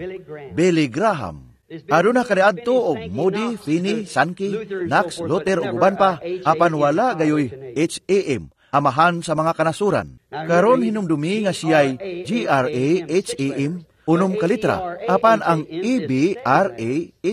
S1: Billy Graham. Aduna kaniadto og Moody, Finney, Sankey, Knox, Luther ug uban pa, apan wala gayoy H-A-M, amahan sa mga kanasuran. Karon hinumdumi nga siya'y G-R-A-H-A-M, 6 ka litra, apan ang E-B-R-A-H-A-M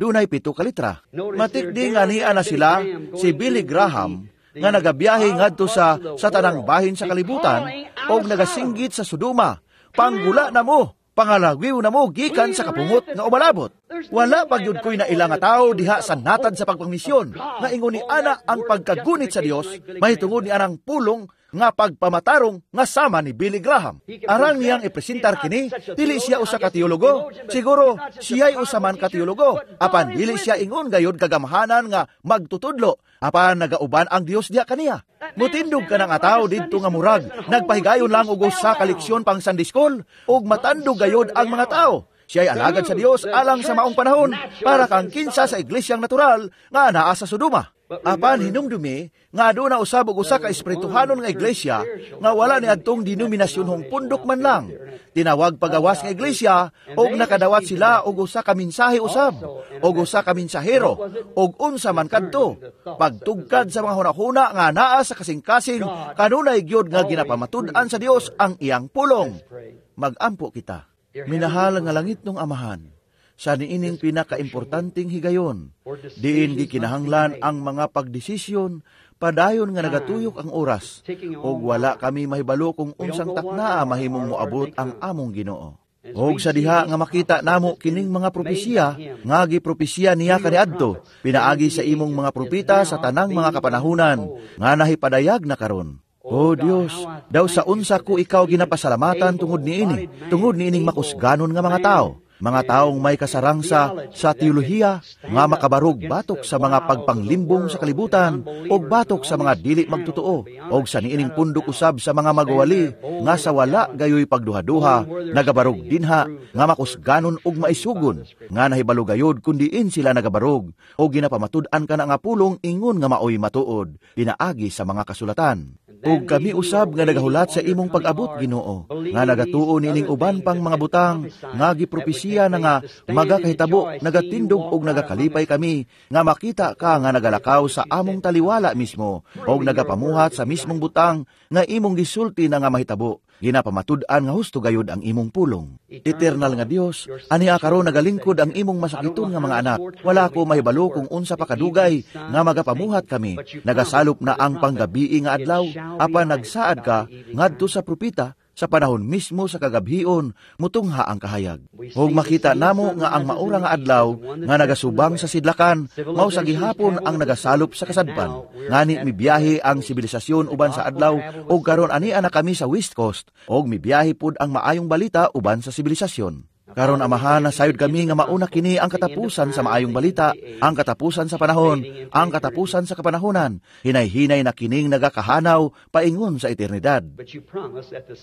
S1: dunay 7 ka litra. Matikdi nga niya na sila si Billy Graham nga nagabiyahe ngadto sa tanang bahin sa kalibutan og nagasinggit sa Sodoma, panggula na mo, pangalagwiw na mo gikan sa kapungot nga umalabot. Wala pagyud ko'y naila nga tao diha sa natad sa pagpangmisyon nga ingon ni ana ang pagkagunit sa Dios mahitungod ni anang pulong nga pagpamatarong nga sama ni Billy Graham. Arang niyang ipresentar kini, dili siya usa ka teologo. Siguro siya'y usa man ka teologo, apan dili siya ingon gayud kagamhanan nga magtutudlo, apan nagauban ang Dios diha kaniya. Mutindog ka ng ataw didto nga murag, nagpahigayon lang og usa ka leksyon pang Sunday school, ug matandog gayud ang mga tao. Siya'y alagad sa Dios alang sa maong panahon para kang kinsa sa iglesyang natural nga naa sa Sodoma. Apan hinumdumi nga aduna usab og usa ka espirituhanon nga iglesia nga wala ni adtong denominasyonhong pundok man lang. Tinawag pagawas nga iglesia og nakadawat sila og usa ka mensahe usab og usa ka mensahero og unsa man kadto pagtugkad sa mga hunahuna nga naa sa kasing-kasing kanunay gyud nga ginapamatud-an sa Dios ang iyang pulong. Magampo kita. Minahal nga langit nung Amahan, sa niining pinakaimportanteng higayon, diin gikinahanglan ang mga pagdesisyon, padayon nga nagatuyok ang oras, ug wala kami mahibalo kung unsang taknaa mahimong moabot ang among Ginoo. Og sa diha nga makita namo kining mga propesiya, nga gipropesiya niya kaniadto, pinaagi sa imong mga propeta sa tanang mga kapanahunan, nga nahipadayag na karon. O Dios, daw sa unsa ko ikaw ginapasalamatan tungod niini, tungod niining makusganon nga mga tao. Mga taong may kasarangsa sa teolohiya nga makabarog batok sa mga pagpanglimbong sa kalibutan og batok sa mga dili magtotoo og sa niining pundok usab sa mga magwali nga sa wala gayoy pagduha-duha nagabarog dinha nga makusganon og maisugon nga nahibalo gayod kun diin sila nagabarog og ginapamatud-an kana nga pulong ingon nga maoy matuod pinaagi sa mga kasulatan. Ug kami usab nga nagahulat sa imong pag-abot, Ginoo, nga nagatuo niining uban pang mga butang nga gipropesiya na nga magakahitabo, nagatindog og nagakalipay kami nga makita ka nga nagalakaw sa among taliwala mismo og nagapamuhat sa mismong butang nga imong gisulti na nga mahitabo. Ginapamatud-an nga husto gayud ang imong pulong. Eternal nga Dios, ania karon nagalingkod ang imong masakiton nga mga anak. Wala ko mahibalo kung unsa pa kadugay nga magapamuhat kami. Nagasalop na ang panggabii nga adlaw, apan nagsaad ka ngadto sa propeta sa panahon mismo sa kagabhion mutungha ang kahayag. Ug makita namo nga ang maura nga adlaw nga nagasubang sa sidlakan mao sa gihapon ang nagasalop sa kasadpan. Ngani mibiyahe ang sibilisasyon uban sa adlaw ug karon ania na kami sa West Coast ug mibiyahe pud ang maayong balita uban sa sibilisasyon. Karon Amahan, nasayod kami nga mauna kini ang katapusan sa maayong balita, ang katapusan sa panahon, ang katapusan sa kapanahonan. Hinay-hinay na kining nagakahanaw paingon sa eternidad.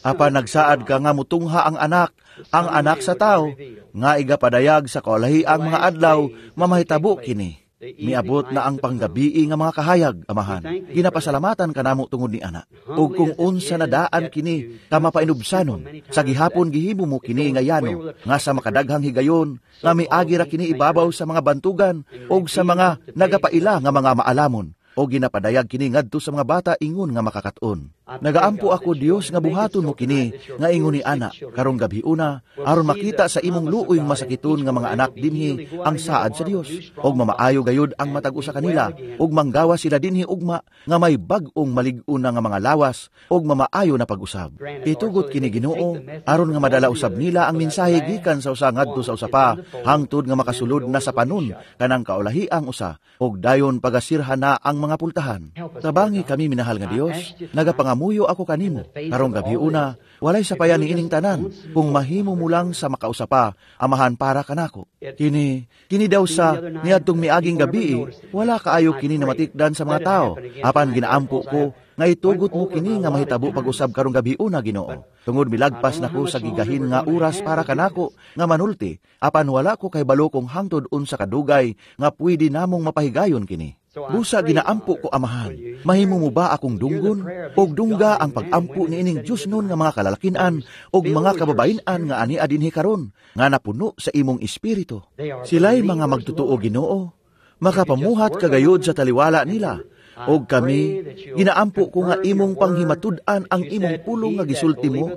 S1: Apan nagsaad ka nga mutungha ang anak sa tao, nga igapadayag sa kaulahi ang mga adlaw, mamahitabo kini. Miabot na ang panggabii nga mga kahayag, Amahan. Ginapasalamatan ka namo tungod ni ana. Ug kung unsa na daan kini ka mapainubsanon, sa gihapon gihimo mo kini nga yano, nga sa makadaghang higayon, nga miagi ra kini ibabaw sa mga bantugan ug sa mga nagapaila nga mga maalamon, o ginapadayag kini ngadto sa mga bata ingon nga makakaton. Nagaampo ako, Dios, nga buhaton mo kini nga ingon ni ana karong gabhiuna, aron makita sa imong luoy masakiton nga mga anak dinhi ang saad sa Dios, og mamaayo gayud ang matag usa kanila, og manggawa sila dinhi ugma nga may bag-ong malig-on na nga mga lawas og mamaayo na pag-usab. Itugot kini, Ginoo, aron nga madala usab nila ang mensahe gikan sa usa ngadto sa usa pa, hangtod nga makasulod na sa panon kanang kaulahiang usa, og dayon pagasirhan na ang mga pultahan. Tabangi kami, minahal nga Dios. Nagapangamuyo ako kanimo karong gabhiuna, walay sapayan ni ining tanan kung mahimo mo lang sa makausa pa, Amahan, para kanako. Kini daw sa niadtong miaging gabi, wala kaayo kini namatikdan sa mga tao, apan ginaampo ko nga itugot mo kini nga mahitabo pag-usab karong gabhiuna, Ginoo. Tungod milagpas nako sa gigahin nga oras para kanako nga manulti, apan wala ko kahibalo kung hangtod unsa kadugay nga pwede namong mapahigayon kini. Busa ginaampo ko, Amahan, mahimo mo ba akong dunggon? Og dungga ang pag-ampo niining Diyos nun nga mga kalalakinan og mga kababayen-an nga ania dinhi karon nga napuno sa imong espiritu. Sila'y mga magtotoo, Ginoo. Makapamuhat kagayod sa taliwala nila. Og kami, ginaampo ko nga imong panghimatud-an ang imong pulong nga gisulti mo,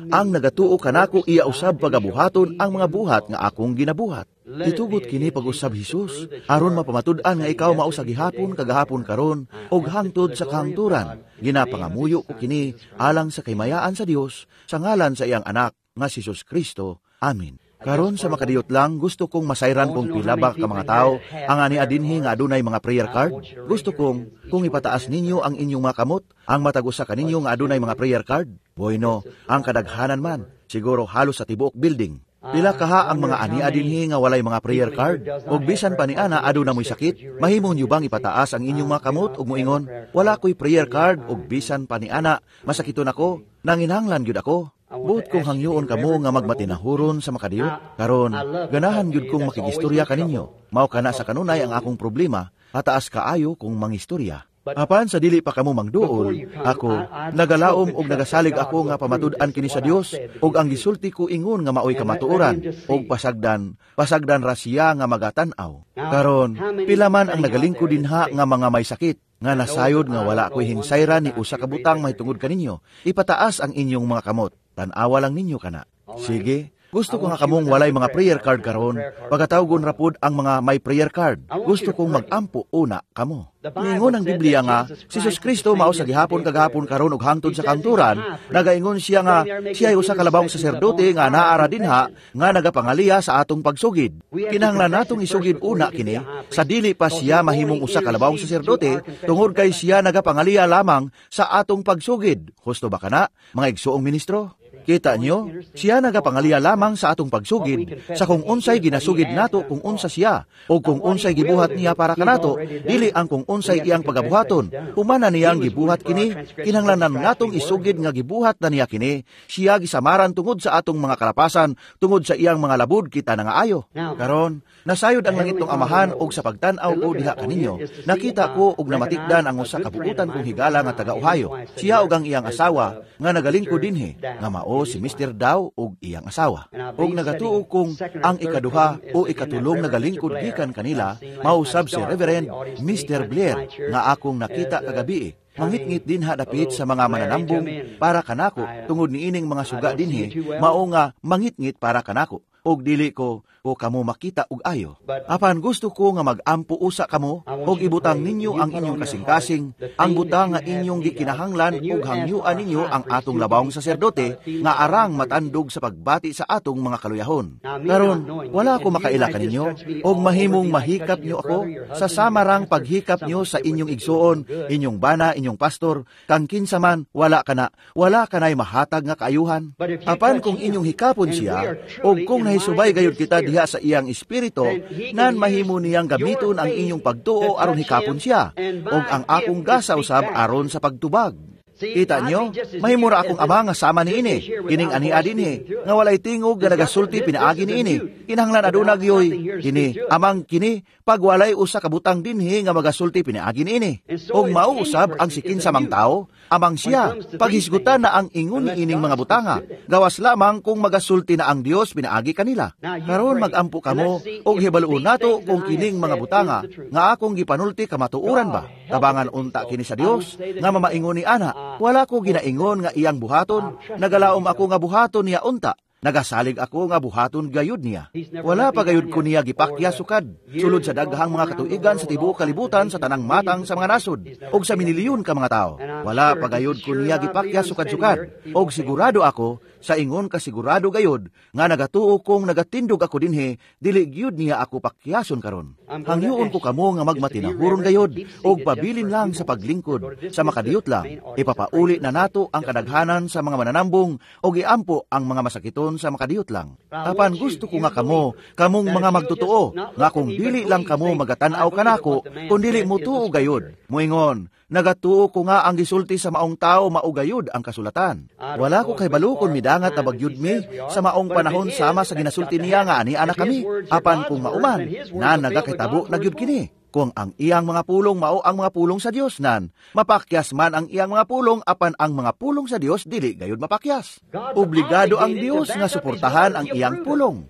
S1: ang nagatuo kanako iya usab pagabuhaton ang mga buhat nga akong ginabuhat. Itugot kini pag-usab, Hesus, aron mapamatud-an nga ikaw mao sa gihapon kagahapon karon og hangtod sa kahangturan. Ginapangamuyo ko kini alang sa kahimayaan sa Dios, sa ngalan sa iyang anak nga si Jesus Kristo. Amen. Karon sa makadiyot lang, gusto kong masayran kung pila ba ka mga tao ang ania dinhi nga adunay mga prayer card. Gusto kong kung ipataas ninyo ang inyong mga kamot, ang matag usa kaninyo nga adunay mga prayer card. Bueno, ang kadaghanan man, siguro halos sa tibuok building. Pila kaha ang mga ania dinhi nga walay mga prayer card? Og bisan pa ni ana aduna mo'y sakit, mahimo niyo bang ipataas ang inyong mga kamot ug moingon, "Wala ko'y prayer card ug bisan pa ni ana masakiton ako, nanginahanglan gyud ako"? Buot kong hangyoon kamo nga magmatinahuron sa makadiyot. Karon, ganahan gyud kong makigistorya kaninyo. Mao kana sa kanunay ang akong problema, hataas kaayo kong mangistorya. Apan sa dili pa kamo mangduol, ako nagalaom og nagasalig ako nga pamatud-an kini sa Dios ug ang gisulti ko ingon nga maoy kamatuoran ug pasagdan ra siya nga magatan-aw. Karon, pila man ang nagalingkod dinha nga mga may sakit nga nasayod nga wala ko'y hinsayran ni usa ka butang mahitungod kaninyo, ipataas ang inyong mga kamot. Tan-awa lang ninyo kana. Sige, gusto ko nga kamong walay mga prayer card karon, pagatawgon ra pud ang mga may prayer card. Gusto kong mag-ampo una kamo. Ningon ang Biblia nga si Jesus Kristo mao sa gihapon kagahapon karon ug hangtod sa kangturan. Nagaingon siya nga siya ay usa ka labawng saserdote nga naara dinha nga nagapangaliya sa atong pagsugid. Kinahanglan natong isugid una kini sa dili pa siya mahimong usa ka labawng saserdote, tungod kay siya nagapangaliya lamang sa atong pagsugid. Husto ba kana, mga igsuong ministro? Kita nyo, siya nagapangaliya lamang sa atong pagsugid, sa kung unsay ginasugid nato kung unsa siya, o kung unsay gibuhat niya para kanato, dili ang kung unsay iyang pagabuhaton. Humana niyang gibuhat kini, kinahanglanan natong isugid nga gibuhat na niya kini, siya gisamaran tungod sa atong mga kalapasan, tungod sa iyang mga labud kita nangaayo. Karon, nasayod ang langitnong Amahan og sa pagtan-aw ko diha kaninyo, nakita ko og namatikdan ang usa ka buutan kong higala nga taga Ohio. Siya og ang iyang asawa nga nagalingkod dinhi, nga mao si Mr. Dow og iyang asawa. Og nagatuo kong ang ikaduha o ikatulong nagalingkod gikan kanila, mausab si Reverend Mr. Blair nga akong nakita kagabi. Mangitngit dinha dapit sa mga mananambong para kanako tungod niining mga suga dinhi, mao nga mangitngit para kanako. Og dili ko o kamo makita og ayo. Apan gusto ko nga mag-ampo usa kamo og ibutang ninyo ang inyong kasing-kasing, ang butang nga inyong gikinahanglan og hangyuan ninyo ang atong labawong saserdote nga arang matandog sa pagbati sa atong mga kaluyahon. Karon, wala ko makaila kaninyo og mahimong mahikap nyo ako sa samarang paghikap nyo sa inyong igsuon, inyong bana, inyong pastor, kang kinsa man wala kana, wala kanay mahatag nga kaayuhan. Apan kung inyong hikapon siya og kung nahisubay gayud kita diha sa iyang espiritu, nan mahimo niyang gamiton ang inyong pagtuo aron hikapon siya, og ang akong gasa usab aron sa pagtubag. Kita nyo, mahimura akong ama nga sama niini, kining ania dinhi, nga walay tingog nga nagasulti pinaagi niini, kinahanglan aduna gyoy, kini, amang kini, pag walay usa ka butang dinhi nga magasulti pinaagi niini. Og mauusab ang sikin sa mang tao, amang siya, paghisgutan na ang ingon niining mga butanga, gawas lamang kung magasulti na ang Dios pinaagi kanila. Karon magampo kamo, og hibaluon nato kung kining mga butanga, nga akong gipanulti kamatuoran ba, tabangan unta kini sa Dios, nga mamaingon ni ana, wala ko ginaingon nga iyang buhaton, nagalaom ako nga buhaton niya unta, nagasalig ako nga buhaton gayud niya. Wala pa gayud ko niya gipakya sukad, sulod sa daghang mga katuigan sa tibuok kalibutan sa tanang matang sa mga nasod, og sa minilyon ka mga tao. Wala pa gayud ko niya gipakya sukad-sukad, og sigurado ako, sa ingon kasigurado gayud, nga nagatuo kong nagatindog ako dinhi, dili gyud niya ako pakyason karon. Hangyoon ko kamo nga magmatinahuron gayud, og pabilin lang sa paglingkod, sa makadiyot lang, ipapauli na nato ang kadaghanan sa mga mananambong, og iampo ang mga masakiton sa makadiyot lang. Apan gusto ko nga kamo, kamong mga magtotoo, nga kung dili lang kamo magatan-aw kanako, kung dili mo tuo gayud. Muingon, nagatuo ko nga ang gisulti sa maong tao maugayod ang kasulatan. Wala ko kay balukon midangat na bagyud mi sa maong panahon sama sa ginasulti niya nga ani anak kami. Apan kung mauman, na nagakitabo na gyud kini. Kung ang iyang mga pulong mao ang mga pulong sa Dios nan, mapakyas man ang iyang mga pulong apan ang mga pulong sa Dios dili gayud mapakyas. Obligado ang Dios nga suportahan ang iyang pulong.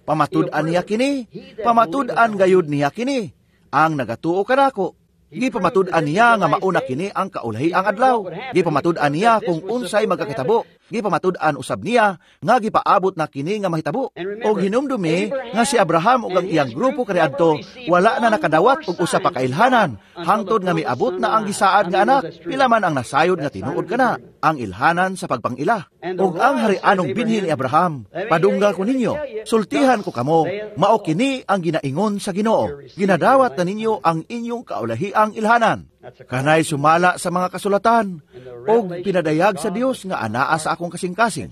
S1: Pamatud-an niya kini, pamatud-an gayud niya kini. Ang nagatuo kanako, gipamatud-an niya nga mauna kini ang kaulahi ang adlaw. Gipamatud-an niya kung unsay magkakitabo. Gipamatud-an usab niya nga gipaabot na kini nga mahitabo. Og hinumdumi nga si Abraham ug ang iyang grupo kaniadto wala na nakadawat og usa pa ka ilhanan hangtod nga miabot na ang gisaad nga anak, pila man ang nasayod nga tinuod kana ang ilhanan sa pagpangila. Og ang harianong binhi ni Abraham, padungga ko ninyo, sultihan ko kamo, mao kini ang ginaingon sa Ginoo. Ginadawat na ninyo ang inyong kaulahiang ilhanan. Kanay sumala sa mga kasulatan og pinadayag sa Dios nga anaa sa akong kasing-kasing,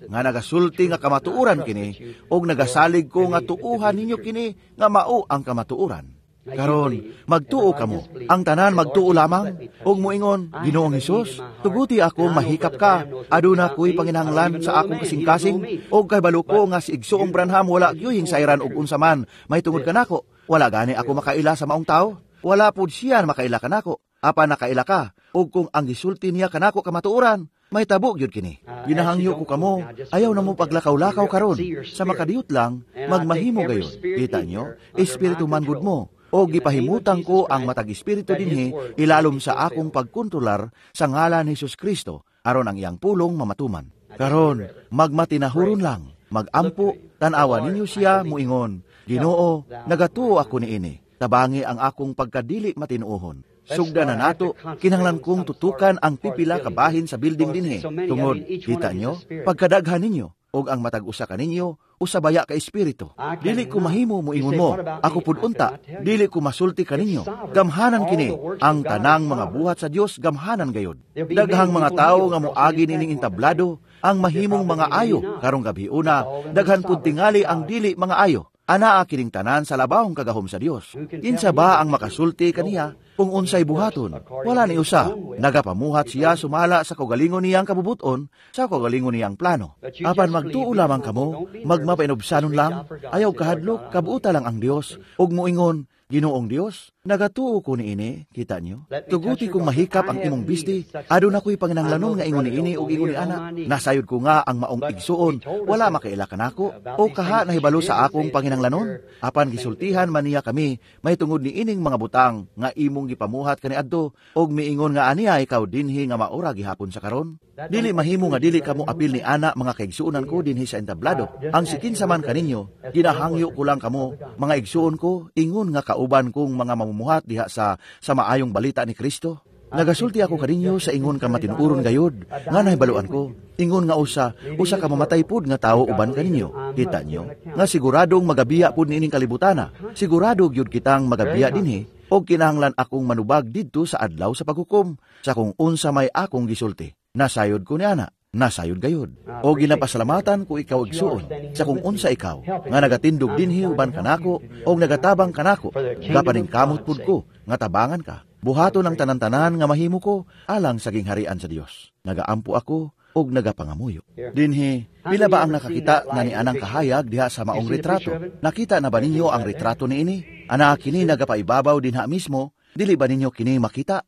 S1: nga nagasulti nga kamatuoran kini og nagasalig ko nga tuuhan ninyo kini nga mao ang kamatuoran. Karon, magtuo kamo, ang tanan magtuo lamang, og moingon, Ginoong Hesus, tuguti ako mahikap ka, aduna ko'y panginahanglan sa akong kasing-kasing, og kahibalo ko nga si Igsoong Branham wala gyud sayran og unsa man, may tungod kanako, wala gani ako makaila sa maong tao. Wala pud siya makaila kanako, apan nakaila ka, og kung ang gisulti niya kanako kamatuoran, may tabo gyud kini. Ginahangyo ko kamo, ayaw na mo paglakaw-lakaw karon, sa makadiyot lang, magmahimo gayon. Kita nyo, espiritu man gud mo, o gipahimutang ko ang matag espiritu dinhi, ilalom sa akong pagkontrolar sa ngalan ni Jesus Kristo, aron ang iyang pulong mamatuman. Karon, magmatinahuron lang, magampo, tan-awa ninyo siya muingon, Ginoo, nagatuo ako niini. Tabangi ang akong pagkadili matinuohon. Sugda na nato, kinahanglan kong tutukan ang pipila kabahin sa building dinhi. Tungod, kita nyo, pagkadaghan ninyo, og ang matag usa kaninyo, usabaya ka espiritu. Dili ko mahimo moingon mo, ako pud unta, dili ko masulti kaninyo. Gamhanan kini, ang tanang mga buhat sa Dios gamhanan gayod. Daghang mga tawo nga moagi nining entablado, Ang mahimong mga ayo karong gabi una, daghan pud tingali ang dili mga ayo. Anaa kining tanan sa labawong kagahom sa Dios. Kinsa ba ang makasulti kaniya kung unsay buhaton? Wala ni usa. Nagapamuhat siya sumala sa kaugalingon niyang kabubuton, sa kaugalingon niyang plano. Apan magtuo lamang kamo, magmapainubsanon lang, ayaw kahadlok, kabuota lang ang Dios, ug moingon, Ginoong Dios, nagatuo ko niini, kita niyo. Tuguti kong mahikap ang imong bisti, aduna ko'y panginahanglanon nga ingon niini ug ingon ni ana. Nasayod ko nga ang maong igsuon, wala makaila kanako, o kaha nahibalo sa akong panginahanglanon. Apan gisultihan man niya kami, may tungod niining mga butang nga imong gipamuhat kaniadto, ug miingon nga aniya ikaw dinhi nga maura gihapon sa karon. Dili mahimo nga dili kamo apil ni ana mga kaigsuonan ko dinhi sa entablado. Ang sikinsa man kaninyo, ginahangyo ko lang kamo, mga igsuon ko, ingon nga kauban kong mga mamumuhat diha sa maayong balita ni Kristo. Nagasulti ako kaninyo sa ingon ka matinuoron gayud, nga nahibaluan ko, ingon nga usa ka mamatay pud nga tawo uban kaninyo. Kita nyo, nga siguradong magabiya pud niining kalibutana, sigurado gyud kitang magabiya dinhi, og kinahanglan akong manubag didto sa adlaw sa paghukom, sa kung unsa may akong gisulti. Nasayod ko ni ana, nasayod gayud. O ginapasalamatan ko ikaw igsuon, sa kung unsa ikaw, nga nagatindog dinhi uban kanako, o nagatabang kanako, gapaningkamot pud ko, nga tabangan ka. Buhaton ang tanan-tanan nga mahimo ko, alang sa gingharian sa Dios. Nagaampo ako, og nagapangamuyo. Dinhi, pila ba ang nakakita nga ni anang kahayag diha sa maong retrato? Nakita na ba ninyo ang retrato niini? Ana kini nagapaibabaw dinha mismo, dili ba ninyo kini makita?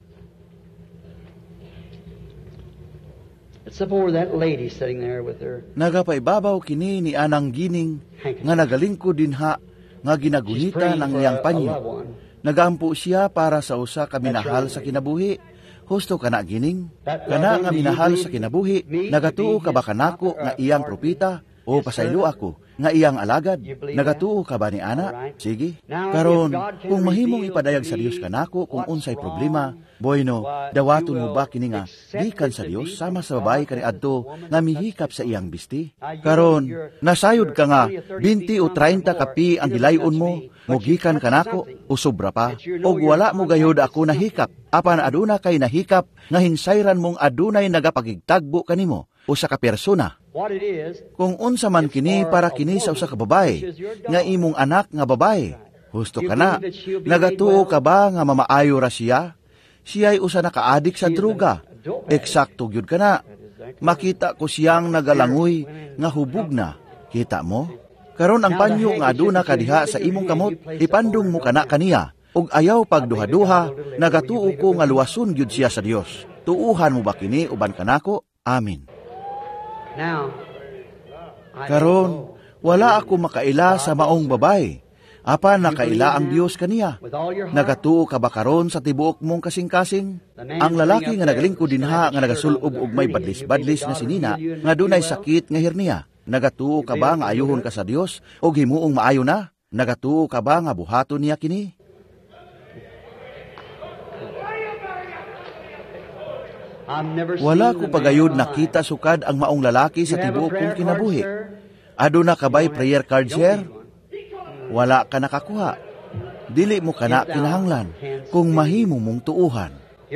S1: Nagapaibabaw kini ni anang gining nga nagalingkod dinha nga ginagunita ng iyang panyo. Nagampo siya para sa usa ka minahal sa kinabuhi. Husto kana gining? Kana nga minahal sa kinabuhi, nagatuo ka ba kanako nga iyang propita? O pasaylo ako nga iyang alagad? Nagatuo ka ba ni ana? Sige. Karon, kung mahimong ipadayag sa Dios kanako kung unsay problema, bueno, dawaton mo ba kini nga gikan sa Dios sama sa babae kaniadto nga mihikap sa iyang bisti? Karon, nasayod ka nga 20 o 30 kapi ang gilayon mo, mogikan kanako o sobra pa, og wala mo gayud ako nahikap, apan aduna kay nahikap nga hinsayran mong adunay nagapagigtagbo kanimo usa ka persona. Kung unsa man kini para kini sa usa ka babae nga imong anak nga babae, husto kana. Nagatuo ka ba nga mamaayo ra siya? Siya'y usa nakaadik sa droga. Eksakto gyud kana. Makita ko siyang nagalangoy nga hubog na. Kita mo? Karon ang panyo nga aduna kadiha sa imong kamot, ipandong mo kana kaniya. Ug ayaw pagduha-duha, nagatuo ko nga luwason gyud siya sa Dios. Tuuhan mo ba kini uban kanako? Amen. Karon, wala ako makaila sa maong babae. Apan nakaila ang Dios kaniya. Nagatuo ka ba karon sa tibuok mong kasing-kasing? Ang lalaki nga nagalingkod dinha nga nagasulob og may badlis-badlis nga sinina nga dunay sakit nga hernia. Nagatuo ka ba nga ayuhon ka sa Dios og himuong maayo na? Nagatuo ka ba nga buhaton niya kini? Wala ko pagayod nakita sukad ang maong lalaki sa tibuok kong kinabuhi. Aduna ka ba'y prayer card, sir? Wala ka nakakuha. Dili mo kana kinahanglan kung mahimo mong tuuhan.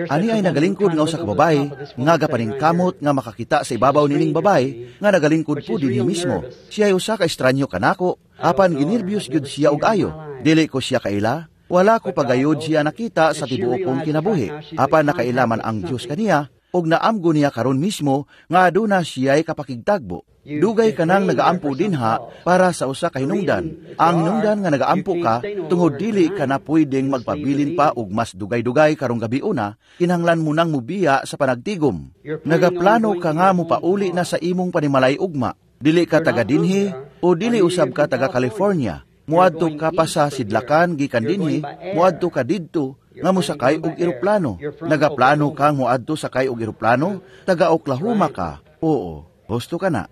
S1: Ani ay nagalingkod nga usa ka babae nga gapaningkamot nga makakita sa ibabaw nining babae nga nagalingkod po dinhi mismo. Siya ay usa ka estranyo kanako, apan ginerbyos gyud siya og ayo. Dili ko siya kaila. Wala ko pagayod siya nakita sa tibuok kong kinabuhi. Apan nakailaman ang Dios kaniya og naamgo niya karon mismo nga aduna siya'y kapakigtagbo. Dugay ka nang nagaampo dinha para sa usa ka hinungdan. Ang hinungdan nga nagaampo ka tungod dili ka na pwedeng magpabilin pa og mas dugay-dugay karong gabi una, kinahanglan mo nang mubiya sa panagtigom. Nagaplano ka nga mopauli na sa imong panimalay ugma. Dili ka taga dinhi o dili usab ka taga California. Muadto ka pa sa sidlakan gikan dinhi, muadto ka didto nga mosakay og eroplano. Nagaplano kang muadto sakay og eroplano, taga Oklahoma ka. Oo. Husto ka na.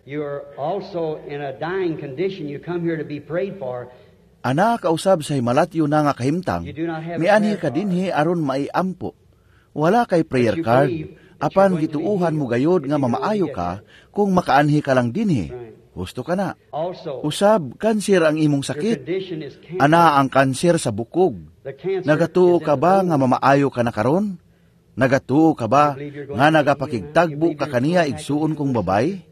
S1: Ana kausab sa himalatyo na nga kahimtang, mianhi ka dinhi aron maiampo. Wala kay prayer card, apan gituuhan mo gayod nga mamaayo ka kung makaanhi ka lang dinhi. Husto ka na. Usab, kanser ang imong sakit. Ana ang kanser sa bukog. Nagatuo ka ba nga mamaayo ka na karon? Nagatuo ka ba nga nagapakigtagbo ka kaniya igsuon kong babay?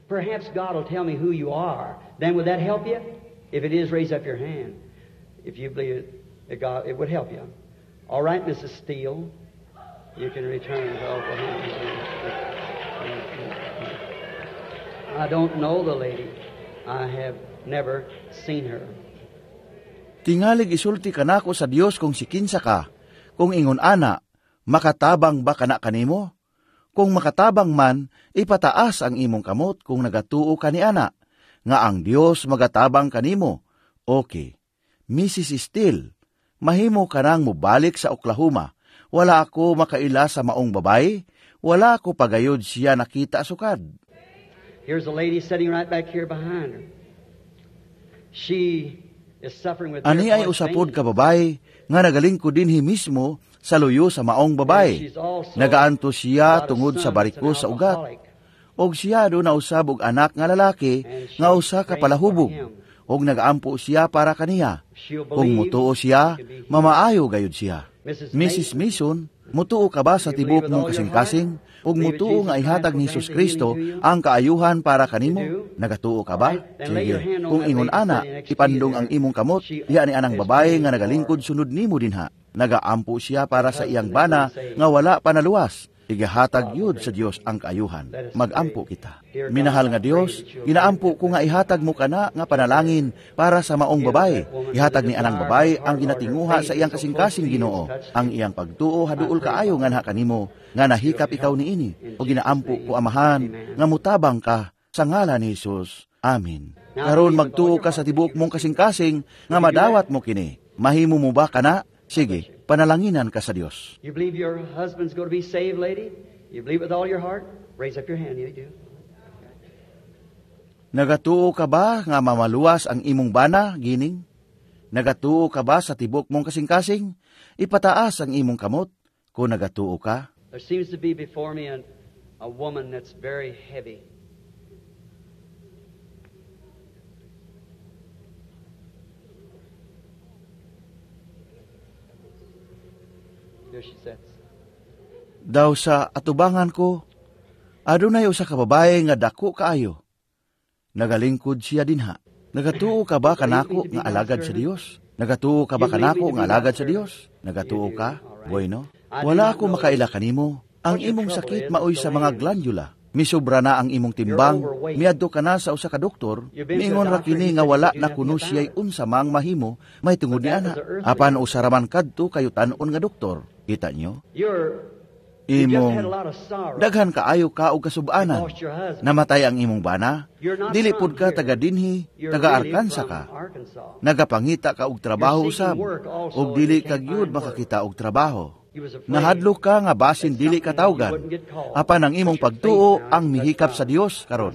S2: Perhaps God will tell me who you are. Then would that help you? If it is, raise up your hand. If you believe it, God, it would help you. All right, Mrs. Steele, you can return to Oklahoma. I don't know the lady. I have never seen her.
S1: Tingalig isulti kanako sa Dios kung sikinsa ka. Kung ingon ana, makatabang ba kana kanimo? Kung makatabang man, ipataas ang imong kamot kung nagatuo ka ni ana, nga ang Dios magatabang kanimo. Okay. Mrs. Steele, mahimo ka nang mobalik sa Oklahoma. Wala ako makaila sa maong babae. Wala ako pagayod siya nakita sukad.
S2: Here's a lady sitting right back here behind her. She is suffering with
S1: Ani ay usapod ka babae nga nagalingkod dinhi mismo sa luyo sa maong babae. Nagaanto siya tungod sa bariko sa ugat. Og siya do nausab og anak nga lalaki nga usa ka palahubog. Og nagaampo siya para kaniya. Kung mutuo siya, mamaayo gayud siya. Mrs. Mason, mutuo ka ba sa tibok mong kasing-kasing? Ug mutuo nga ihatag ni Hesus Kristo ang kaayuhan para kanimo? Nagatuo ka ba? Sige. Kung ingon ana, ipandong ang imong kamot, diha ni anang babae nga nagalingkod sunod nimo dinha. Nagaampo siya para sa iyang bana nga wala pa naluwas. Igahatag yud sa Dios ang kaayuhan. Magampo kita. Minahal nga Dios, ginaampo ko nga ihatag mo kana nga panalangin para sa maong babae. Ihatag ni anang babae ang ginatinguha sa iyang kasing-kasing Ginoo. Ang iyang pagtuo haduol kaayo nganha kanimo, nga nahikap ikaw niini. O ginaampo ko Amahan nga mutabang ka sa ngalan ni Hesus. Amen. Karon magtuo ka sa tibuok mong kasing-kasing nga madawat mo kini. Mahimo mo ba kana? Sige, panalanginan ka sa Dios.
S2: You believe your husband's going to be saved, lady? You believe with all your heart? Raise up your hand, you do.
S1: Nagatuo ka ba nga mamaluwas ang imong bana, gining? Nagatuo ka ba sa tibok mong kasing-kasing? Ipataas ang imong kamot kung nagatuo ka.
S2: There seems to be before me a woman that's very heavy. Here she sits.
S1: Daw sa atubangan ko, adunay usa ka babae nga dako kaayo. Nagalingkod siya dinha. Nagatuo ka ba kanako nga alagad sa Dios? Nagatuo ka ba kanako nga alagad sa Dios? Nagatuo ka? Bueno. Wala ako makaila kanimo. Ang imong sakit maoy sa mga glandula. Misobra na ang imong timbang, miadto ka na sa usa ka doktor, miingon ra kini nga wala na kuno siya'y unsa mang mahimo, may tungod ni ana. Apan usa ra man kadto kayo tan-on nga doktor. Kita nyo? Imong daghan kaayo ka og kasubanan. Namatay ang imong bana, dili pud ka taga dinhi, taga Arkansas ka. Nagapangita ka og trabaho usab, og dili ka gyud makakita og trabaho. Nahadlok ka nga basin dili ka tawgan. Apan ang imong pagtuo ang mihikap sa Dios karon.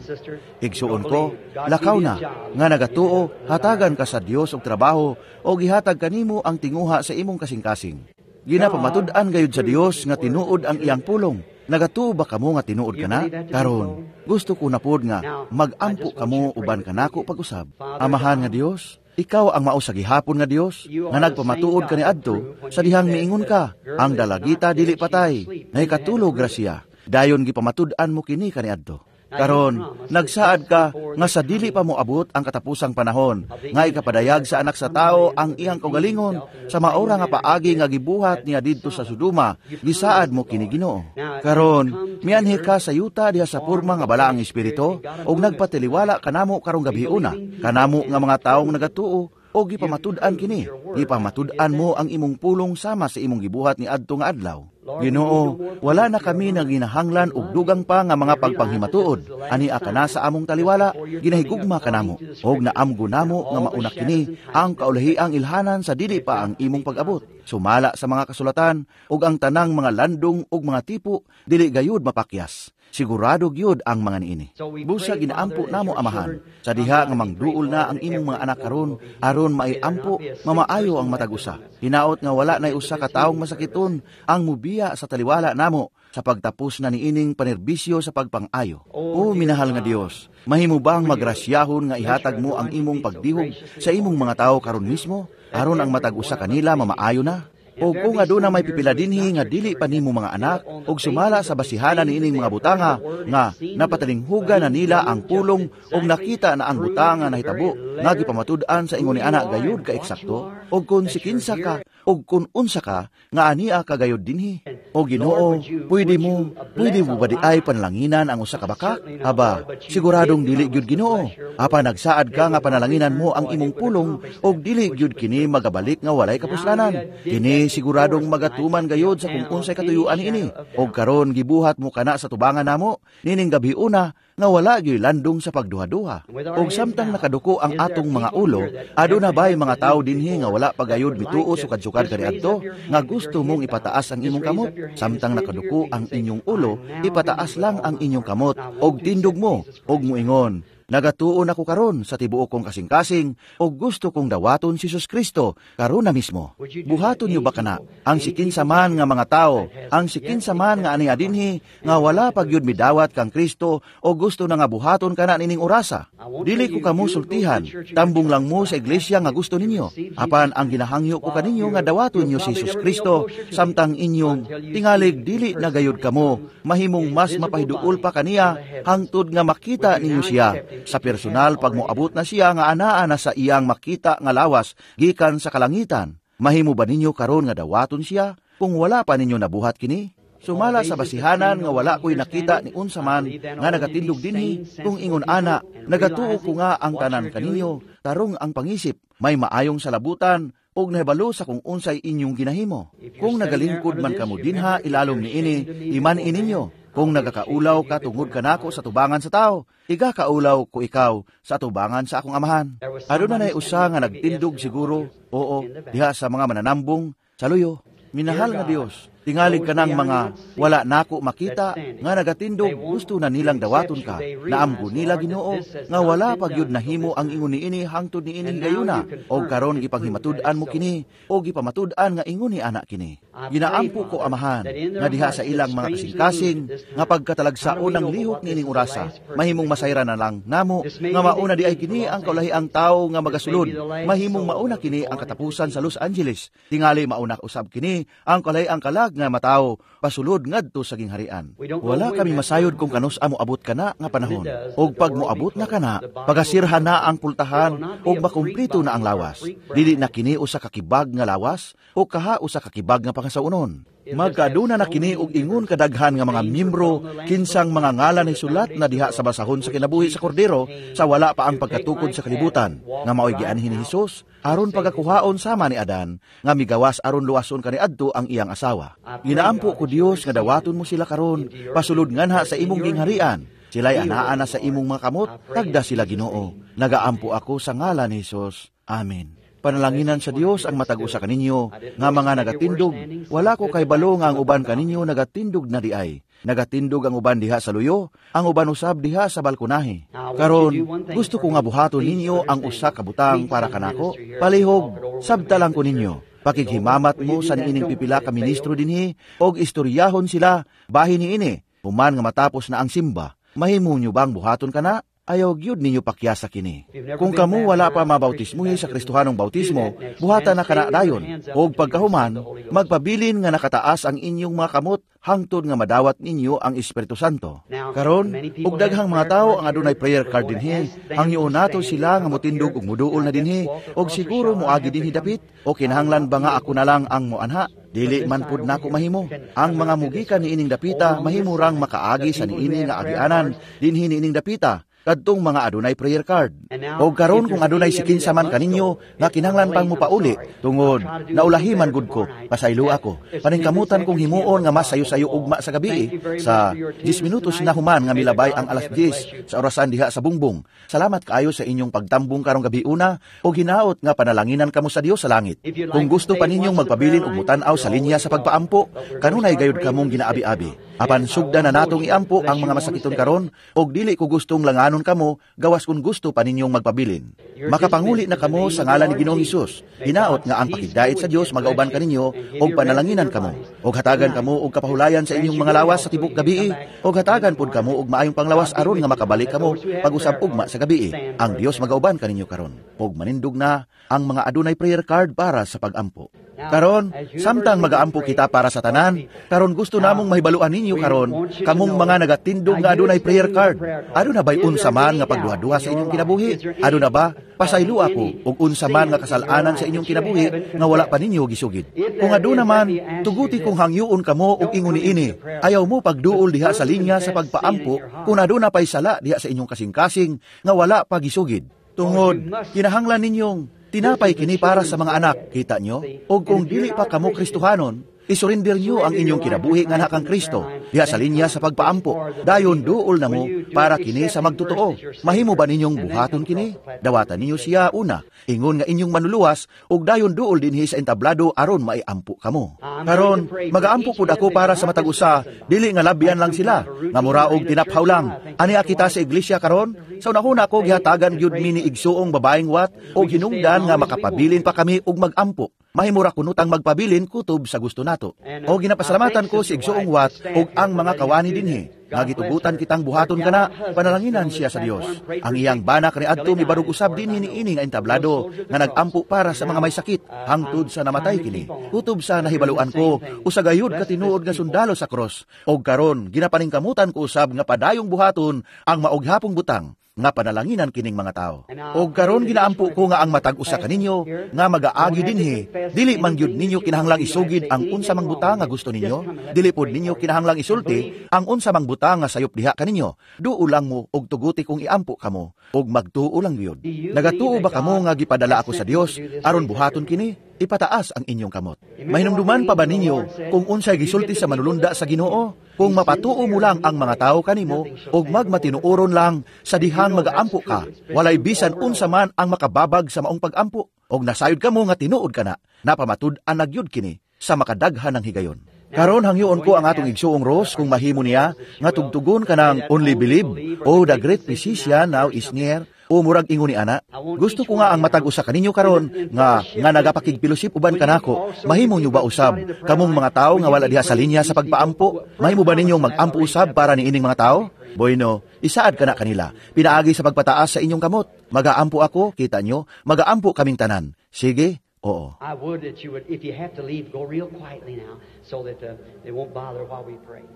S1: Igsuon ko, lakaw na nga nagatuo, hatagan ka sa Dios og trabaho o gihatag kanimo ang tinguha sa imong kasing-kasing. Ginapamatud-an gayud sa Dios nga tinuod ang iyang pulong. Nagatuo ba kamo nga tinuod kana? Karon, gusto ko na pod nga magampo kamo uban kanako pag-usab. Amahan nga Dios, ikaw ang mao sa gihapon nga Dios nga nagpamatuod kaniadto sa dihang miingon ka, ang dalagita dili patay, nahikatulog ra siya. Dayon gipamatud-an mo kini kaniadto. Karon, nagsaad ka nga sa dili pa moabot ang katapusang panahon, nga ikapadayag sa anak sa tao ang iyang kaugalingon sa maora nga paagi nga gibuhat niya didto sa Sodoma, gisaad mo kini Ginoo. Karon, mianhi ka sa yuta diha sa porma nga balaang espiritu ug nagpatiliwala kanamo karong gabiuna, kanamo nga mga taong nagatuo o gipamatud-an kini. Gipamatud-an mo ang imong pulong sama sa imong gibuhat ni adto nga adlaw. Ginoo, wala na kami naginahanglan og dugang pa nga mga pagpanghimatuod. Ani ka na sa among taliwala, ginahigugma kanamo, og naamgo namo nga mauna kini ang kaulahiang ilhanan sa dili pa ang imong pag-abot. Sumala sa mga kasulatan og ang tanang mga landong og mga tipo dili gayud mapakyas. Sigurado gyud ang mga niini. Busa ginaampo namo Amahan, sa diha nga mangduol na ang imong mga anak karon, aron maiampo, mamaayo ang matag usa. Hinaot nga wala nay usa ka taong masakiton ang mubiya sa taliwala namo sa pagtapos na niining panerbisyo sa pagpang-ayo. O minahal nga Dios, mahimo bang magrasyahon nga ihatag mo ang imong pagdihog sa imong mga tawo karon mismo, aron ang matag usa kanila mamaayo na? O kung aduna may pipila dinhi nga dili pa nimo mga anak og sumala sa basihanan niining mga butanga nga napatalinghuga na nila ang pulong og nakita na ang butanga nahitabo nga gipamatud-an sa ingon ni ana gayud ka eksakto, og kun sikinsa ka og kun unsa ka nga ania ka gayud dinhi. O Ginoo, pwede mo ba di ay panalanginan ang usa ka bakak? Aba, siguradong dili gyud, Ginoo. Apa nagsaad ka nga panalanginan mo ang imong pulong og dili gyud kini magabalik nga walay kapuslanan. Kini siguradong magatuman gayud sa kung unsay katuyuan niini. Og karon gibuhat mo kana sa tubangan namo nining gabi una nga wala gyud landong sa pagduha-duha. Og samtang nakaduko ang atong mga ulo, aduna bay mga tawo dinhi nga wala pa gayud mituo sukad-sukad kaniadto nga gusto mong ipataas ang imong kamot? Samtang nakaduko ang inyong ulo, ipataas lang ang inyong kamot og tindog mo og muingon, nagatuon ako karon sa tibuok kong kasing-kasing og gusto kong dawaton si Jesus Kristo karon na mismo. Buhaton niyo ba kana ang sikinsa man nga mga tao, ang sikinsa man nga ania dinhi nga wala pa gyud midawat kang Kristo o gusto na nga buhaton kana nining orasa? Dili ko kamo sultihan, tambong lang mo sa iglesia nga gusto ninyo. Apan ang ginahangyo ko kaninyo nga dawaton niyo si Jesus Kristo samtang inyong tingalig dili na gayud kamo mahimong mas mapahiduol pa kaniya hangtod nga makita ninyo siya sa personal pag moabot na siya nga anaa na sa iyang makita nga lawas gikan sa kalangitan. Mahimo ba ninyo karon nga dawaton siya kung wala pa ninyo nabuhat kini? Sumala sa basihanan nga wala ko'y nakita ni unsa man nga nagatindog dinhi kung ingon ana, nagatuo ko nga ang tanan kaninyo, tarong ang pangisip, may maayong salabutan, og nahibalo sa kung unsay inyong ginahimo. Kung nagalingkod man kamo dinha ilalom niini, iman-i ninyo. Kung nagakaulaw ka tungod kanako sa tubangan sa tao, igakaulaw ko ikaw sa tubangan sa akong amahan. Aduna nay usa nga nagtindog siguro, oo, diha sa mga mananambong sa luyo. Minahal nga Dios, tingalig ka ng mga wala nako makita nga nagatindog gusto na nilang dawaton ka. Naamgo nila, Ginoo, nga wala pagyud nahimo ang ingon niini hangtod niini higayuna, og karon gipanghimatud-an mo kini o gipamatud-an nga ingon ni ana kini. Ginaampo ko, Amahan, nga diha sa ilang mga kasing-kasing nga pagkatalagsaon ng lihok niining orasa, mahimong masayra na lang namo nga mauna di ay kini ang kaulahiang tawo nga magasulod, mahimong mauna kini ang katapusan sa Los Angeles, tingali mauna usab kini ang kaulahiang kalag nga matawo pasulod ngadto sa gingharian. Wala kami masayod kung kanus-a moabot kana nga panahon, og pag moabot na kana, pagasirhan na ang pultahan og makumplito na ang lawas. Dili na kini usa ka kibag nga lawas o kaha usa ka kibag nga pangasaunon. Magkaaduna na kini og ingon kadaghan nga mga miyembro kinsang mga ngalan ni sulat na diha sa basahon sa kinabuhi sa kordero sa wala pa ang pagkatukod sa kalibutan, nga maoy gianhin ni Hesus aron pagakuhaon sama ni Adan nga migawas aron luwason kaniadto ang iyang asawa. Ginaampo ko, Dios, nga dawaton mo sila karon pasulod nganha sa imong gingharian. Sila'y anaa na sa imong mga kamot, tagda sila, Ginoo. Nagaampo ako sa ngalan ni Hesus. Amen. Panalanginan sa Dios ang matag usa kaninyo nga mga nagatindog. Wala ko kay balo nga ang uban kaninyo nagatindog na diay. Nagatindog ang uban diha sa luyo, ang uban usab diha sa balkonahe. Karon, gusto ko nga buhaton ninyo ang usa ka butang para kanako. Palihog, sabta lang ko ninyo. Pakighimamat mo sa niining pipila ka ministro dinhi og istoryahon sila bahin niini. Human nga matapos na ang simba, mahimo nyo bang buhaton kana? Ayaw gyud ninyo pakyasa kini. Kung kamo wala pa mabautismuhi sa Kristohanong bautismo, buhatan na kana dayon. Og pagkahuman, magpabilin nga nakataas ang inyong mga kamot hangtod nga madawat ninyo ang Espiritu Santo. Karon, og daghang mga tawo ang adunay prayer card dinhi, hangyoon nato sila nga motindog og moduol na dinhi, og siguro moagi dinhi dapit, o kinahanglan ba nga ako na lang ang moanha? Dili man pud nako mahimo. Ang mga mugikan niining dapita mahimo rang makaagi sa niini nga agianan dinhi niining dapita kadtong mga adunay prayer card. Og karon kung adunay sikinsa man kaninyo nga kinahanglan pang mopauli tungod naulahi man gud ko, pasaylo ako. Paningkamutan kong himuon nga mas sayo-sayo ugma sa gabi sa 10 minutos na human nga milabay ang alas 10 sa orasan diha sa bungbong. Salamat kaayo sa inyong pagtambong karong gabi una og hinaot nga panalanginan kamo sa Dios sa langit. Kung gusto pa ninyong magpabilin og motan-aw sa linya sa pagpaampo, kanunay gayud kamong ginaabi-abi. Apan sugda na natong iampo ang mga masakiton karon og dili ko gustong langanon kamo gawas kung gusto pa ninyong magpabilin. Makapanguli na kamo sa ngalan ni Ginoong Hesus. Hinaot nga ang pakigdait sa Dios magauban kaninyo og panalanginan kamo, og hatagan kamo og kapahulayan sa inyong mga lawas sa tibok gabii, og hatagan pud kamo og maayong panglawas aron nga makabalik kamo pag-usab ugma sa gabii. Ang Dios magauban kaninyo karon. Og manindog na ang mga adunay prayer card para sa pagampo. Karon, samtang magaampo kita para sa tanan, karon gusto namong mahibaluan ninyo karon, kamong mga nagatindog nga adunay prayer card. Aduna ba'y unsa man nga pagduha-duha sa inyong kinabuhi? Aduna ba? Pasaylo ako og unsa man nga kasalanan sa inyong kinabuhi nga wala pa ninyo gisugid. Kung aduna man, tuguti kong hangyoon kamo og ingon niini. Ayaw mo pagduol diha sa linya sa pagpaampo kung aduna pay sala diha sa inyong kasing-kasing nga wala pa gisugid. Tungod, kinahanglan ninyong tinapay kini para sa mga anak, kita nyo? O kung dili pa kamo Kristohanon, isurinder nyo ang inyong kinabuhi nga kang Kristo, diha sa linya sa pagpaampo. Dayon duol na mo para kini sa magtotoo. Mahimo ba ninyong buhaton kini? Dawatan ninyo siya una, ingon nga inyong manuluwas, ug dayon duol dinhi sa entablado aron maiampo kamo. Karon, magaampo pud ako para sa matag usa, dili nga labyan lang sila, nga muraog tinaphaw lang. Ani kita sa iglesia karon? Sa unahuna ko gihatagan gyud mi ni igsuong babaeng Wat og hinungdan nga makapabilin pa kami og magampo. Mahimura kunutang magpabilin kutob sa gusto nato. O ginapasalamatan ko si igsuong Wat og ang mga kawani dinhi nga gitugutan kitang buhaton kana, panalanginan siya sa Dios. Ang iyang bana kaniadto mibarog usab dinhi niini nga entablado nga nagampo para sa mga may sakit hangtod sa namatay kini. Kutob sa nahibaluan ko, usa gayud ka tinuod nga sundalo sa cross. Og karon ginapaningkamutan ko usab nga padayong buhaton ang maughapong butang nga panalanginan kining mga tao. Og karon ginaampo ko nga ang matag usa kaninyo nga magaagi dinhi, dili man gyud ninyo kinahanglang isugid ang unsa mang butang nga gusto ninyo, dili pod ninyo kinahanglang isulti ang unsa mang butang nga sayop diha kaninyo. Duo lang mo og tuguti kung iampo kamo og magtuo lang gyud. Nagatuo ba kamo nga gipadala ako sa Dios aron buhaton kini? Ipataas ang inyong kamot. Mahinumduman pa ba ninyo kung unsay gisulti sa manulunda sa Ginoo? Kung mapatuo mo lang ang mga tao kanimo og magmatinuoron lang sa dihang magaampo ka, walay bisan unsa man ang makababag sa maong pagampo. Og nasayod kamo nga tinuod kana, napamatud-an na gyud kini sa makadaghan ng higayon. Karon hangyoon ko ang atong igsuong Rose kung mahimo niya nga tugtugon kanang Only Believe o The Great Physician Now Is Near o murag ingon ni ana. Gusto ko nga ang matag usa kaninyo karon nga nga nagapakigpilosip uban kanako. Mahimo nyo ba usab kamong mga tawo nga wala diha sa linya sa pagpaampo? Mahimo ba ninyong magampo usab para niining mga tawo? Bueno, isaad kana kanila. Pinaagi sa pagpataas sa inyong kamot. Magaampo ako, kita nyo, magaampo kaming tanan. Sige. Oo.
S2: I would that you would, if you have to leave, go real quietly now so that they won't bother while we pray.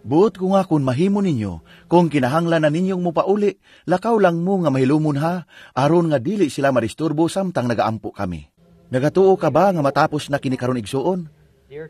S1: Buot ko nga kung mahimo ninyo, kung kinahanglan na ninyong mupauli, lakaw lang mo nga mahilumon ha, aron nga dili sila madisturbo samtang nagaampo kami. Nagatuo ka ba nga matapos na kini karon igsuon?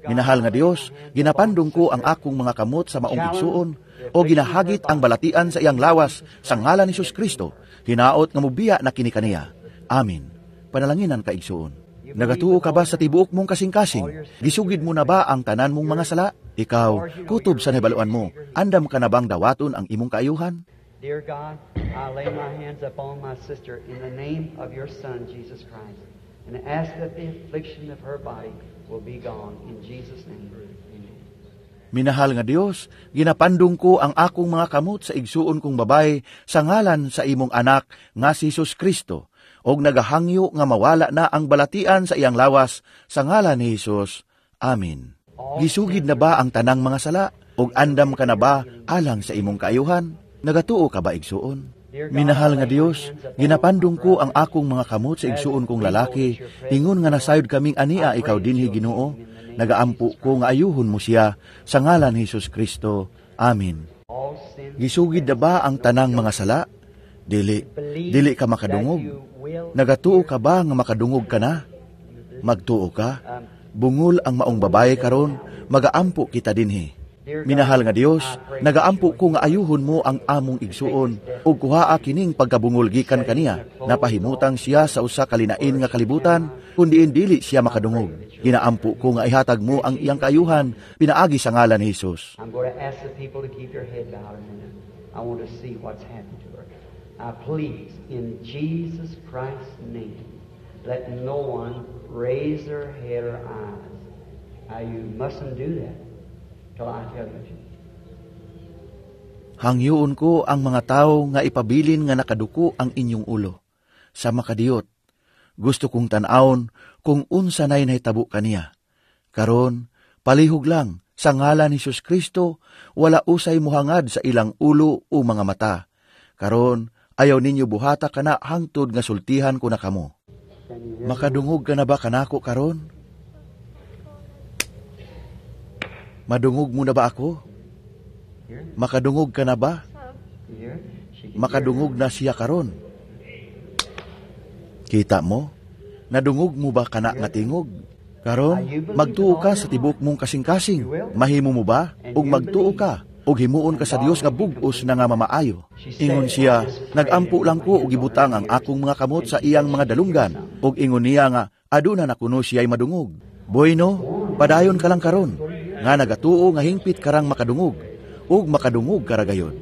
S1: Minahal nga Dios, ginapandong ko ang akong mga kamot sa maong igsuon, o ginahagit ang balatian sa iyang lawas sa ngalan ni Jesus Kristo, hinaot nga mubiya na kini kaniya. Amin. Panalanginan ka igsuon. Nagatuo ka ba sa tibuok mong kasing-kasing? Gisugid mo na ba ang tanan mong mga sala? Ikaw, kutob sa nahibaluan mo, andam ka na bang dawaton ang imong kaayuhan?
S2: Dear God, I lay my hands upon my sister in the name of your Son, Jesus Christ, and ask that the affliction of her body will be gone. In Jesus' name, amen.
S1: Minahal nga Dios, ginapandong ko ang akong mga kamot sa igsuon kong babay sa ngalan sa imong anak nga si Jesus Kristo, og nagahangyo nga mawala na ang balatian sa iyang lawas sa ngalan ni Hesus. Amin. Gisugid na ba ang tanang mga sala? Og andam ka na ba alang sa imong kaayuhan? Nagatuo ka ba igsuon? Minahal nga Dios, ginapandong ko ang akong mga kamot sa igsuon kong lalaki, ingon nga nasayod kaming ania ikaw dinhi Ginoo. Nagaampo ko nga ayuhon mo siya sa ngalan ni Hesus Kristo. Amin. Gisugid na ba ang tanang mga sala? Dili, dili ka makadungog. Nagatuo ka ba nga makadungog ka na? Magtuo ka? Bungol ang maong babae karon, magaampo kita dinhi. Minahal nga Dios, nagaampo ko nga ayuhon mo ang among igsuon ug kuhaa kining pagkabungol gikan kaniya. Napahimutang siya sa usa ka linain nga kalibutan, kundi dili siya makadungog. Ginaampo ko nga ihatag mo ang iyang kaayuhan pinaagi sa ngalan ni Hesus.
S2: I'm going to ask the people to keep your head bowed a minute. I want to see what's happened to her. Please, in Jesus Christ's name, let no one raise their head or eyes. You mustn't do that till I tell you to.
S1: Hangyoon ko ang mga tao nga ipabilin nga nakaduko ang inyong ulo. Sa makadiyot, gusto kong tan-awon kung unsa nay nahitabo kaniya. Karon, palihog lang, sa ngalan ni Jesus Kristo, wala usay muhangad sa ilang ulo o mga mata. Karon, ayaw ninyo buhata kana hangtod nga sultihan ko na kamo. Makadungog ka na ba kanako karon? Madungog mo na ba ako? Makadungog ka na ba? Makadungog na siya karon. Kita mo? Nadungog mo ba kana nga tingog? Karon, magtuo ka sa tibuok mong kasing-kasing. Mahimo mo ba? Ug magtuo ka ug himuon ka sa Dios nga bug-os na nga mamaayo. Ingon siya, nagampo lang ko ug gibutang ang akong mga kamot sa iyang mga dalunggan. Ug ingon niya nga aduna na kuno siya'y madungog. Bueno, padayon ka lang karon nga nagatuo nga hingpit karang makadungog ug makadungog ka ra gayon.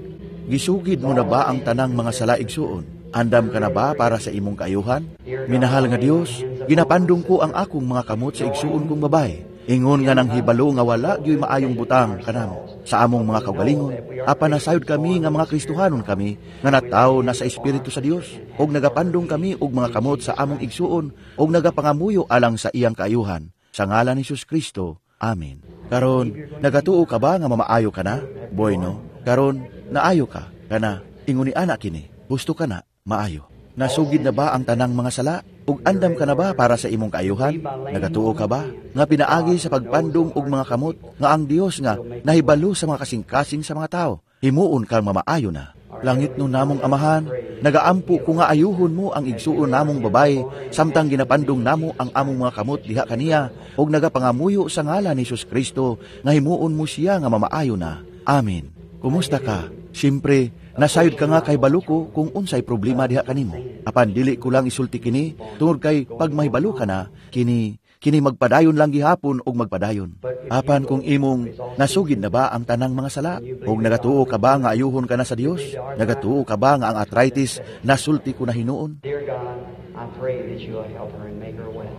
S1: Gisugid mo na ba ang tanang mga sala, igsuon? Andam ka na ba para sa imong kaayuhan? Minahal nga Dios, ginapandong ko ang akong mga kamot sa igsuon kong babae. Ingon nga nang hibalo nga wala gyoy maayong butang kanamo sa among mga kaugalingon. Apan nasayod kami nga mga Kristohanon kami nga natawo na sa Espiritu sa Dios, ug nagapandong kami og mga kamot sa among igsuon ug nagapangamuyo alang sa iyang kaayuhan. Sa ngalan ni Jesus Kristo. Amen. Karon, nagatuo ka ba nga mamaayo ka na? Bueno, karon naayo ka. Kana, ingon ni ana kini, gusto ka na, maayo. Nasugid na ba ang tanang mga sala? Ug andam ka na ba para sa imong kaayuhan? Nagatuo ka ba nga pinaagi sa pagpandong og mga kamot nga ang Dios nga nahibalo sa mga kasing-kasing sa mga tao, himuon kang mamaayo na? Langit no namong Amahan, nagaampo ko nga ayuhon mo ang igsuon namong babae samtang ginapandong namo ang among mga kamot diha kaniya ug nagapangamuyo sa ngalan ni Jesus Kristo nga himuon mo siya nga mamaayo na. Amen. Kumusta ka? Siyempre, nasayod ka nga kay baluko kung unsay problema diha kanimo. Apan dili ko lang isulti kini tungod kay pag mahibalo ka na, kini kini magpadayon lang gihapon og magpadayon. Apan kung imong nasugid na ba ang tanang mga sala, ug nagatuo ka ba nga ayuhon ka na sa Dios? Nagatuo ka ba nga ang arthritis nasulti ko na hinuon?
S2: Dear God, I pray that you will help her and make her well.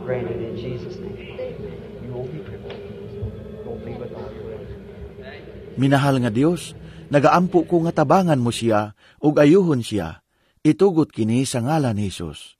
S2: Grant it in Jesus' name. You won't be crippled. Go be with all your will.
S1: Minahal nga Dios, nagaampo ko nga tabangan mo siya ug ayuhon siya. Itugot kini sa ngalan ni Hesus.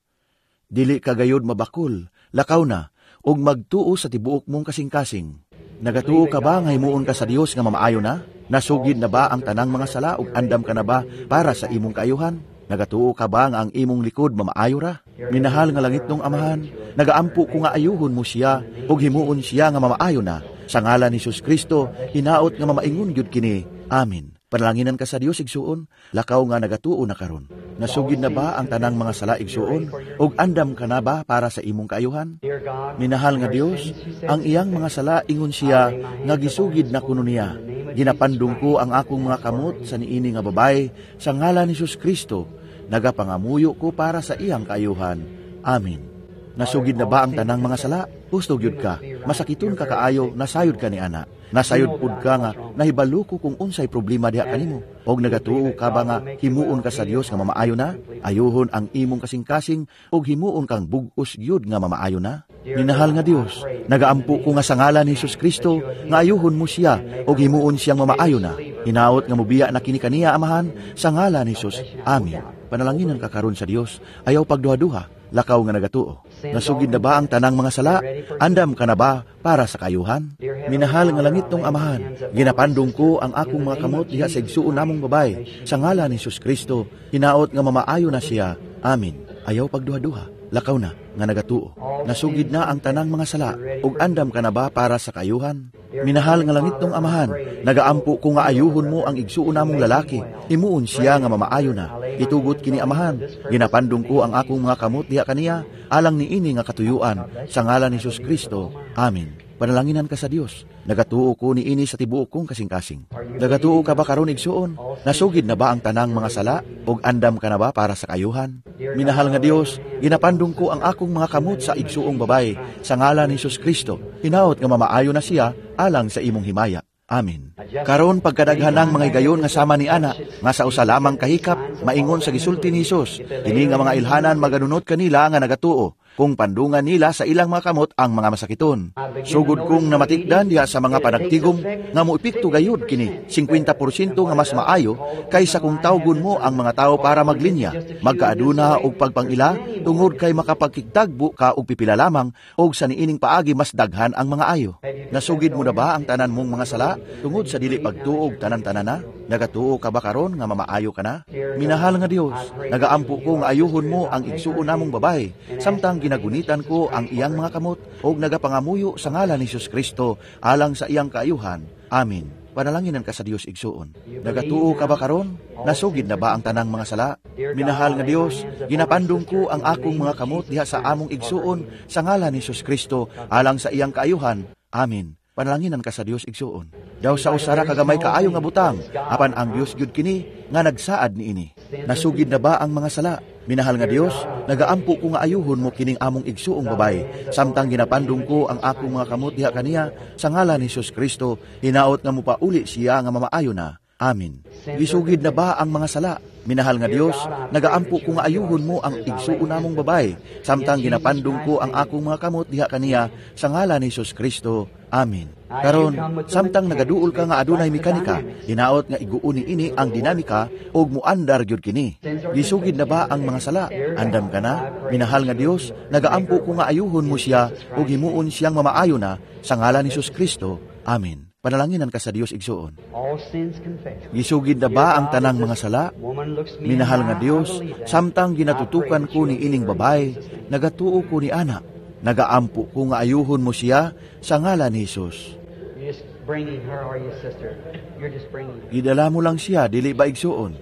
S1: Dili ka gayod mabakol, lakaw na ug magtuo sa tibuok mong kasing-kasing. Nagatuo ka ba nga himuon ka sa Dios nga mamaayo na? Nasugid na ba ang tanang mga sala ug andam ka na ba para sa imong kaayuhan? Nagatuo ka ba nga ang imong likod mamaayo ra? Minahal nga langit nong Amahan, nagaampo ko nga ayuhon mo siya ug himuon siya nga mamaayo na. Sa ngalan ni Jesus Kristo, hinaot nga mamaingon gyud kini. Amen. Panalanginan ka sa Dios, igsuon, lakaw nga nagatuo na karon. Nasugid na ba ang tanang mga sala, igsuon, ug andam ka na ba para sa imong kaayuhan?
S2: Dear God,
S1: Minahal nga Dios, ang iyang mga sala ingon siya nga gisugid na kuno niya. Ginapandong ko ang akong mga kamot sa niini nga babae sa ngalan ni Jesus Kristo. Nagapangamuyo ko para sa iyang kaayuhan. Amen. Nasugid na ba ang tanang mga sala? Husto gyud ka. Masakiton ka kaayo, nasayod ka ni ana. Nasayod pud ka nga nahibalo ko kung unsay problema diha kanimo. Og nagatuo ka ba nga himuon ka sa Dios nga mamaayo na? Ayuhon ang imong kasing-kasing og himuon kang bug-os gyud nga mamaayo na? Minahal nga Dios, nagaampo ko nga sa ngalan ni Jesus Kristo nga ayuhon mo siya og himuon siyang mamaayo na. Hinaot nga mobiya na kini kaniya, Amahan, sa ngalan ni Jesus. Amen. Panalanginan ka karon sa Dios, ayaw pagduha-duha, lakaw nga nagatuo. Nasugid na ba ang tanang mga sala? Andam ka na ba para sa kayuhan? Minahal nga langit nong Amahan, ginapandong ko ang akong mga kamot diha sa igsuon namong babae. Sa ngalan ni Jesus Kristo, hinaot nga mamaayo na siya. Amen. Ayaw pagduha-duha, lakaw na nga nagatuo. Nasugid na ang tanang mga sala, ug andam ka na ba para sa kayuhan? Minahal nga langit nong Amahan, nagaampo ko nga ayuhon mo ang igsuon namong lalaki. Himuon siya nga mamaayo na. Itugot kini, Amahan. Ginapandong ko ang akong mga kamot diha kaniya alang niini nga katuyuan sa ngalan ni Jesus Kristo. Amen. Panalanginan ka sa Dios. Nagatuo ko niini sa tibuok kong kasing-kasing. Nagatuo ka ba karon, igsuon? Nasugid na ba ang tanang mga sala ug andam ka na ba para sa kayuhan? Minahal nga Dios, ginapandong ko ang akong mga kamot sa igsuong babae sa ngalan ni Jesus Kristo. Hinaot nga mamaayo na siya alang sa imong himaya. Amen. Karon pagkadaghan ng mga higayon nga sama ni ana, nga sa usa lamang kahikap, maingon sa gisulti ni Hesus, kini nga mga ilhanan maganunot kanila nga nagatuo, kung pandungan nila sa ilang mga kamot ang mga masakiton. Sugod kong namatikdan diha sa mga panagtigom nga moepekto gayud kini 50% nga mas maayo kaysa kung tawgon mo ang mga tao para maglinya, magkaaduna og pagpangila tungod kay makapagkigtagbo ka og pipila lamang og sa niining paagi mas daghan ang mga ayo. Nasugid mo na ba ang tanan mong mga sala tungod sa dili pagtuo og tanan-tanan na? Nagatuo ka ba karon nga mamaayo ka na? Minahal nga Dios, nagaampo ko nga ayuhon mo ang igsuon namong babae, samtang ginagunitan ko ang iyang mga kamot ug nagapangamuyo sa ngalan ni Jesus Kristo alang sa iyang kaayuhan. Amen. Panalanginan ka sa Dios, igsuon. Nagatuo ka ba karon? Nasugid na ba ang tanang mga sala? Minahal nga Dios, ginapandong ko ang akong mga kamot diha sa among igsuon sa ngalan ni Jesus Kristo alang sa iyang kaayuhan. Amen. Panalanginan ka sa Dios, igsuon. Daw sa usara kagamay kaayo nga butang, apan ang Dios gyud kini nga nagsaad niini. Nasugid na ba ang mga sala? Minahal nga Dios, nagaampo ko nga ayuhon mo kining among igsuong babae, samtang ginapandong ko ang akong mga kamot diha kaniya sa ngalan ni Jesus Kristo, hinaot nga mopauli siya nga mamaayo na. Amen. Gisugid na ba ang mga sala? Minahal nga Dios, nagaampo ko nga ayuhon mo ang igsuon namong babae, samtang ginapandong ko ang akong mga kamot diha kaniya sa ngalan ni Jesus Kristo. Amen. Karon, samtang nagaduol ka nga adunay mekanika, hinaot nga iguon niini ang dinamika ug muandar gyud kini. Gisugid na ba ang mga sala? Andam ka na? Minahal nga Dios, nagaampo ko nga ayuhon mo siya ug himuon siyang mamaayo na sa ngalan ni Jesus Kristo. Amen. Panalanginan ka sa Dios, igsuon.
S2: All sins confessed.
S1: Gisugid na ba ang tanang mga sala?
S2: Woman looks me in
S1: Minahal
S2: the
S1: nga
S2: eye, I
S1: Dios,
S2: believe that.
S1: Samtang ginatutukan ko ni ining babae, nagatuo ko ni ana. Nagaampo ko nga ayuhon mo siya sa ngalan ni Jesus.
S2: You're just bringing her, are you, sister? You're just bringing her.
S1: Gidala mo lang siya, dili ba, igsuon?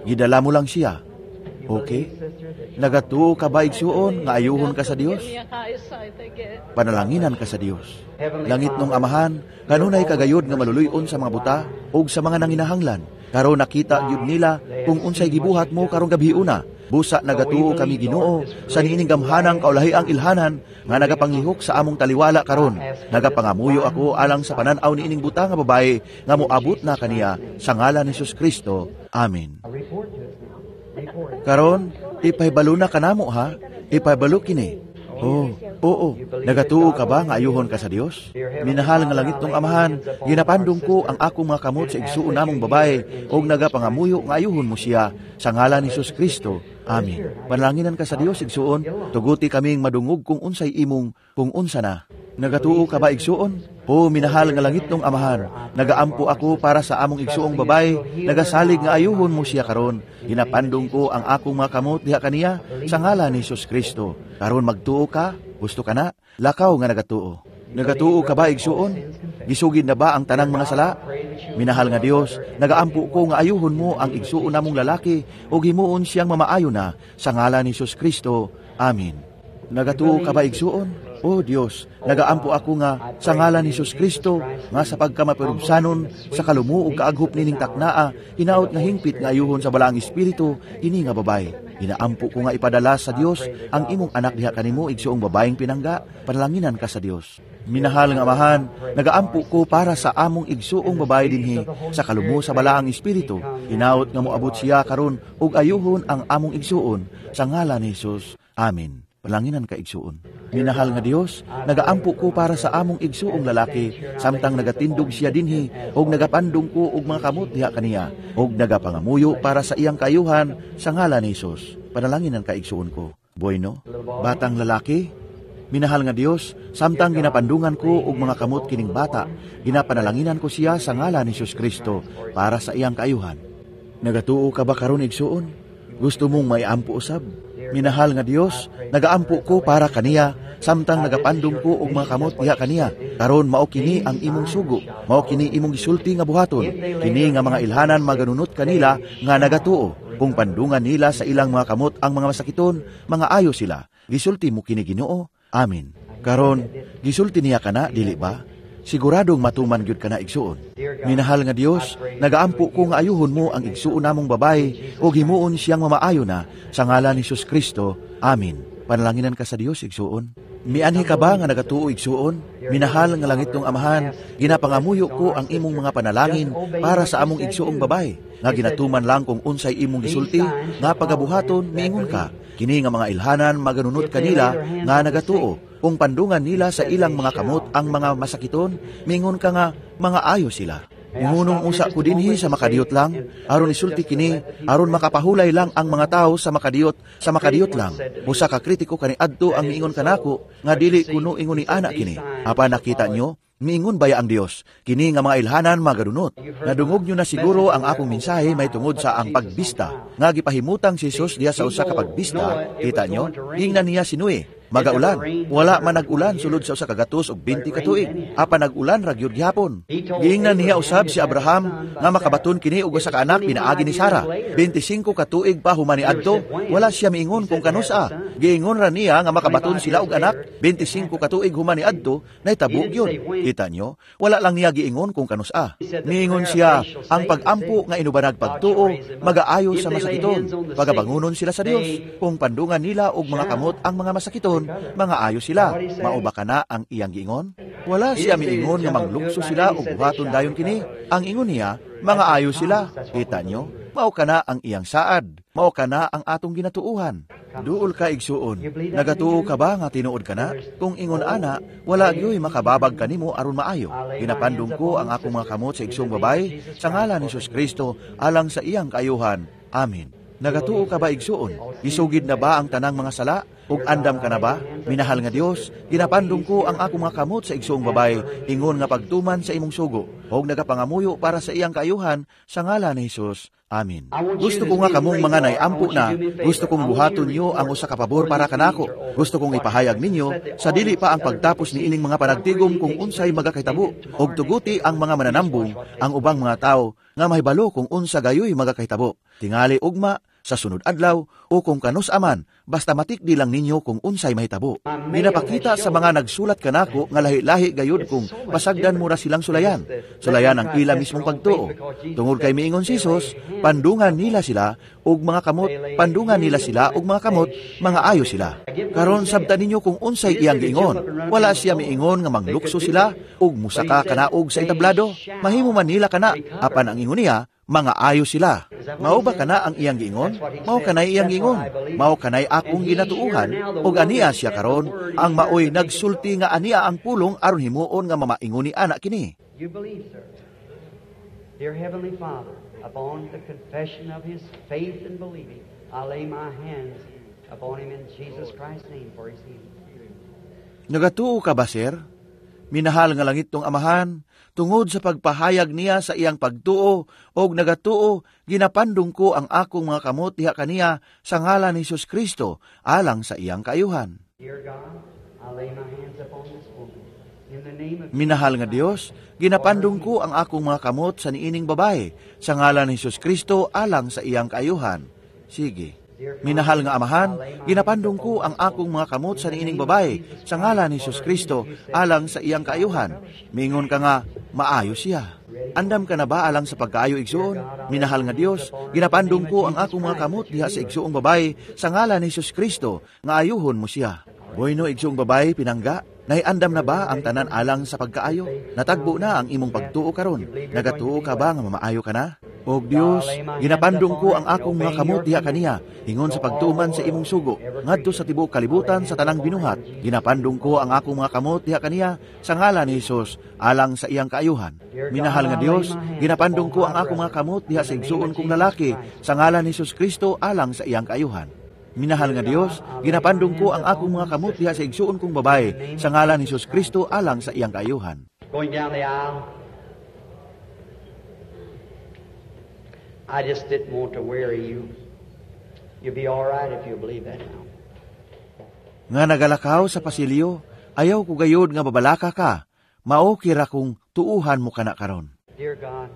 S1: Gidala mo lang siya.
S2: You
S1: Okay.
S2: believe, sister, that
S1: Nagatuo ka ba, igsuon, nga ayuhon ka sa Dios?
S3: Give me eyesight again.
S1: Panalanginan ka sa Dios. Langit nung Amahan, kanunay kagayod nga maluluyon sa mga buta ug sa mga nanginahanglan. Karon nakita gyud nila kung unsay gibuhat mo karong gabi una. Busa nagatuo kami, Ginoo, sa niining gamhanang kaulahiang ilhanan nga nagapanglihok sa among taliwala karon. Nagapangamuyo ako alang sa panan-aw niining buta nga babae nga moabot na kaniya sa ngalan ni Jesus Kristo. Amen.
S2: Report to us now. Report it.
S1: Karon, ipahibalo na kanamo ha. Ipahibalo kini. Oh, oo. Nagatuo ka ba nga ayuhon ka sa Dios? Minahal nga langit nung Amahan, ginapandong ko ang akong mga kamot sa igsuon namong babae ug nagapangamuyo nga ayuhon mo siya sa ngalan ni Jesus Kristo. Amen. Panalanginan ka sa Dios, igsuon. Tuguti kaming madungog kung unsay imong kung unsa na. Nagatuo ka ba, igsuon? O minahal nga langit nung Amahan, nagaampo ako para sa among igsuong babae, nagasalig nga ayuhon mo siya karon. Ginapandong ko ang akong mga kamot diha kaniya sa ngalan ni Jesus Kristo. Karon magtuo ka? Gusto ka na? Lakaw nga nagatuo. Nagatuo ka ba, igsuon? Gisugid na ba ang tanang mga sala? Minahal nga Dios, nagaampo ko nga ayuhon mo ang igsuon namong lalaki ug himuon siyang mamaayo na sa ngalan ni Jesus Kristo. Amen. Nagatuo ka ba, igsuon? O Dios, nagaampo ako nga sa ngalan ni Jesus Kristo nga sa pagkamaperubsanon sa kalumo ug kaaghop nining taknaa, hinaot nga hingpit nga ayuhon sa Balaang Espiritu kini nga babae. Ginaampo ko nga ipadala sa Dios ang imong anak diha kanimo, igsuong babaeng pinangga. Panalanginan ka sa Dios. Minahal nga Amahan, nagaampo ko para sa among igsuong babae dinhi sa kalumo sa Balaang Espiritu. Hinaot nga moabot siya karon ug ayuhon ang among igsuon sa ngalan ni Jesus. Amen. Panalanginan ka, igsuon. Minahal nga Dios, nagaampo ko para sa among igsuong lalaki samtang nagatindog siya dinhi ug nagapandong ko og mga kamot diha kaniya ug nagapangamuyo para sa iyang kaayuhan sa ngalan ni Jesus. Panalanginan ka, igsuon ko. Bueno, batang lalaki. Minahal nga Dios, samtang ginapandungan ko og mga kamot kining bata, ginapanalanginan ko siya sa ngalan ni Jesus Kristo para sa iyang kaayuhan. Nagatuo ka ba karon, igsuon? Gusto mong maiampo usab? Minahal nga Dios, nagaampo ko para kaniya samtang nagapandong ko og mga kamot diha kaniya. Karon mao kini ang imong sugo, mao kini imong gisulti nga buhaton. Kini nga mga ilhanan maganunot kanila nga nagatuo. Kung pandungan nila sa ilang mga kamot ang mga masakiton, mga ayo sila. Gisulti mo kini, Ginoo. Amen. Karon, gisulti niya kana, dili ba? Siguradong matuman gyud kana, igsuon. Minahal nga Dios, nagaampo ko nga ayuhon mo ang igsuon namong babae ug himuon siyang mamaayo na sa ngalan ni Jesus Kristo. Amen. Panalanginan ka sa Dios, igsuon. Mianhi ka ba nga nagatuo, igsuon? Minahal nga langit nung Amahan, ginapangamuyo ko ang imong mga panalangin para sa among igsuong babae, nga ginatuman lang kung unsay imong gisulti, nga pagabuhaton, miingon ka. Kini nga mga ilhanan maganunot kanila nga nagatuo. Kung pandungan nila sa ilang mga kamot ang mga masakiton, mingon ka nga mga ayo sila. Muhunong usa ko dinhi sa makadiyot lang, aron isulti kini, aron makapahulay lang ang mga tao sa makadiyot lang. Usa ka kritiko kaniadto ang miingon kanako nga dili kuno ingon ni ana kini. Apan nakita nyo, Miingon baya ang Dios, kini nga mga ilhanan magadunot. Nadungog nyo na siguro ang akong mensahe may tungod sa ang pagbista. Nga gipahimutang si Jesus diha sa usa ka pagbista, kita nyo, ingnan niya si Noe, magaulan. Wala man nag-ulan sulod sa 120 ka tuig. Apan nag-ulan ra gyud gihapon. Giingnan niya usab si Abraham nga makabaton kini og usa ka anak pinaagi ni Sara. 25 ka tuig pa human niadto, wala siya miingon kung kanusa. Giingon ra niya nga makabaton sila og anak 25 ka tuig human niadto, nahitabo gyud. Kita nyo, wala lang niya giingon kung kanusa. Niingon siya, ang pag-ampo nga inubanag pagtuo magaayo sa masakiton. Pagabangunon sila sa Dios kung pandungan nila og mga kamot ang mga masakiton, mga ayo sila. Mao ba kana ang iyang giingon? Wala siya miingon nga manglukso sila og buhaton dayon kini. Ang ingon niya, mga ayo sila. Kita nyo, mao kana ang iyang saad. Mao kana ang atong ginatuuhan. Duol ka igsuon. Nagatuo ka ba nga tinuod ka na? Kung ingon ana, wala gyoy makababag kanimo aron maayo. Ginapandong ko ang akong mga kamot sa igsoong babay sa ngalan ni Jesus Kristo alang sa iyang kaayuhan. Amen. Nagatuo ka ba igsuon? Isugid na ba ang tanang mga sala? Ug andam ka na ba? Minahal nga Dios, ginapandong ko ang akong mga kamot sa igsoong babay, ingon nga pagtuman sa imong sugo, ug nagapangamuyo para sa iyang kaayuhan sa ngalan ni Jesus. Amen. Gusto ko nga kamong mga naiampo na, gusto kong buhaton niyo ang usa ka pabor para kanako. Gusto kong ipahayag ninyo sa dili pa ang pagtapos niining mga panagtigom kung unsay magakahitabo, ug tuguti ang mga mananambong ang ubang mga tawo nga mahibalo kung unsa gayoy magakahitabo. Tingali ugma sa sunod adlaw o kung kanus aman, basta matikdi lang ninyo kung unsay mahitabo. Ginapakita sa mga nagsulat kanako nga lahi-lahi gayud kung pasagdan mo ra silang sulayan. Sulayan ang ila mismong pagtuo. Tungod kay miingon si Jesus, pandungan nila sila og mga kamot, pandungan nila sila og mga kamot, mga ayo sila. Karon sabta ninyo kung unsay iyang giingon. Wala siya miingon nga manglukso sila og musaka kanaog sa entablado. Mahimo man nila kana, apan ang ingon niya, mga ayo sila. Mao ba kana ang iyang giingon? Mao kanay iyang giingon. Mao kanay akong ginatuuhan, og ania siya karon ang maoy nagsulti nga ania ang pulong aron himuon nga mamaingon ni anak kini.
S2: You believe, sir. Dear Heavenly Father, upon the confession of his faith and believing, I lay my hands upon him in Jesus Christ's name for his healing.
S1: Nagatuo ka ba, sir? Minahal nga langit tong amahan, tungod sa pagpahayag niya sa iyang pagtuo og nagatuo, ginapandong ko ang akong mga kamot diha kaniya sa ngalan ni Jesus Kristo alang sa iyang kaayuhan.
S2: Dear God, I lay my hands upon this woman. In the name of
S1: Minahal nga Dios, ginapandong ko ang akong mga kamot sa niining babae sa ngalan ni Jesus Kristo alang sa iyang kaayuhan. Sige. Minahal nga amahan, ginapandong ko ang akong mga kamot sa niining babae sa ngalan ni Jesus Kristo alang sa iyang kaayuhan. Mingon ka nga, maayo siya. Andam ka na ba alang sa pagkaayo igsuon? Minahal nga Dios, ginapandong ko ang akong mga kamot diha sa igsuong babae sa ngalan ni Jesus Kristo nga ayuhon mo siya. Bueno, igsuong babae, pinangga, naiandam na ba ang tanan alang sa pagkaayo? Natagbo na ang imong pagtuo karon. Nagatuo ka ba nga mamaayo ka na? Og Dios, ginapandong ko ang akong mga kamot diha kaniya, ingon sa pagtuman sa imong sugo, ngadto sa tibuok kalibutan sa tanang binuhat. Ginapandong ko ang akong mga kamot diha kaniya sa ngalan ni Hesus alang sa iyang kaayuhan. Minahal nga Dios, ginapandong ko ang akong mga kamot diha sa igsuon kong lalaki sa ngalan ni Hesus Kristo alang sa iyang kaayuhan. Minahal nga Dios, ginapandong ko ang akong mga kamot diha sa igsuon kong babae sa ngalan ni Hesus Kristo alang sa iyang kaayuhan.
S2: Going down the aisle, I just didn't want to weary you. You'll be all right if you believe that now.
S1: Nga nagalakaw sa pasilyo, ayaw ko gayod nga babalaka ka. Mao kira kung tuuhan mo kana karon.
S2: Dear God,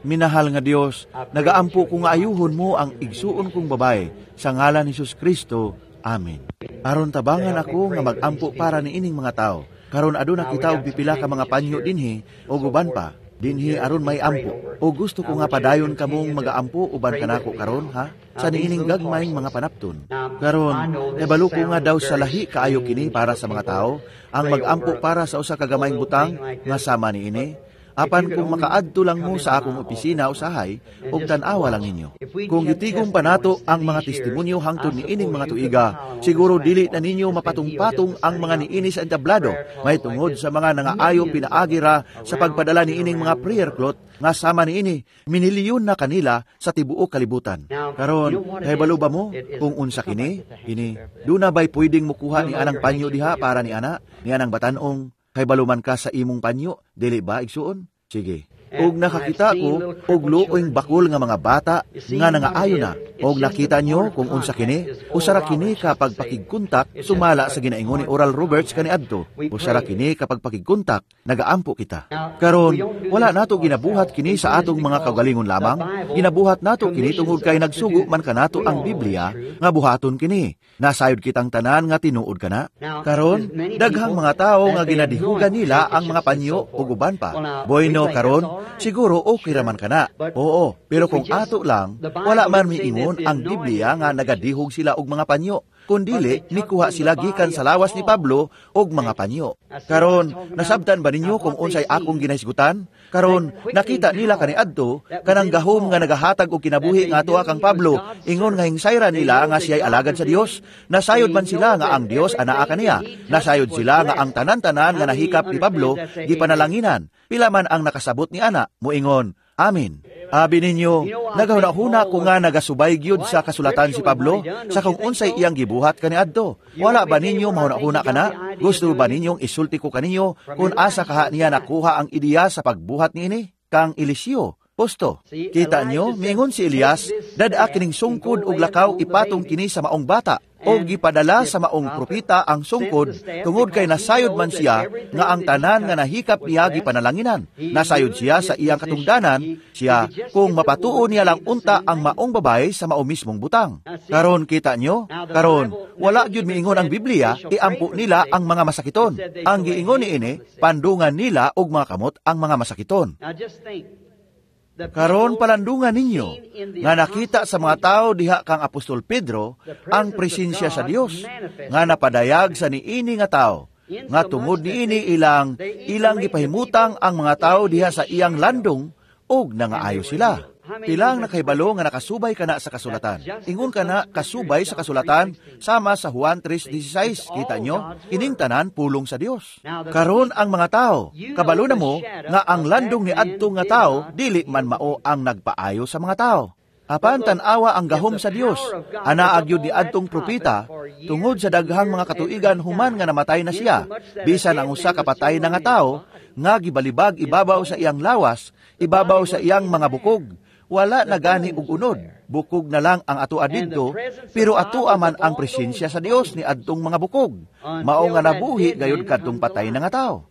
S1: Minahal nga Dios, nagaampo ko nga ayuhon mo ang igsuon kong babae sa ngalan ni Jesus Kristo. Amen. Aron tabangan ako nga magampo para niining mga tao. Karon aduna kita og pipila ka mga panyo dinhi o uban pa dinhi aron may ampo. O gusto ko nga padayon kamong magaampo uban kanako karon ha sa niining gagmayng mga panapton. Karon nabalo ko nga daw sa lahi kaayo kini para sa mga tao ang magampo para sa usa ka gamayng butang nga sama niini. Apan kung makaadto lang mo sa akong opisina usahay, ug tan-awa lang ninyo. Kung gitigom pa nato ang mga testimonyo hangtod niining mga tuiga, siguro dili na ninyo mapatong-patong ang mga niini sa entablado, may tungod sa mga nangaayo pinaagira sa pagpadala niining mga prayer cloth nga sama niini, minilyon na kanila sa tibuok kalibutan. Karon, kahibalo ba mo kung unsa kini? Kini, duna ba'y pwedeng mukuha ni anang panyo diha para ni ana, ni anang batanong? Kay man ka sa imong panyo, dili ba, igsuon? Sige. Og nakakita ko og luoing bakol nga mga bata nga nangaayo na. Og nakita nyo kung unsa kini, usara kini kapag pakigkontak sumala sa ginaingon ni Oral Roberts kaniadto. Usara kini kapag pakigkontak nagaampo kita. Karon, wala nato ginabuhat kini sa atong mga kaugalingon lamang, ginabuhat nato kini tungod kay nagsugo man kanato ang Biblia nga buhaton kini. Nasayod kitang tanan nga tinuod kana. Karon, daghang mga tawo nga ginadihugan nila ang mga panyo ug uban pa. Bueno, karon, siguro okay raman kana. Oo, pero kung ato lang, wala man miingon ang Biblia nga nagadihog sila og mga panyo. Kundili, mikuha sila gikan sa lawas ni Pablo og mga panyo. Karon, nasabtan ba ninyo kung unsay akong ginahisgutan? Karon, nakita nila kaniadto kanang gahom nga nagahatag og kinabuhi nga atoa kang Pablo, ingon nga hingsayra nila nga siya'y alagad sa Dios. Nasayod man sila nga ang Dios anaa kaniya. Nasayod sila nga ang tanan-tanan nga nahikap ni Pablo gipanalanginan. Pila man ang nakasabot ni ana, moingon, "Amen." Abi ninyo, nagahuna-huna ko nga nagasubay gyud sa kasulatan si Pablo sa kung unsay iyang gibuhat kaniadto. Wala ba ninyo mahuna-huna kana? Gusto ba ninyong isulti ko kaninyo kung asa kaha niya nakuha ang ideya sa pagbuhat niini? Kang Eliseo. Posto. Kita nyo, miingon si Elias, dad-a kining sungkod og lakaw ipatong kini sa maong bata. O gipadala sa maong propita ang sungkod tungod kay nasayod man siya nga ang tanan nga nahikap niya gipanalanginan. Nasayod siya sa iyang katungdanan siya kung mapatuo niya lang unta ang maong babae sa mao mismong butang. Karon kita nyo, karon wala gyud miingon ang Biblia, iampo nila ang mga masakiton. Ang giingon niini, pandungan nila og mga kamot ang mga masakiton. Karon palandungan ninyo nga nakita sa mga tao diha kang Apostol Pedro ang presensya sa Dios nga napadayag sa niini nga tao nga tungod niini ilang ilang gipahimutang ang mga tao diha sa iyang landong ug nangaayo sila. Pilang nakahibalo nga nakasubay kana sa kasulatan. Ingon kana kasubay sa kasulatan sama sa Juan 3:16. Kita nyo, kining tanan pulong sa Dios. Karon ang mga tao, kabalo na mo nga ang landong ni adto nga tao dili man mao ang nagpaayo sa mga tao. Apan tan-awa ang gahom sa Dios, anaa gyud ni adtong propeta tungod sa daghang mga katuigan human nga namatay na siya, bisan ang usa ka patay na nga tao nga gibalibag ibabaw sa iyang lawas, ibabaw sa iyang mga bukog. Wala na gani og unod, bukog na lang ang atoa didto, pero atoa man ang presensya sa Dios ni adtong mga bukog. Mao nga nabuhi gayud kadtong patay na nga tao.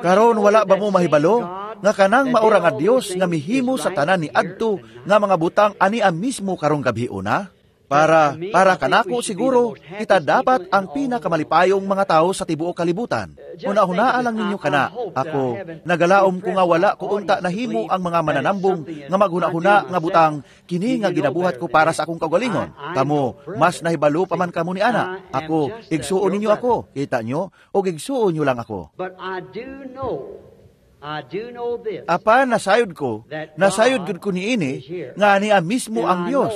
S1: Karon wala ba mo mahibalo nga kanang maura nga Dios nga mihimo sa tanan ni adto nga mga butang ani ang mismo karong gabhiona? Para kanako siguro, kita dapat ang pinakamalipayong mga tao sa tibuok kalibutan. Una-hunaa lang ninyo kana. Ako, nagalaom ko nga wala ko unta nahimo ang mga mananambong nga maghuna-huna nga butang kini nga ginabuhat ko para sa akong kaugalingon. Kamo, mas nahibalo pa man kamo ni ana. Ako, igsuon ninyo ako. Kita nyo, o igsuon nyo lang ako. Apan nasayod ko, nasayod gud ko niini nga niya mismo ang Dios.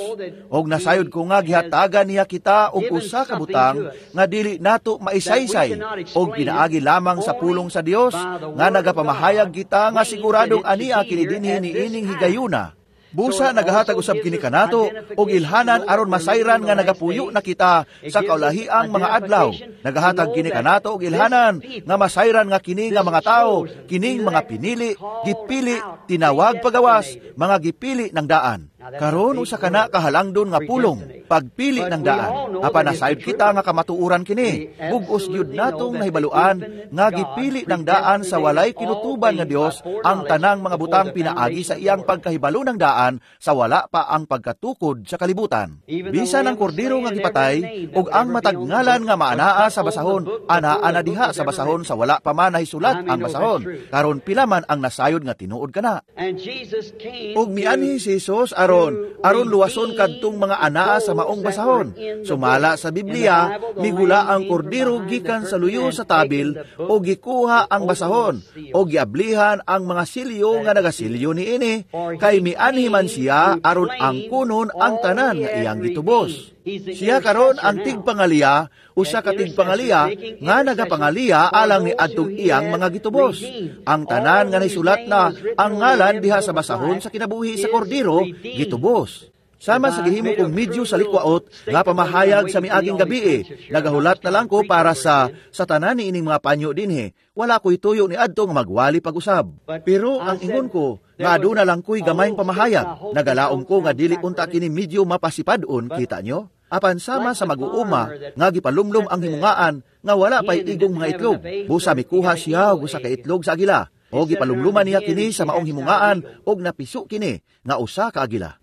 S1: Og nasayod ko nga gihatagan niya kita og usa ka butang nga dili nato maisaysay og pinaagi lamang sa pulong sa Dios nga nagapamahayag kita nga siguradong ania kini dinhi niining higayuna. Busa nagahatag usab kini kanato og ilhanan aron masayran nga nagapuyo na kita sa kaulahiang mga adlaw. Nagahatag kini kanato og ilhanan nga masayran nga kini nga mga tawo, kining mga pinili, gipili, tinawag pagawas, mga gipili ng daan. Karon usa kana kahalangdon nga pulong, pagpili ng daan. Apan nasayod kita nga kamatuoran kini, bug-os gyud natong nahibaluan nga gipili ng daan sa walay kinutuban nga Dios ang tanang mga butang pinaagi sa iyang pagkahibalo ng daan sa wala pa ang pagkatukod sa kalibutan. Bisan ang kordero nga gipatay ug ang matag ngalan nga maanaa sa basahon, anaa na diha sa basahon sa wala pa man nahisulat ang basahon. Karon pila man ang nasayod nga tinuod kana. Ug mianhi si Jesus aron luwason kadtong mga anaa sa maong basahon. Sumala sa Biblia, migula ang kordero gikan sa luyo sa tabil o gikuha ang basahon o giablihan ang mga silyo nga nagasilyo niini, kay mianhi man siya aron angkunon ang tanan nga iyang gitubos. Siya karon ang tigpangaliya, usa ka tigpangaliya nga nagapangaliya alang ni adtong iyang mga gitubos. Ang tanan nga nasulat na ang ngalan diha sa basahon sa kinabuhi sa kordero gitubos. Sama sa gihimo kong medyo sa likwaot nga pamahayag sa miaging gabi, nagahulat na lang ko para sa tanan ni ining mga panyo dinhi. Wala ko'y tuyo ni adto nga magwali pag-usab. Pero ang ingon ko, nga aduna lang ko'y gamayng pamahayag. Nagalaom ko nga dili unta kini medyo mapasipadon, kita nyo? Apan sama sa mag-uuma nga gipalumlum ang himungaan nga wala pa'y igong mga itlog. Busa mikuha siya og usa ka itlog sa agila. O gipalumluman niya kini sa maong himungaan og napiso kini nga usa ka agila.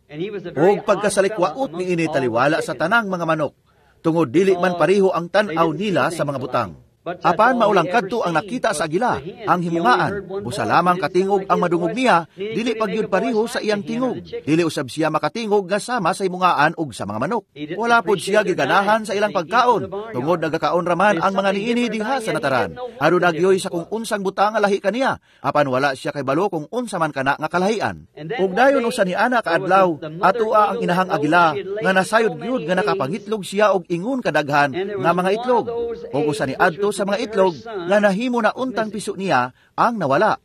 S1: Og pagkasalikwaot niini taliwala sa tanang mga manok, tungod dili man pareho ang tan-aw nila sa mga butang. Apan maulang kadto ang nakita sa agila, ang himungaan, busa lamang katingog ang madungog niya, dili pagyud pareho sa iyang tingog. Dili usab siya makatingog nga sama sa himungaan og sa mga manok. Wala pod siya giganahan sa ilang pagkaon, tungod nagakaon raman ang mga niini diha sa nataran. Aduna gyoy sa kung unsang butang nga lahi kaniya, apan wala siya kay balo kung unsa man kana nga kalahian. Ug dayon usa ni ana kaadlaw, atoa ang inahang agila nga nasayod gyud nga nakapangitlog siya og ingon kadaghan nga mga itlog. Ug usa ni adto sa mga itlog nga nahimo na untang piso niya ang nawala.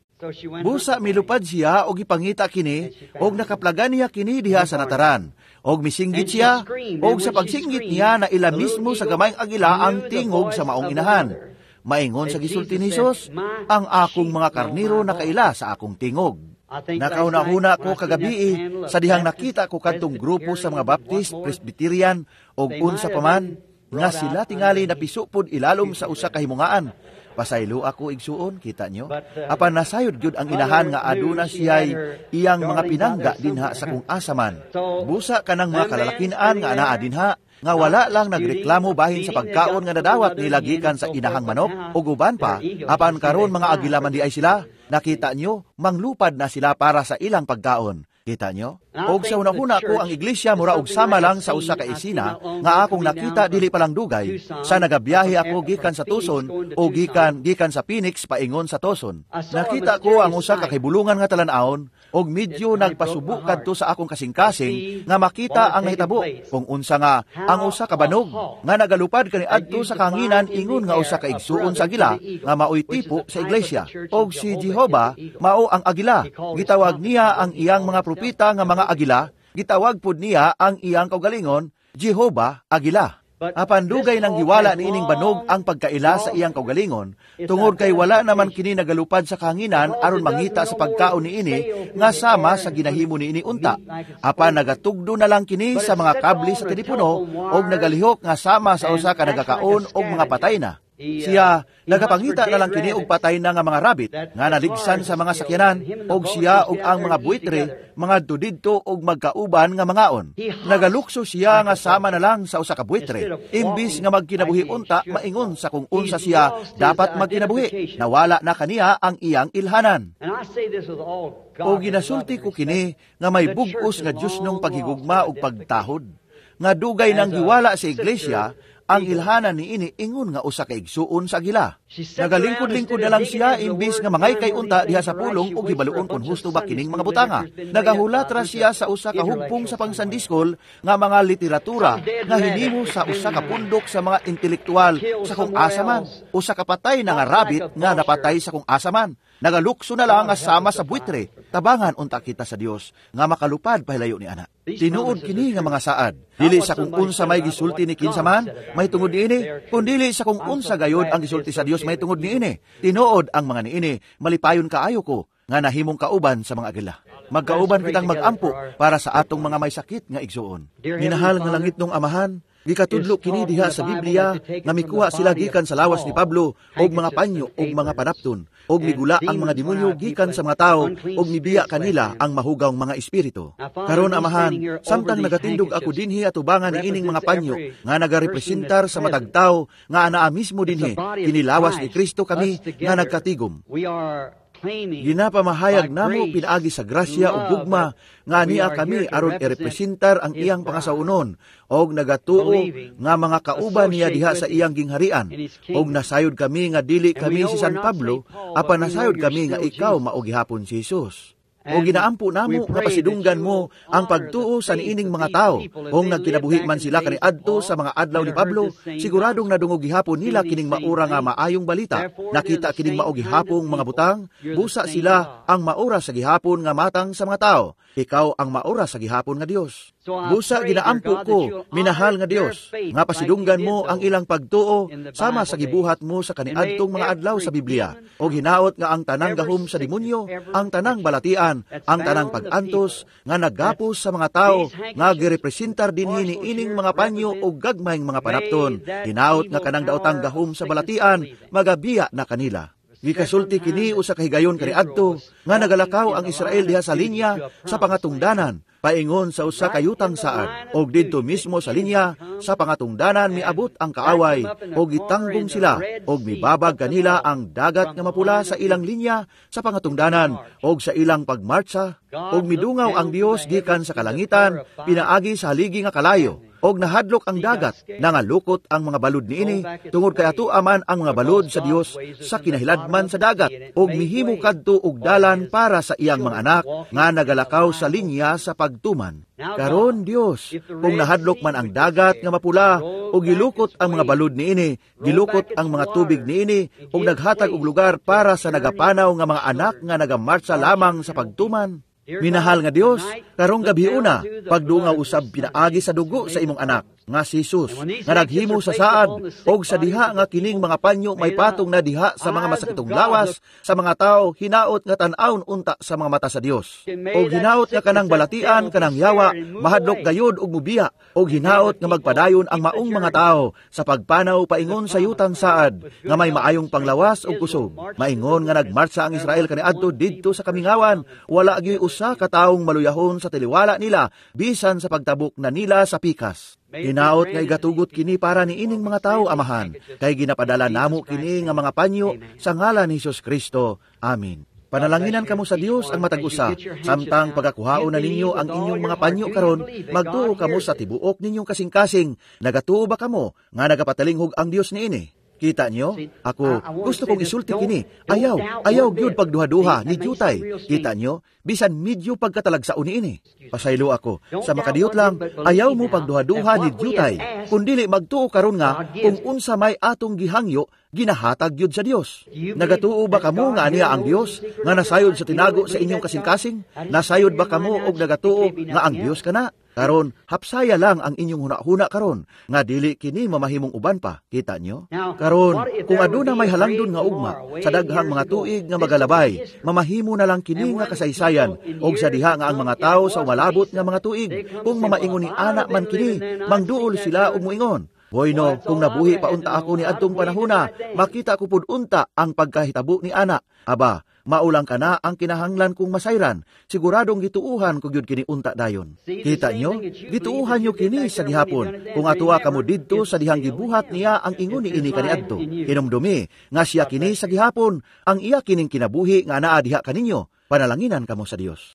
S1: Busa milupad siya og ipangita kini og nakaplagan niya kini diha sa nataran. Og misinggit siya og sa pagsinggit niya na ila mismo sa gamayng agila ang tingog sa maong inahan. Maingon sa gisulti ni Hesus, ang akong mga karniro nakaila sa akong tingog. Nakauna-huna ko kagabi sa dihang nakita ko kadtong grupo sa mga Baptist, Presbyterian og unsa pa man nga sila tingali napisupod ilalom sa usa ka himungaan. Pasaylo ako igsuon, kita nyo. Apan nasayod gyud ang inahan nga aduna siya'y iyang mga pinangga dinha sa kung asa man. Busa kanang mga kalalakinan nga anaa dinha, nga wala lang nagreklamo bahin sa pagkaon nga nadawat nila gikan sa inahang manok o guban pa, apan karon mga agila man di ay sila, nakita nyo, manglupad na sila para sa ilang pagkaon. Kita nyo? Og sa una-una ko ang iglesia mura og sama lang sa usa ka isina nga akong nakita dili pa lang dugay sa nagabiyahe ako gikan sa Tucson o gikan sa Phoenix paingon sa Tucson. Nakita ko ang usa ka kahibulungan nga talan-awon og medyo nagpasubo kadto sa akong kasing-kasing nga makita ang nahitabo kung unsa nga ang usa ka banog nga nagalupad kaniadto sa kahanginan ingon nga usa ka igsuon sa agila nga maoy tipo sa iglesia. Og si Jehova mao ang agila. Gitawag niya ang iyang mga propeta nga mga agila, gitawag pud niya ang iyang kaugalingon, Jehova Agila. Apan dugay nang giwala niining banog ang pagkaila sa iyang kaugalingon, tungod kay wala naman kini nagalupad sa kahanginan aron mangita sa pagkaon niini nga sama sa ginahimo niini unta. Apan nagatugdo na lang kini sa mga kable sa telepono og nagalihok nga sama sa usa ka nagakaon og mga patay na. Siya nagapangita na lang kini og patay na nga mga rabbit nga naligsan sa mga sakyanan, og siya og ang mga buitre mga didto og magkauban nga mangaon. Nagalukso siya nga sama na lang sa usa ka buitre imbis nga magkinabuhi unta maingon sa kung unsa siya dapat magkinabuhi. Nawala na kaniya ang iyang ilhanan. O ginasulti ko kini nga may bug-os nga Dios nung paghigugma og pagtahod nga dugay nang giwala sa iglesia. Ang ilhanan niini ingon nga usa ka igsuon sa agila. Nagalingkod-lingkod na lang siya imbis nga mangay kay unta diha sa pulong og hibaluon kung husto ba kining mga butanga. Nagahulat ra siya sa usa ka hugpong sa pangsandiskol nga mga literatura nga hinimo sa usa ka pundok sa mga intelektual sa kung asa man. Usa ka patay na nga rabbit nga napatay sa kung asa man. Nagalukso na lang nga sama sa buitre. Tabangan unta kita sa Dios nga makalupad pahilayo ni ana. Tinuod kini nga mga saad. Dili sa kung unsa may gisulti ni kinsa man may tungod niini, kundili sa kung unsa gayod ang gisulti sa Dios may tungod niini. Tinuod ang mga niini, malipayon kaayo ko nga nahimong kauban sa mga agila. Magkauban kitang magampo para sa atong mga may sakit nga igsuon. Minahal nga langit nung Amahan, gikatudlo kini diha sa Biblia nga mikuha sila gikan sa lawas ni Pablo og mga panyo og mga panapton, og migula ang mga demonyo gikan sa mga tawo og mibiya kanila ang mahugaw mga espiritu. Karon Amahan, samtang nagatindog ako dinhi atubangan niining mga panyo nga nagarepresentar sa matag tawo nga anaa mismo dinhi, kini lawas ni Kristo kami nga nagkatigom. Ginapamahayag namo pinaagi sa grasya ug gugma nga niya kami aron irepresentar ang iyang pangasawunon og nagatuo nga mga kauban niya diha sa iyang gingharian, og nasayod kami nga dili kami si San Pablo, apan nasayod kami nga ikaw mao gihapon si Jesus. O ginaampo namo nga pasidunggan mo ang pagtuo sa niining mga tao. Kung nagkinabuhi man sila kaniadto sa mga adlaw ni Pablo, siguradong nadungog gihapon nila kining maura nga maayong balita. Nakita kining mao gihapong mga butang, busa sila ang maura sa gihapon nga matang sa mga tao. Ikaw ang maura sa gihapon nga Dios. Busa ginaampo ko, minahal nga Dios, nga pasidunggan mo ang ilang pagtuo sama sa gibuhat mo sa kaniadtong mga adlaw sa Biblia. Og hinaot nga ang tanang gahom sa demonyo, ang tanang balatian, ang tanang pag-antos nga naggapos sa mga tao nga girepresentar dinhi ni ining mga panyo og gagmayng mga panapton. Hinaot nga kanang daotang gahom sa balatian magabiya na kanila. Gikasulti kini usa ka higayon kaniadto nga nagalakaw ang Israel diha sa linya sa pangatungdanan paingon sa usa ka yutang saad, og didto mismo sa linya sa pangatungdanan miabot ang kaaway og gitanggong sila og mibabag kanila ang dagat nga mapula sa ilang linya sa pangatungdanan og sa ilang pagmartsa, og midungaw ang Dios gikan sa kalangitan pinaagi sa haligi nga kalayo, og nahadlok ang dagat, nangalukot ang mga balod niini, tungod kay ato aman ang mga balod sa Dios sa kinahiladman sa dagat, og mihimo kadto og dalan para sa iyang mga anak nga nagalakaw sa linya sa pagtuman. Karon Dios, kung nahadlok man ang dagat nga mapula, og gilukot ang mga balod niini, gilukot ang mga tubig niini, og naghatag og lugar para sa nagapanaw nga mga anak nga nagamartsa lamang sa pagtuman. Minahal nga Dios, karong gabi una, pagdungaw usab pinaagi sa dugo sa imong anak, nga si Jesus, nga naghimo sa saad, og sa diha nga kining mga panyo may patong na diha sa mga masakitong lawas, sa mga tao, hinaot nga tan-awon unta sa mga mata sa Dios. Og hinaot nga kanang balatian, kanang yawa, mahadlok gayod og mubiya, og hinaot nga magpadayon ang maong mga tao sa pagpanaw paingon sa yutang saad, nga may maayong panglawas og kusog. Maingon nga nagmartsa ang Israel kaniadto didto sa kamingawan, wala gyud usa ka taong maluyahon sa taliwala nila, bisan sa pagtabok na nila sa pikas. Hinaot nga igatugot kini para niining mga tao, Amahan, kay ginapadala namo kini nga mga panyo sa ngalan ni Hesus Kristo. Amen. Panalanginan kamo sa Dios ang matag usa, samtang pagakuhaon na ninyo ang inyong mga panyo karon, magtuo kamo sa tibuok ninyong kasing-kasing. Nagatuo ba kamo nga nagapatalinghog ang Dios niini? Kita nyo? Ako, gusto kong isulti kini. Ayaw, ayaw gyud pagduha-duha ni jutay. Kita nyo? Bisan medyo pagkatalagsaon niini. Pasaylo ako, sa makadiyot lang, ayaw mo pagduha-duha ni jutay. Kundili magtuo karon nga kung unsa may atong gihangyo, ginahatag gyud sa Dios. Nagatuo ba kamo nga aniya ang Dios nga nasayod sa tinago sa inyong kasing-kasing? Nasayod ba kamo og nagatuo nga ang Dios kana? Karon, hapsaya lang ang inyong huna-huna karon, nga dili kini mamahimong uban pa. Kita nyo? Karon, kung aduna may halangdon nga ugma, sa daghang mga tuig nga magalabay, mamahimo na lang kini nga kasaysayan, og sa diha nga ang mga tao sa umalabot nga mga tuig, kung mamaingon ni ana man kini, mangduol sila og moingon. Bueno, kung nabuhi pa unta ako ni adtong panahona, makita ko pud unta ang pagkahitabo ni ana. Aba, maulang ka na ang kinahanglan kong masayran. Siguradong gituuhan ko gyud kini unta dayon. Kita nyo? Gituuhan nyo kini sa gihapon. Kung atuwa kamo didto sa dihang gibuhat niya ang ingon ni ini kaniadto. Hinumdumi nga siya kini sa gihapon, ang iya kining kinabuhi nga naa diha kaninyo. Panalanginan kamo sa Dios.